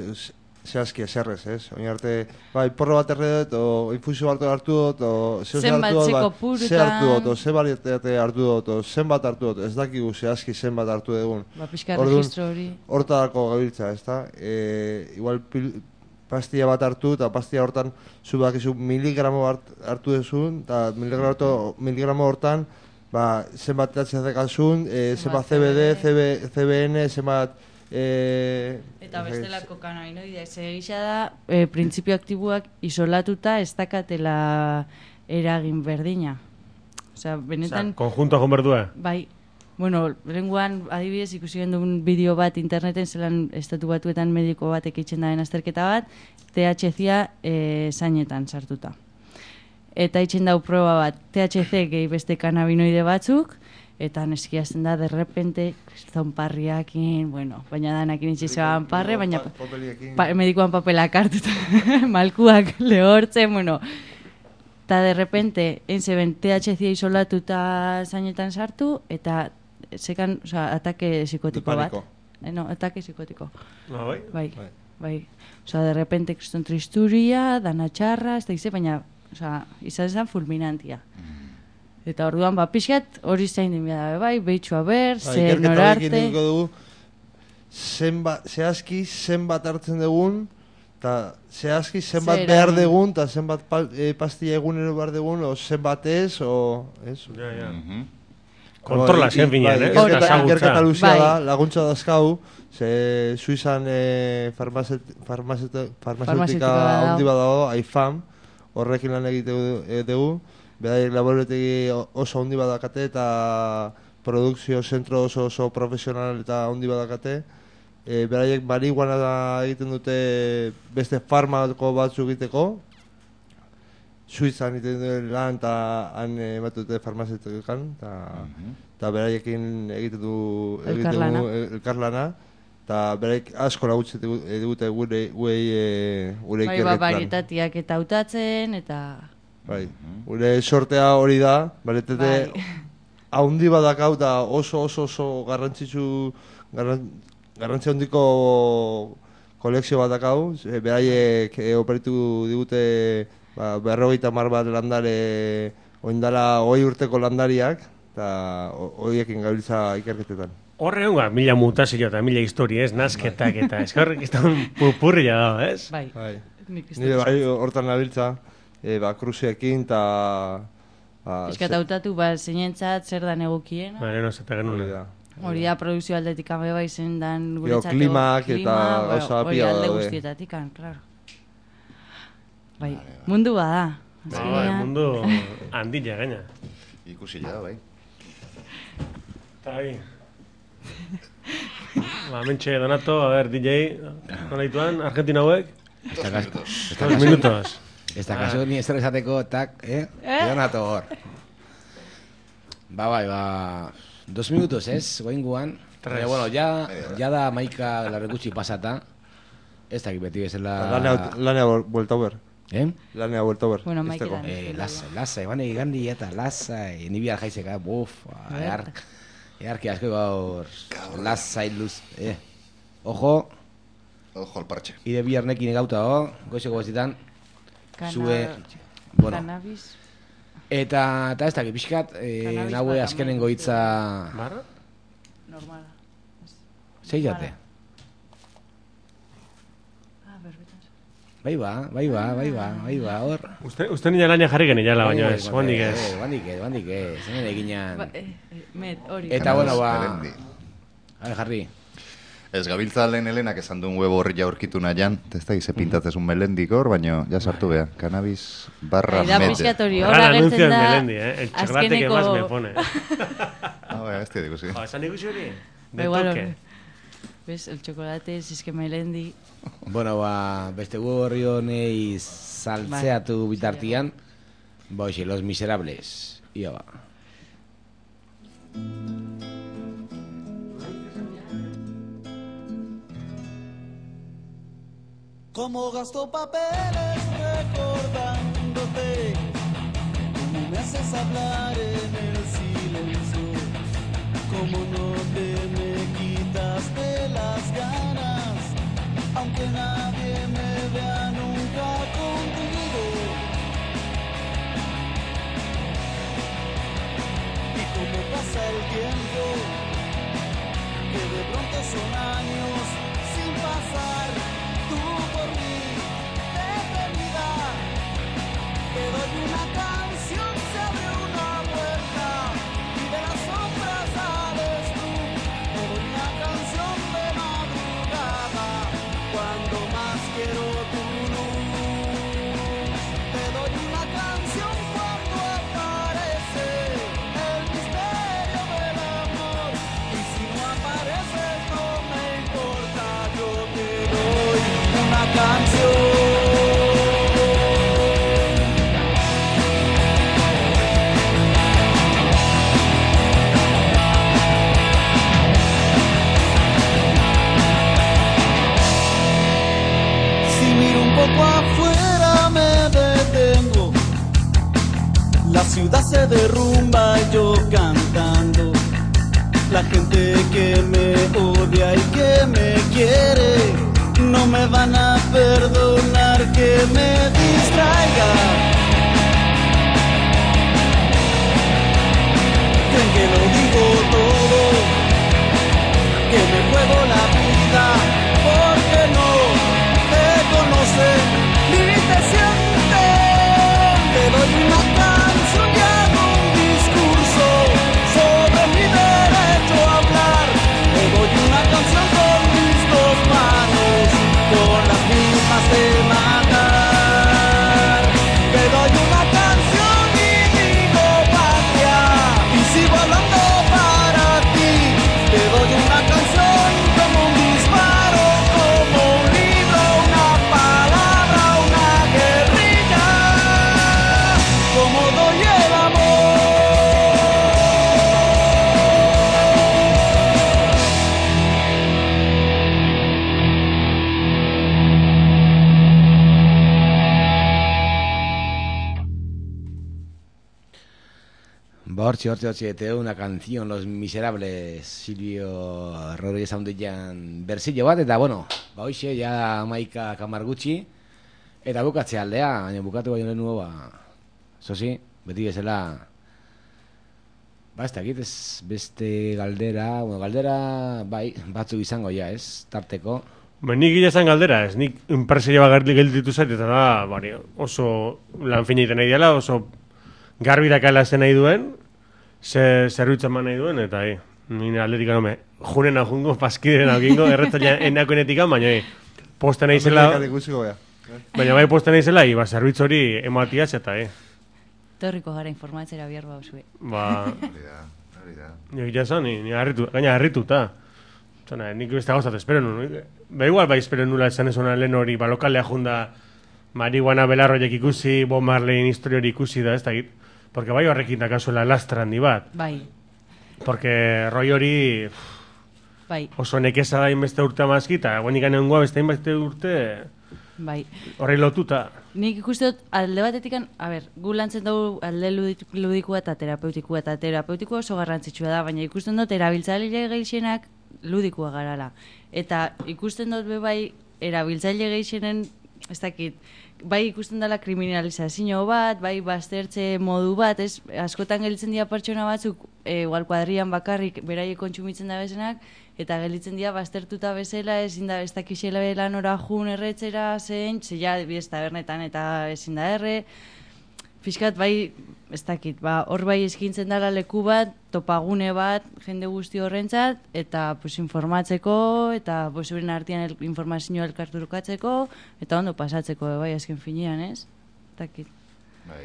zehazki eserrez, ez? Oin arte, bai, porro bat erre dut, o infusio bat hartu dut, o zenbat txeko purutan, ze hartu dut, o ze bariate hartu dut, o zenbat hartu dut, ez dakigu zehazki zenbat hartu dugun. Ba, pixka registro hori. Hortarako gabiltza, ez da? E, igual pil, pastilla bat hartu, eta pastilla hortan zu bakizu miligramo hart, hartu duzun, eta miligramo, miligramo hortan, ba, zenbat edatzezekazun, e, zenbat C B D, C B N, zenbat... E, eta bestelako kanabinoidea, ze gisa da, e, printzipio aktiboak isolatuta ez dakatela eragin berdina. Osea, benetan... Osea, konjunto egon berdua? Bai. Bueno, lenguan, adibidez, ikusi genuen bideo bat interneten, zelan estatu batuetan mediko batek eitzen daren azterketa bat, T H C-a e, zainetan sartuta. Eta eitzen dau proba bat, T H C gehi beste kanabinoide batzuk, eta neskiazten da, derrepente, zonparriakin, bueno, baina danakin itxizean parre, baina pa, medikoan papelak hartuta, malkuak lehortzen, bueno, eta derrepente, entzeben T H C isolatuta zainetan sartu, eta sekan, oza, atake psikotiko bat. Eh, no, atake psikotiko. No, bai? Bai, bai. bai. Oza, derrepente, kriston tristuria, dana txarra, ez da gize, baina, oza, izan zen fulminantia. Eta orduan, ba, pixkat hori zain din bida, bai, behitxua ber, ba, ze norarte... dugu, zenba, zehazki zenbat hartzen dugun, eta zehazki zenbat Zera, behar dugun, eta zenbat pa, e, pastilla egunero behar dugun, o zenbat ez, o... Ez? Ja, ja. Mm-hmm. Kontrola zen binean, eh? Ikerketa luzia da, laguntza dazkau, ze Suizan e, farmazeutika handi badago, A I F A M, horrekin lan egite dugu, Beraiek laborategi oso handi badakate eta produkzio zentro oso oso profesional eta handi badakate. E, beraiek marihuana egiten dute beste farmako batzu egiteko. Suizan egiten dute lan eta han ematen dute farmazeutekan. Eta mm-hmm. beraiekin egiten du elkarlana. elkarlana. Eta beraiek asko lagutzen dute gure gure bai, ba, varietatiak eta hautatzen eta... Bai, gure sortea hori da, baretete bai. Haundi badakau eta oso oso oso garrantzitsu garran, garrantzi handiko kolekzio badakau, beraiek e, operitu digute ba, berrogeita hamar bat landare oindala hogei urteko landariak eta horiekin gabiltza ikerketetan. Horre honga, mila mutazio eta mila historia, ez, nazketak eta eskarrik ez da pupurria da, ez? Bai, bai. Nire bai hortan nabiltza. E, ba, kruziekin eta... Ba, Piskat hautatu, ba, zeinentzat zer dan egokiena. Ba, no, zeta genuen. Hori da, produzio aldetik bai bai zen dan guretzat. Klimak eta gauza hori pia alde guztietatik, klaro. Bai, mundu bada. Ba, bai, mundu handila gaina. Ikusi ja, bai. Eta bai. Ba, mentxe, Donato, a ver, D J, nola dituan, Argentina hauek? Dos minutos. Ez da kaso ni ezer esateko, tak, eh? Donato hor. Ba, bai, ba... Dos minutos, ez? Goin guan. Pero, bueno, ya, ya da maika larrekutsi pasata. Ez da beti bezala... Lanea vuelta over. Eh? Lanea vuelta over. Bueno, maika Eh, lasa, lasa, eban egin eta lasa, ni bihar jaizeka, buf, ear... Earki asko gaur... Lasa iluz, eh? Ojo... Ojo al parche. Ide biharnekin egauta, oh? Goizeko gozitan... Cana... Zue, bueno, Cannabis. Eta, eta ez dakit, pixkat, eh, Cannabis nahue bat azkenengo hitza... Barra? Normala. Zeidate. Ah, berbetan. Bai ba, bai ba, bai ba, bai ba, hor. Uste, uste nila laina jarri genila, baina ez, guandik ez. Guandik ez, guandik ez, hemen eginan. Ba, eh, eh, met, hori. Eta, bueno, ba... Melendi. A ver, jarri. Ez gabiltza lehen Helenak esan duen web horri jaurkitu nahian, ez da, ize pintatzezun melendik hor, baina ja sartu beha, cannabis barra Da mede. pixkat hori, Gran horra anuncio gertzen en da... Melendi, eh? El chocolate que más me pone. Ah, bai, ez digu, sí. Jo, esan ikusi hori? De Igual toque. hori. ¿Ves? El chocolate, si es que Melendi... Bueno, ba, beste gu horri honei saltzeatu bitartian, ba, hoxe, Los Miserables. Ia ba. Como gasto papeles recordándote, como me haces hablar en el silencio, como no te me quitaste las ganas, aunque nadie me vea nunca contigo. Y como pasa el tiempo, que de pronto son años sin pasar. Tú por mí, de eternidad, te doy una canción, se abre una puerta y de las sombras sales tú. Te doy una canción de madrugada, cuando más quiero tu luz. Te doy una canción cuando aparece el misterio del amor. Y si no apareces no me importa, yo te doy una canción. Si miro un poco afuera me detengo, la ciudad se derrumba y yo cantando, la gente que me odia y que me quiere no me van a perdonar que me distraiga. Creen que lo digo todo, que me juego la vida, porque no te conocen ni te sienten. Te doy una canción y hago un discurso sobre mi derecho a hablar. Te doy una canción con mis dos manos, con las mismas de matar. Te doy una canción y digo patria, y sigo hablando para ti. Te doy una canción como un disparo, como un libro, una palabra, una guerrilla, como doy el amor. Ba, hortxe, hortxe, hortxe, te doy una canción, Los Miserables, Silvio Rodríguez Haundian bersillo bat, eta, bueno, ba, hoxe, ja maika kamar gutxi, eta bukatze aldea, baina bukatu baino lehen nuo, ba, zozi, beti bezala, ba, ez dakit, ez beste galdera, bueno, galdera, bai, batzuk izango ja, ez, tarteko. Ba, nik gila esan galdera, ez, nik enpresaria bat gelditu zait, eta da, bari, oso lan fina iten nahi dela, oso garbi dakala zen nahi duen, ze zerbitza eman nahi duen, eta hi, nire aldetik anome, junen ajungo, paskideren agingo, erretzaila enakoenetik, baina hi, posta nahi zela, baina bai posta nahi zela, hi, ba, zerbitz hori ematiaz, eta hi. Torriko gara informatzera bihar bauzue. Ba, nik jasan, ni, ni harritu, gaina harrituta. Zona, nik beste gauzat espero nuen. Ba, igual bai espero nula esan ez lehen hori, ba, lokalea junda, marihuana belarroiek ikusi, Bob Marleyin historia hori ikusi da, ez da git. Porque bai horrekin dakazuela lastra handi bat. Bai. Porque roi hori Bai. oso nekeza da inbeste urte amazki, eta guenik anengoa beste inbeste urte Bai. horrei lotuta. Nik ikuste dut, alde batetik, a ber, gu lantzen dugu alde ludik- ludikoa eta terapeutikua, eta terapeutikua oso garrantzitsua da, baina ikusten dut erabiltzaile gehienak ludikoa garala. Eta ikusten dut be bai erabiltzaile gehienen, ez dakit, bai ikusten dela kriminalizazio bat, bai baztertze modu bat, ez? Askotan gelditzen dira pertsona batzuk, e, igual kuadrian bakarrik beraiek kontsumitzen da bezenak, eta gelditzen dira baztertuta bezala, ezin da ez dakixela lanora jun erretzera zein, zeia bidez tabernetan eta ezin da erre, Fiskat bai, ez dakit, ba, hor bai eskintzen dela leku bat, topagune bat, jende guzti horrentzat, eta pues, informatzeko, eta pues, euren artean el, informazioa elkarturukatzeko, eta ondo pasatzeko, bai, azken finean, ez? Ez dakit. Bai.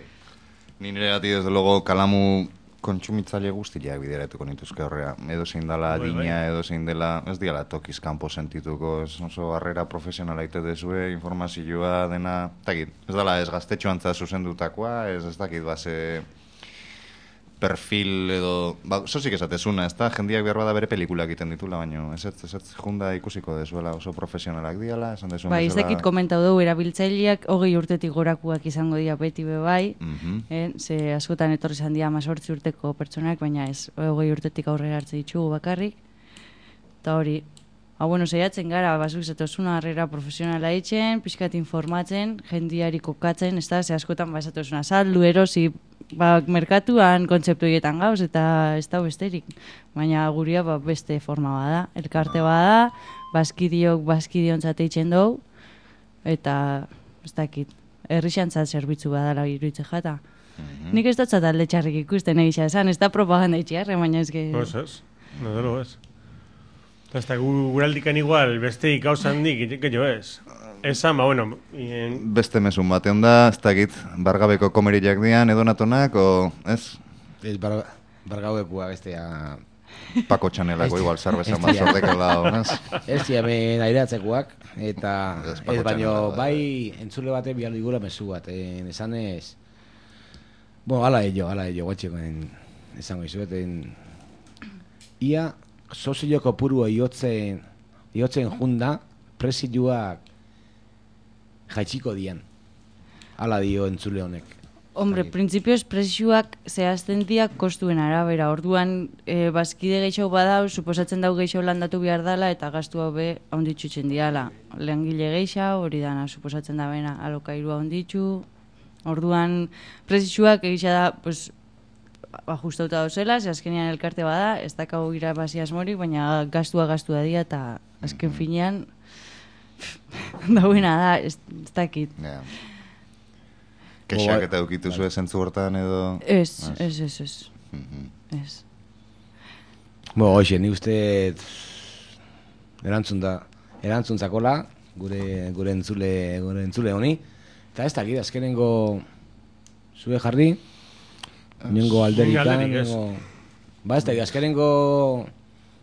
Ni nire gati, desde logo, kalamu kontsumitzaile guztiak bideratuko nituzke horrea. Edo zein dela Bai, adina, bai. edo zein dela, ez diala tokiz kanpo sentituko, ez oso harrera profesionala ite dezue, informazioa dena, ez dakit, ez dela ez gaztetxoantza zuzendutakoa, ez ez dakit, base perfil edo, ba, sozik esatezuna, ez da, jendiak behar bada bere pelikulak egiten ditula, baina ez ez, ez, ez junda ikusiko dezuela oso profesionalak diala, esan dezuen Bai, ez dakit komentau dugu, erabiltzaileak hogei urtetik gorakuak izango dira beti be bai, Mhm. eh, ze askotan etorri izan dira amazortzi urteko pertsonak, baina ez, hogei urtetik aurrera hartze ditugu bakarrik, eta hori, hau bueno, saiatzen gara, bazuk zatozuna harrera profesionala eitzen, pixkat informatzen, jendiari kokatzen, ez da, ze askotan bazatozuna saldu, erosi, ba, merkatuan kontzeptu hietan gauz, eta ez da besterik. Baina guria ba, beste forma bada, elkarte bada, bazkidiok bazkidiontzat eitzen dugu, eta ez dakit, herrixantzat zerbitzu badala iruitze jata. Nik ez dut alde txarrik ikusten egisa esan, ez da propaganda itxiarre, baina ez ge... Ez ez, no ez. Ez da, guraldikan igual, beste gauza handik, gehiago ez. Esan, ba, bueno... En... Beste mesun batean da, ez dakit, bargabeko komeriak dian, edonatonak, o, ez? Ez, bar, bargabekua bestea... Pako txanelako igual zerbezan bat sorteko lau, ez? Ez diamen aireatzekoak, eta Ez, ez, Paco baino, Chanela, bai, entzule bate bihar digula mezu bat, en, esan ez... Bueno, ala ello, ala ello, guatxeko, esango izuet, en... Ia, sozio kopuru iotzen, iotzen junda, presidioak jaitsiko dian. Hala dio entzule honek. Hombre, printzipioz presioak zehazten diak kostuen arabera. Orduan, e, bazkide gehiago badau, suposatzen dau gehiago landatu behar dala, eta gastu hau be onditxutzen diala. Lehangile gehiago, hori dana, suposatzen da bena, alokairua onditxu. Orduan, presioak egisa da, pues, ajustauta dauzela, ze azkenean elkarte bada, ez dakago irabazi asmorik, baina gastua gastua dira, eta azken finean, dauena da, ez, ez dakit. Yeah. Kexak eta eukitu zuen zentzu hortan edo... Ez, ez, ez, ez. Ez. Bo, hoxe, ni uste erantzun da, erantzun zakola, gure, gure entzule, gure entzule honi, eta ez dakit, azkenengo zue jarri, nengo alderikan, nengo... Ba, ez dakit, azkenengo,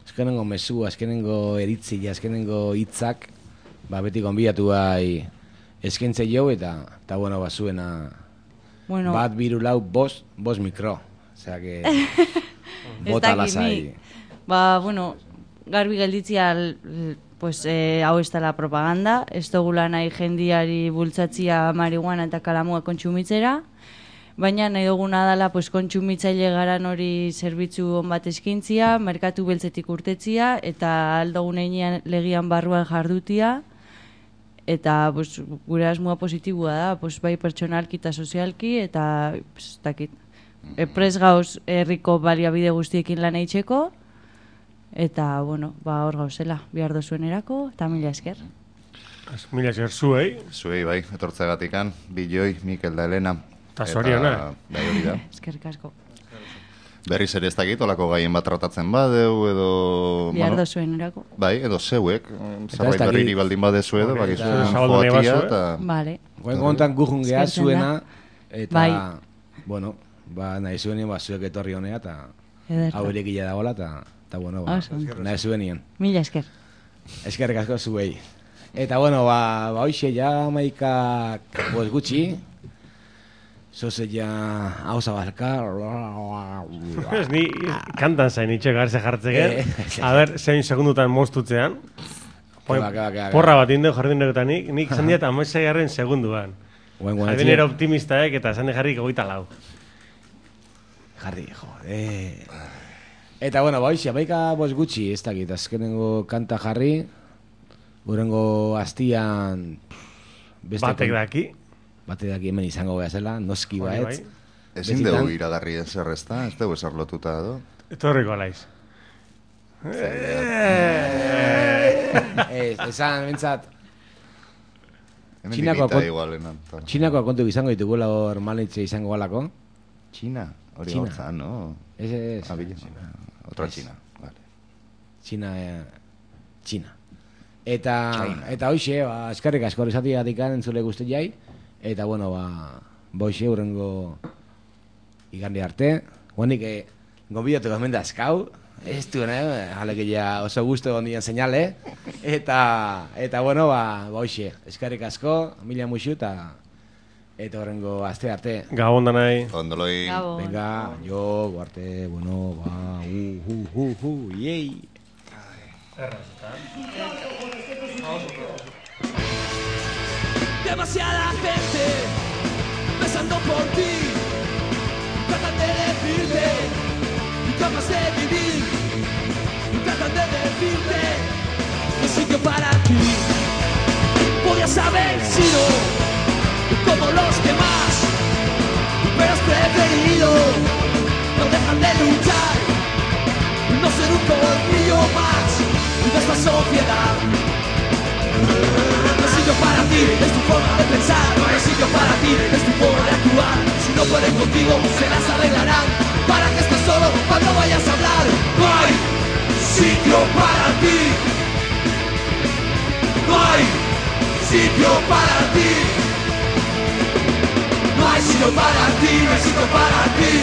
azkenengo mesu, azkenengo eritzia, azkenengo hitzak, ba, beti gonbidatu bai eskentze jo, eta, eta bueno, ba, zuena, bueno, bat biru lau, bost, bost mikro. Osea, que... bota lasai. Ba, bueno, garbi gelditzia, pues, eh, hau ez dela propaganda, ez dugula nahi jendiari bultzatzia marihuana eta kalamua kontsumitzera, baina nahi duguna dela, pues, kontsumitzaile garan hori zerbitzu on bat eskintzia, merkatu beltzetik urtetzia, eta aldogun einean legian barruan jardutia, eta pues, gure asmoa positibua da, pues, bai pertsonalki eta sozialki, eta pues, dakit, epres gauz herriko baliabide guztiekin lan eitzeko, eta, bueno, ba, hor gauzela, bihar dozuen erako, eta mila esker. Mila esker zuei. Zuei, bai, etortzegatikan, Biloi, Mikel da Elena. Eta zoriona. Bai, hori da. Eskerrik asko. Berriz ere ez dakit, olako gaien bat tratatzen badeu, edo... Bihar bueno, dozuen erako. Bai, edo zeuek, zerbait berriri baldin badezu edo, okay, bakizu joatia, eta... Vale. Goen kontan gujun geha zuena, eta, bai. bueno, ba, nahi zuenien, ba, zuek etorri honea, eta hau erekila dagoela, eta, eta, bueno, ba, nahi zuenien. Mila esker. Eskerrik asko zuei. Eta, bueno, ba, ba hoxe, ja maikak, boz gutxi, zoze ja hau zabalka. Ez ni kantan zain itxek garze jartzeken. A ber, zein segundutan moztutzean. Porra bat inde jardin negotanik, nik zan diat amaitzai garren segunduan. Jardin era optimistaek eta zan jarri goita lau. Jarri, jode. Eta, bueno, ba hoxe, maika boz gutxi, ez dakit, azkenengo kanta jarri, gurengo hastian... Batek daki. bate daki hemen izango beha zela, noski Hori baetz. bai. Ezin dugu iragarri ezer ez da, ez dugu ezer lotuta edo. Etorriko alaiz. Ez, esan, bentsat, Hemen Txinakoa dikita kont- igualenan. Txinakoa kontu izango ditugula hor maletxe izango galako. Txina, hori Txina. gauza, no? Ez, ez. Ah, bila. Otra Ez. Txina, vale. Txina, eh, Txina. Eta, China. eta hoxe, ba, eskerrik asko esatiatik entzule guzti jai. Eta, bueno, ba, boixe, urrengo igande arte. Guanik, eh, gonbidatu hemen da eskau. Ez du, ne? Alegia oso gustu gondien seinale. Eta, eta, bueno, ba, boixe, eskerrik asko, mila muixu, eta eta horrengo aste arte. Gabon danai. Ondoloi. Gabon. Venga, jo, guarte, bueno, ba, uh, uh, uh, uh, yei. Demasiada gente pensando por ti, tratan de decirte cómo has de vivir, tratan de decirte un sitio para ti. Podías haber sido como los demás, pero has preferido no dejar de luchar, no ser un colmillo más de esta sociedad. No hay sitio para ti, es tu forma de pensar. No hay sitio para ti, es tu forma de actuar. Si no pueden contigo, se las arreglarán para que estés solo cuando vayas a hablar. No hay sitio para ti. No hay sitio para ti. No hay sitio para ti, no hay sitio para ti.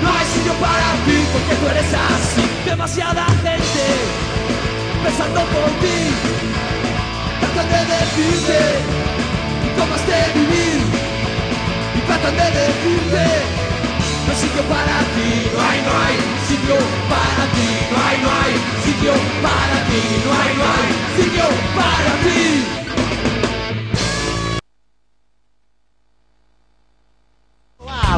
No hay sitio para ti porque tú eres así. Demasiada gente pensando por ti, tratan de decirte cómo has de vivir y tratan de decirte no hay sitio para ti, no hay, no hay sitio para ti, no hay, no hay sitio para ti, no hay, no hay sitio para ti.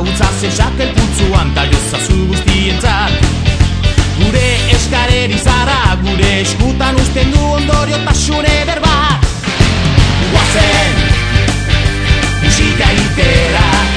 Utza zezakel putzuan taliozazu guztientzat, gure eskareri zara, gure eskutan usten du ondoriotasun eder bat.